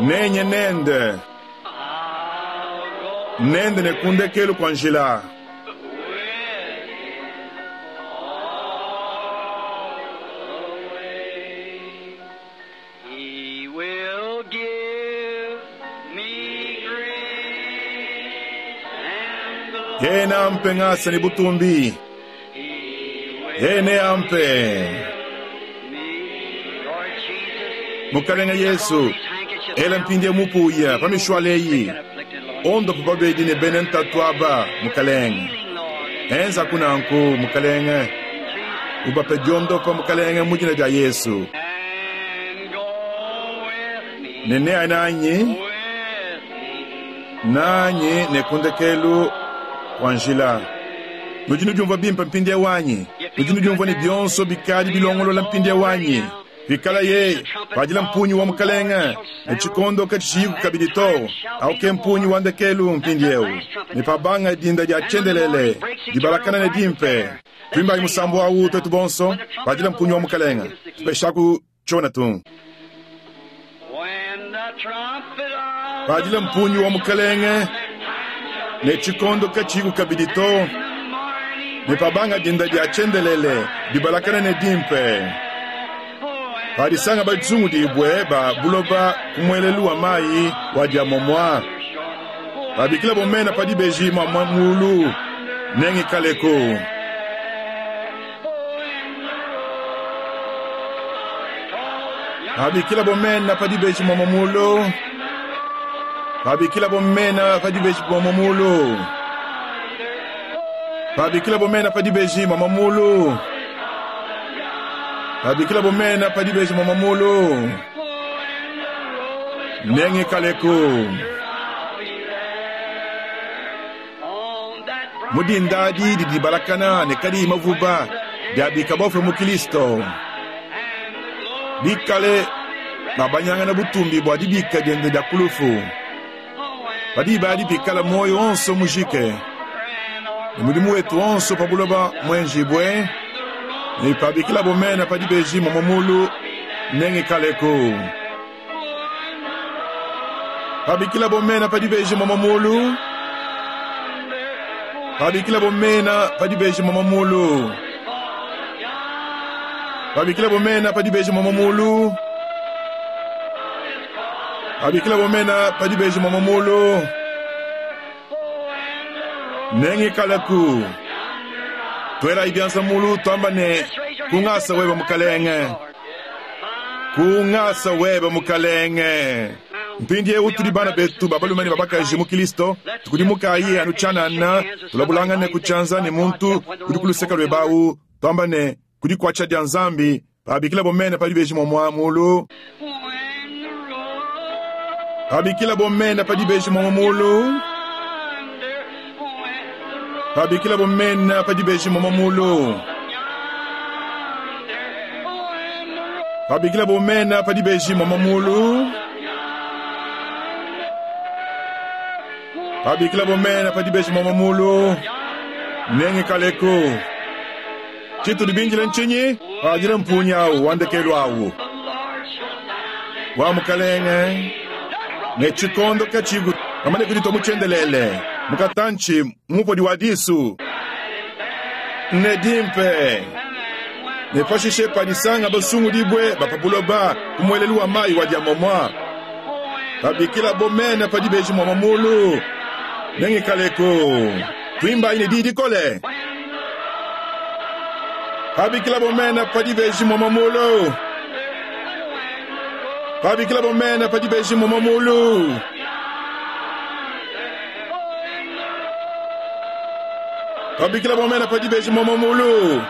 Nenye nende, nende ne kundekelu kua njila. He will give me grace and glory. Yeye ampe ngasa ne butumbi, He will yeye ampe me, Lord Jesus. Mukalenge Yesu, ela mpindie mupuya pa mishwaleyi ondopa babedi ne bene ntatu aba Mukalenge. Enza kunanku Mukalenge, ubape diondopa Mukalenge mu dina dia Yesu. And go with me, Ne neaye nanyi with me. nanyi ne kundekelu kwa njila. Nudi nudiumvua bimpe mpindie wanyi, nudi nudiumvua ne bionso bikadi bilongolola mpindie wanyi. Pikala ye padila mpunyi wa Mukalenge ne tshikondo katshiyiku kabidi to, auke mpunyi wa ndekelu mpindieu ne pabanga dinda dia tshiendelele dibalakana ne dimpe. Tuimbayi musambu awu twetu bonso padila mpunyi wa Mukalenge tupeshaku tshiona tu. When the trumpet of Padila mpunyi wa Mukalenge ne tshikondo katshiyiku kabidi to, the morning ne pabanga dinda dia tshiendelele dibalakana ne dimpe. Padisanga batsungudibwe ba buloba ku muelelu wa mayi wa dia momwa. Babikila bomena pa dibeji mwa mulu nengikaleko. Babikila bomena pa dibeji mwa mulu. Babikila bomena pa dibeji mwa mulu. Babikila bomena pa dibeji mwa mulu. Babikila bomena pa dibeji mwa mulu. Nengikaleko. on that bright Mudindadi didi balakana ne kadi mavuba diabika bofwe mu Kristo. Bikale babanyangana butumbi bua dibika diende dia kulufu. Padiba dipikala moyo onso mujike. Ne mudimu wetu onso pa buloba mwenjibwe. Ne pabikila bomena pa dibeji mwa mulu nengikaleko. Pabikila bomena pa dibeji mwa mulu. Pabikila bomena pa dibeji mwa mulu. Pabikila bomena pa dibeji mwa mulu. Pabikila bomena pa dibeji mwa mulu. Nengikalaku. Twela ibyanza mulu twamba ne kungasa weba mukalenge. Kungasa weba mukalenge. Mpindiewu tuli bana betu babalume ne babakaji mu Kristo, tukudimukayi anu tshianana, tulabulangane kutshianza ne muntu udi ku luseke lwebawu, twamba ne kudi kuatsha dia Nzambi, babikila bomene pa dibeji mwa mulu. when the road Babikila bomene pa dibeji mwa mulu. under when the road Babikila bomene pa dibeji mwa mulu. yonder when the road Babikila bomene pa dibeji mwa mulu. Babikila bomene pa dibeji mwa mulu. Nengikaleko. Tshitu dibinjile ntshinyi? Padila mpunyi awu wandekelu awu. the Lord shall sound Wa mukalenge ne tshikondo katshiku. Bamane kuditua mu tshiendelele, mu katantshi, mu mupodi wa disu. Ne dimpe. Ne pashishe padisanga basungudibue ba pa buloba ku muelelu wa mayi wa diamomua, pabikilabo mena pa dibeji muamua mulu, nengikaleku. Tuimbayi ne diyi dikole. Pabikilabo mena pa dibeji muamua mulu. Pabikilabo mena pa dibeji muamua mulu. Pabikilabo mena pa dibeji muamua mulu.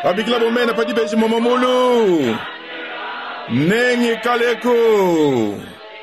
Pabikilabo mena pa dibeji muamua mulu. Nengikaleku.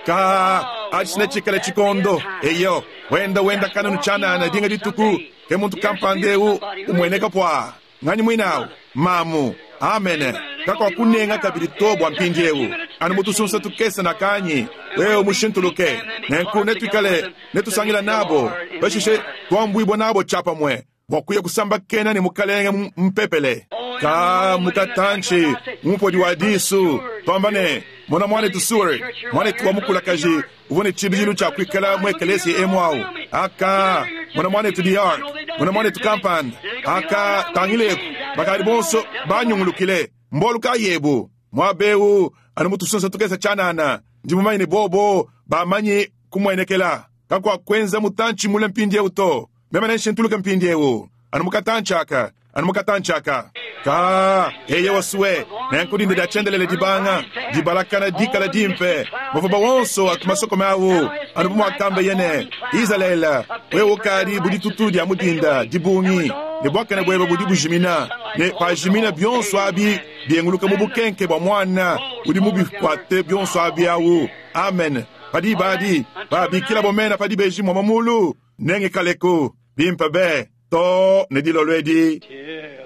Ka atshi netshikale tshikondo. Eyo, wenda wenda kanunu tshianana dinga dituku, ke muntu kampanda eu umueneka pua. Nganyi muine au? Mamu. Amene. Kakuakunenga kabidi to bua mpindieu. Anu mu tusunsa tukese nakanyi, wewe mushintuluke. Nenku netuikale netusangila nabo, pashishe tuambuibua nabo tshiapamue bua kuya kusambakena ne Mukalenge mu mpepele. Ka mu katantshi, mu mupodi wa disu, tuamba ne, Mona muanetu Seward, muanetu wa mukulakaji uvua ne tshibidilu tshia kuikala mu ekeleziya emu au. Aka, mona muanetu DeArk, mona muanetu kampanda. Aka, tangileku, bakadi bonso banyungulukile. Mbualu kayi ebu? Muaba eu, anu mu tusunsa tukese tshianana, ndi mumanye ne bobo bamanyi kumuenekela. Kakuakuenza mutantshi mule mpindieu to. Meme nenshintuluke mpindieu, anu mu katantshi aka, anu mu katantshi aka. Ka, eye wasue, nenku dinda dia tshiendelele dibanga, dibalakana dikala dimpe, mavuba wonso atu masokome au, anu bu muakambeye ne, Izalele, wewe ukadi bu ditutu dia mu dinda dibungi, ne buakane buebe budi bujimina, ne pajimina bionso abi bienguluka mu bukenke bua Muana udi mubikuate bionso abi au. Amen. Pa diba adi, babikilabo mena pa dibeji muamua mulu, Nengikaleku bimpe be too ne dilolo edi,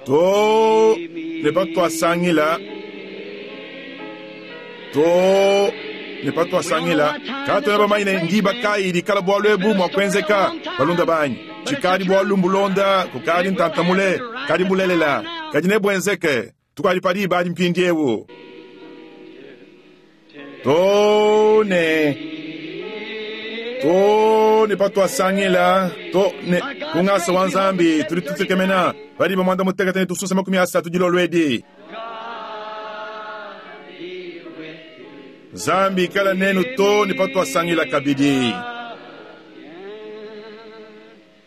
too ne patuasangila, too ne patuasangila. Katuena bamanye ne ndiba kayi dikala bualu ebu mua kuenzeka, balunda banyi. Tshikadi bualu mbulonda kukadi ntanta mule, kadi mbulelela, kadi nebuenzeke. Tukadi pa diba adi mpindieu. Too ne too ne patuasangila to ne ku ngasa wa Nzambi tudi tutekemena pa diba muanda mutekete ne tusunsa 30 dilolo edi. Nzambi ikala nenu too ne patuasangila kabidi.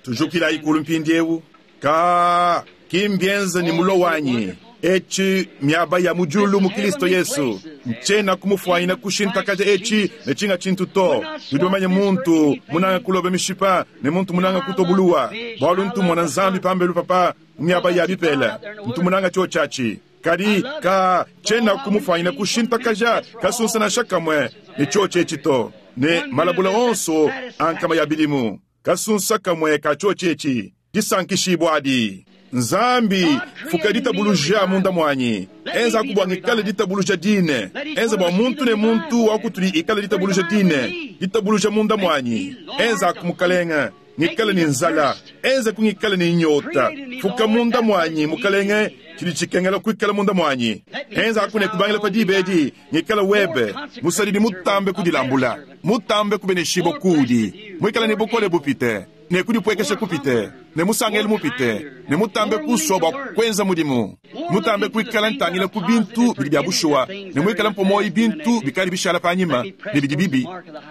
Tujukilayi kulu mpindieu. Ka, ki mbienza ne mulo wanyi. Etshi miaba ya mu diulu mu Kilisto Yesu. Ntshiena kumufuanyina kushintakaja etshi ne tshinga tshintu to. Nudi bamanye muntu munanga kuloba mishipa ne muntu munanga kutua buluwa, bualu ntu mmona Nzambi pambelu papa mu miaba ya bipela. Ntu munanga tshiotshi atshi. Kadi ka, tshiena kumufuanyina kushintakaja kasunsa nansha kamue ne tshiotshi etshi to, ne malabula onso a nkama ya bidimu. Kasunsa kamue ka tshiotshi etshi, disankishibua adi. Nzambi, fuka ditabuluja munda muanyi. Enzaku bua ngikale ditabuluja dine. Enza bua muntu ne muntu wa kutudi ikale ditabuluja dine, ditabuluja munda muanyi. Enzaku, Mukalenge, ngikale ne nzala. Enzaku ngikale ne nyota. Fuka munda muanyi, Mukalenge, tshidi tshikengela kuikala munda muanyi. Enzaku ne kubangila pa diba edi, ngikale webe musadidi mutambe kudilambula, mutambe kubeneshibua kuudi, muikale ne bukole bupite, ne kudipuekesha kupite, ne musangelu mupite, ne mutambe kusua bua kuenza mudimu, mutambe kuikala ntangila ku bintu bidi bia bushuwa, ne muikale mpua muoyo bintu bikadi bishala panyima ne bidi bibi.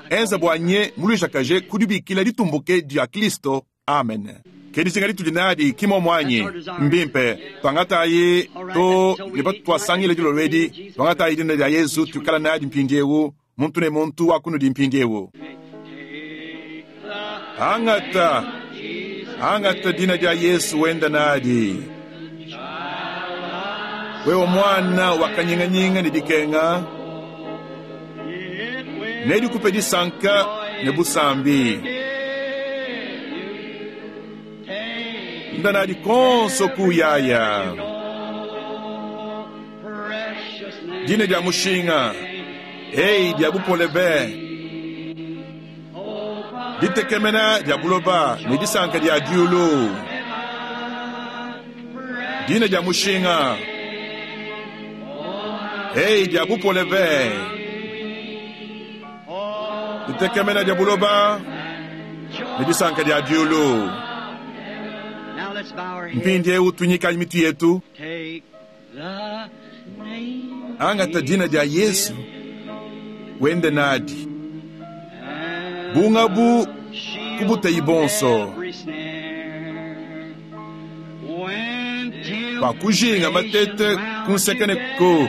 Enza bua nye muluijakaje ku dibikila ditumbuke dia Kristo. Amen. Ke dijinga ditudi nadi, ki mmuomu anyi? Mbimpe. Tuangatayi too ne patuasangila dilolo edi, tuangatayi dina dia Yezu, tuikala nadi mpindiewu, muntu ne muntu wa kunudi mpindiewu. Angata, angata dina dia Yesu wenda nadi. Wewe muana wa kanyinganyinga ne dikenga, nedikupe disanka ne busambi. Nda nadi konso kuyaya. Dina dia mushinga, ei dia bupole be. Ditekemena dia buloba ne disanka dia diulu. Dina dia mushinga, ei dia bupole be. Ditekemena dia buloba ne disanka dia diulu. Now let's bow our heads. Mpindieu tuinyikayi mitu yetu. Take the name Angata dina dia Yesu wende nadi and bungabu shield kubuteyi bonso. every snare. When Pakujinga matete temptation kunsekene round ko you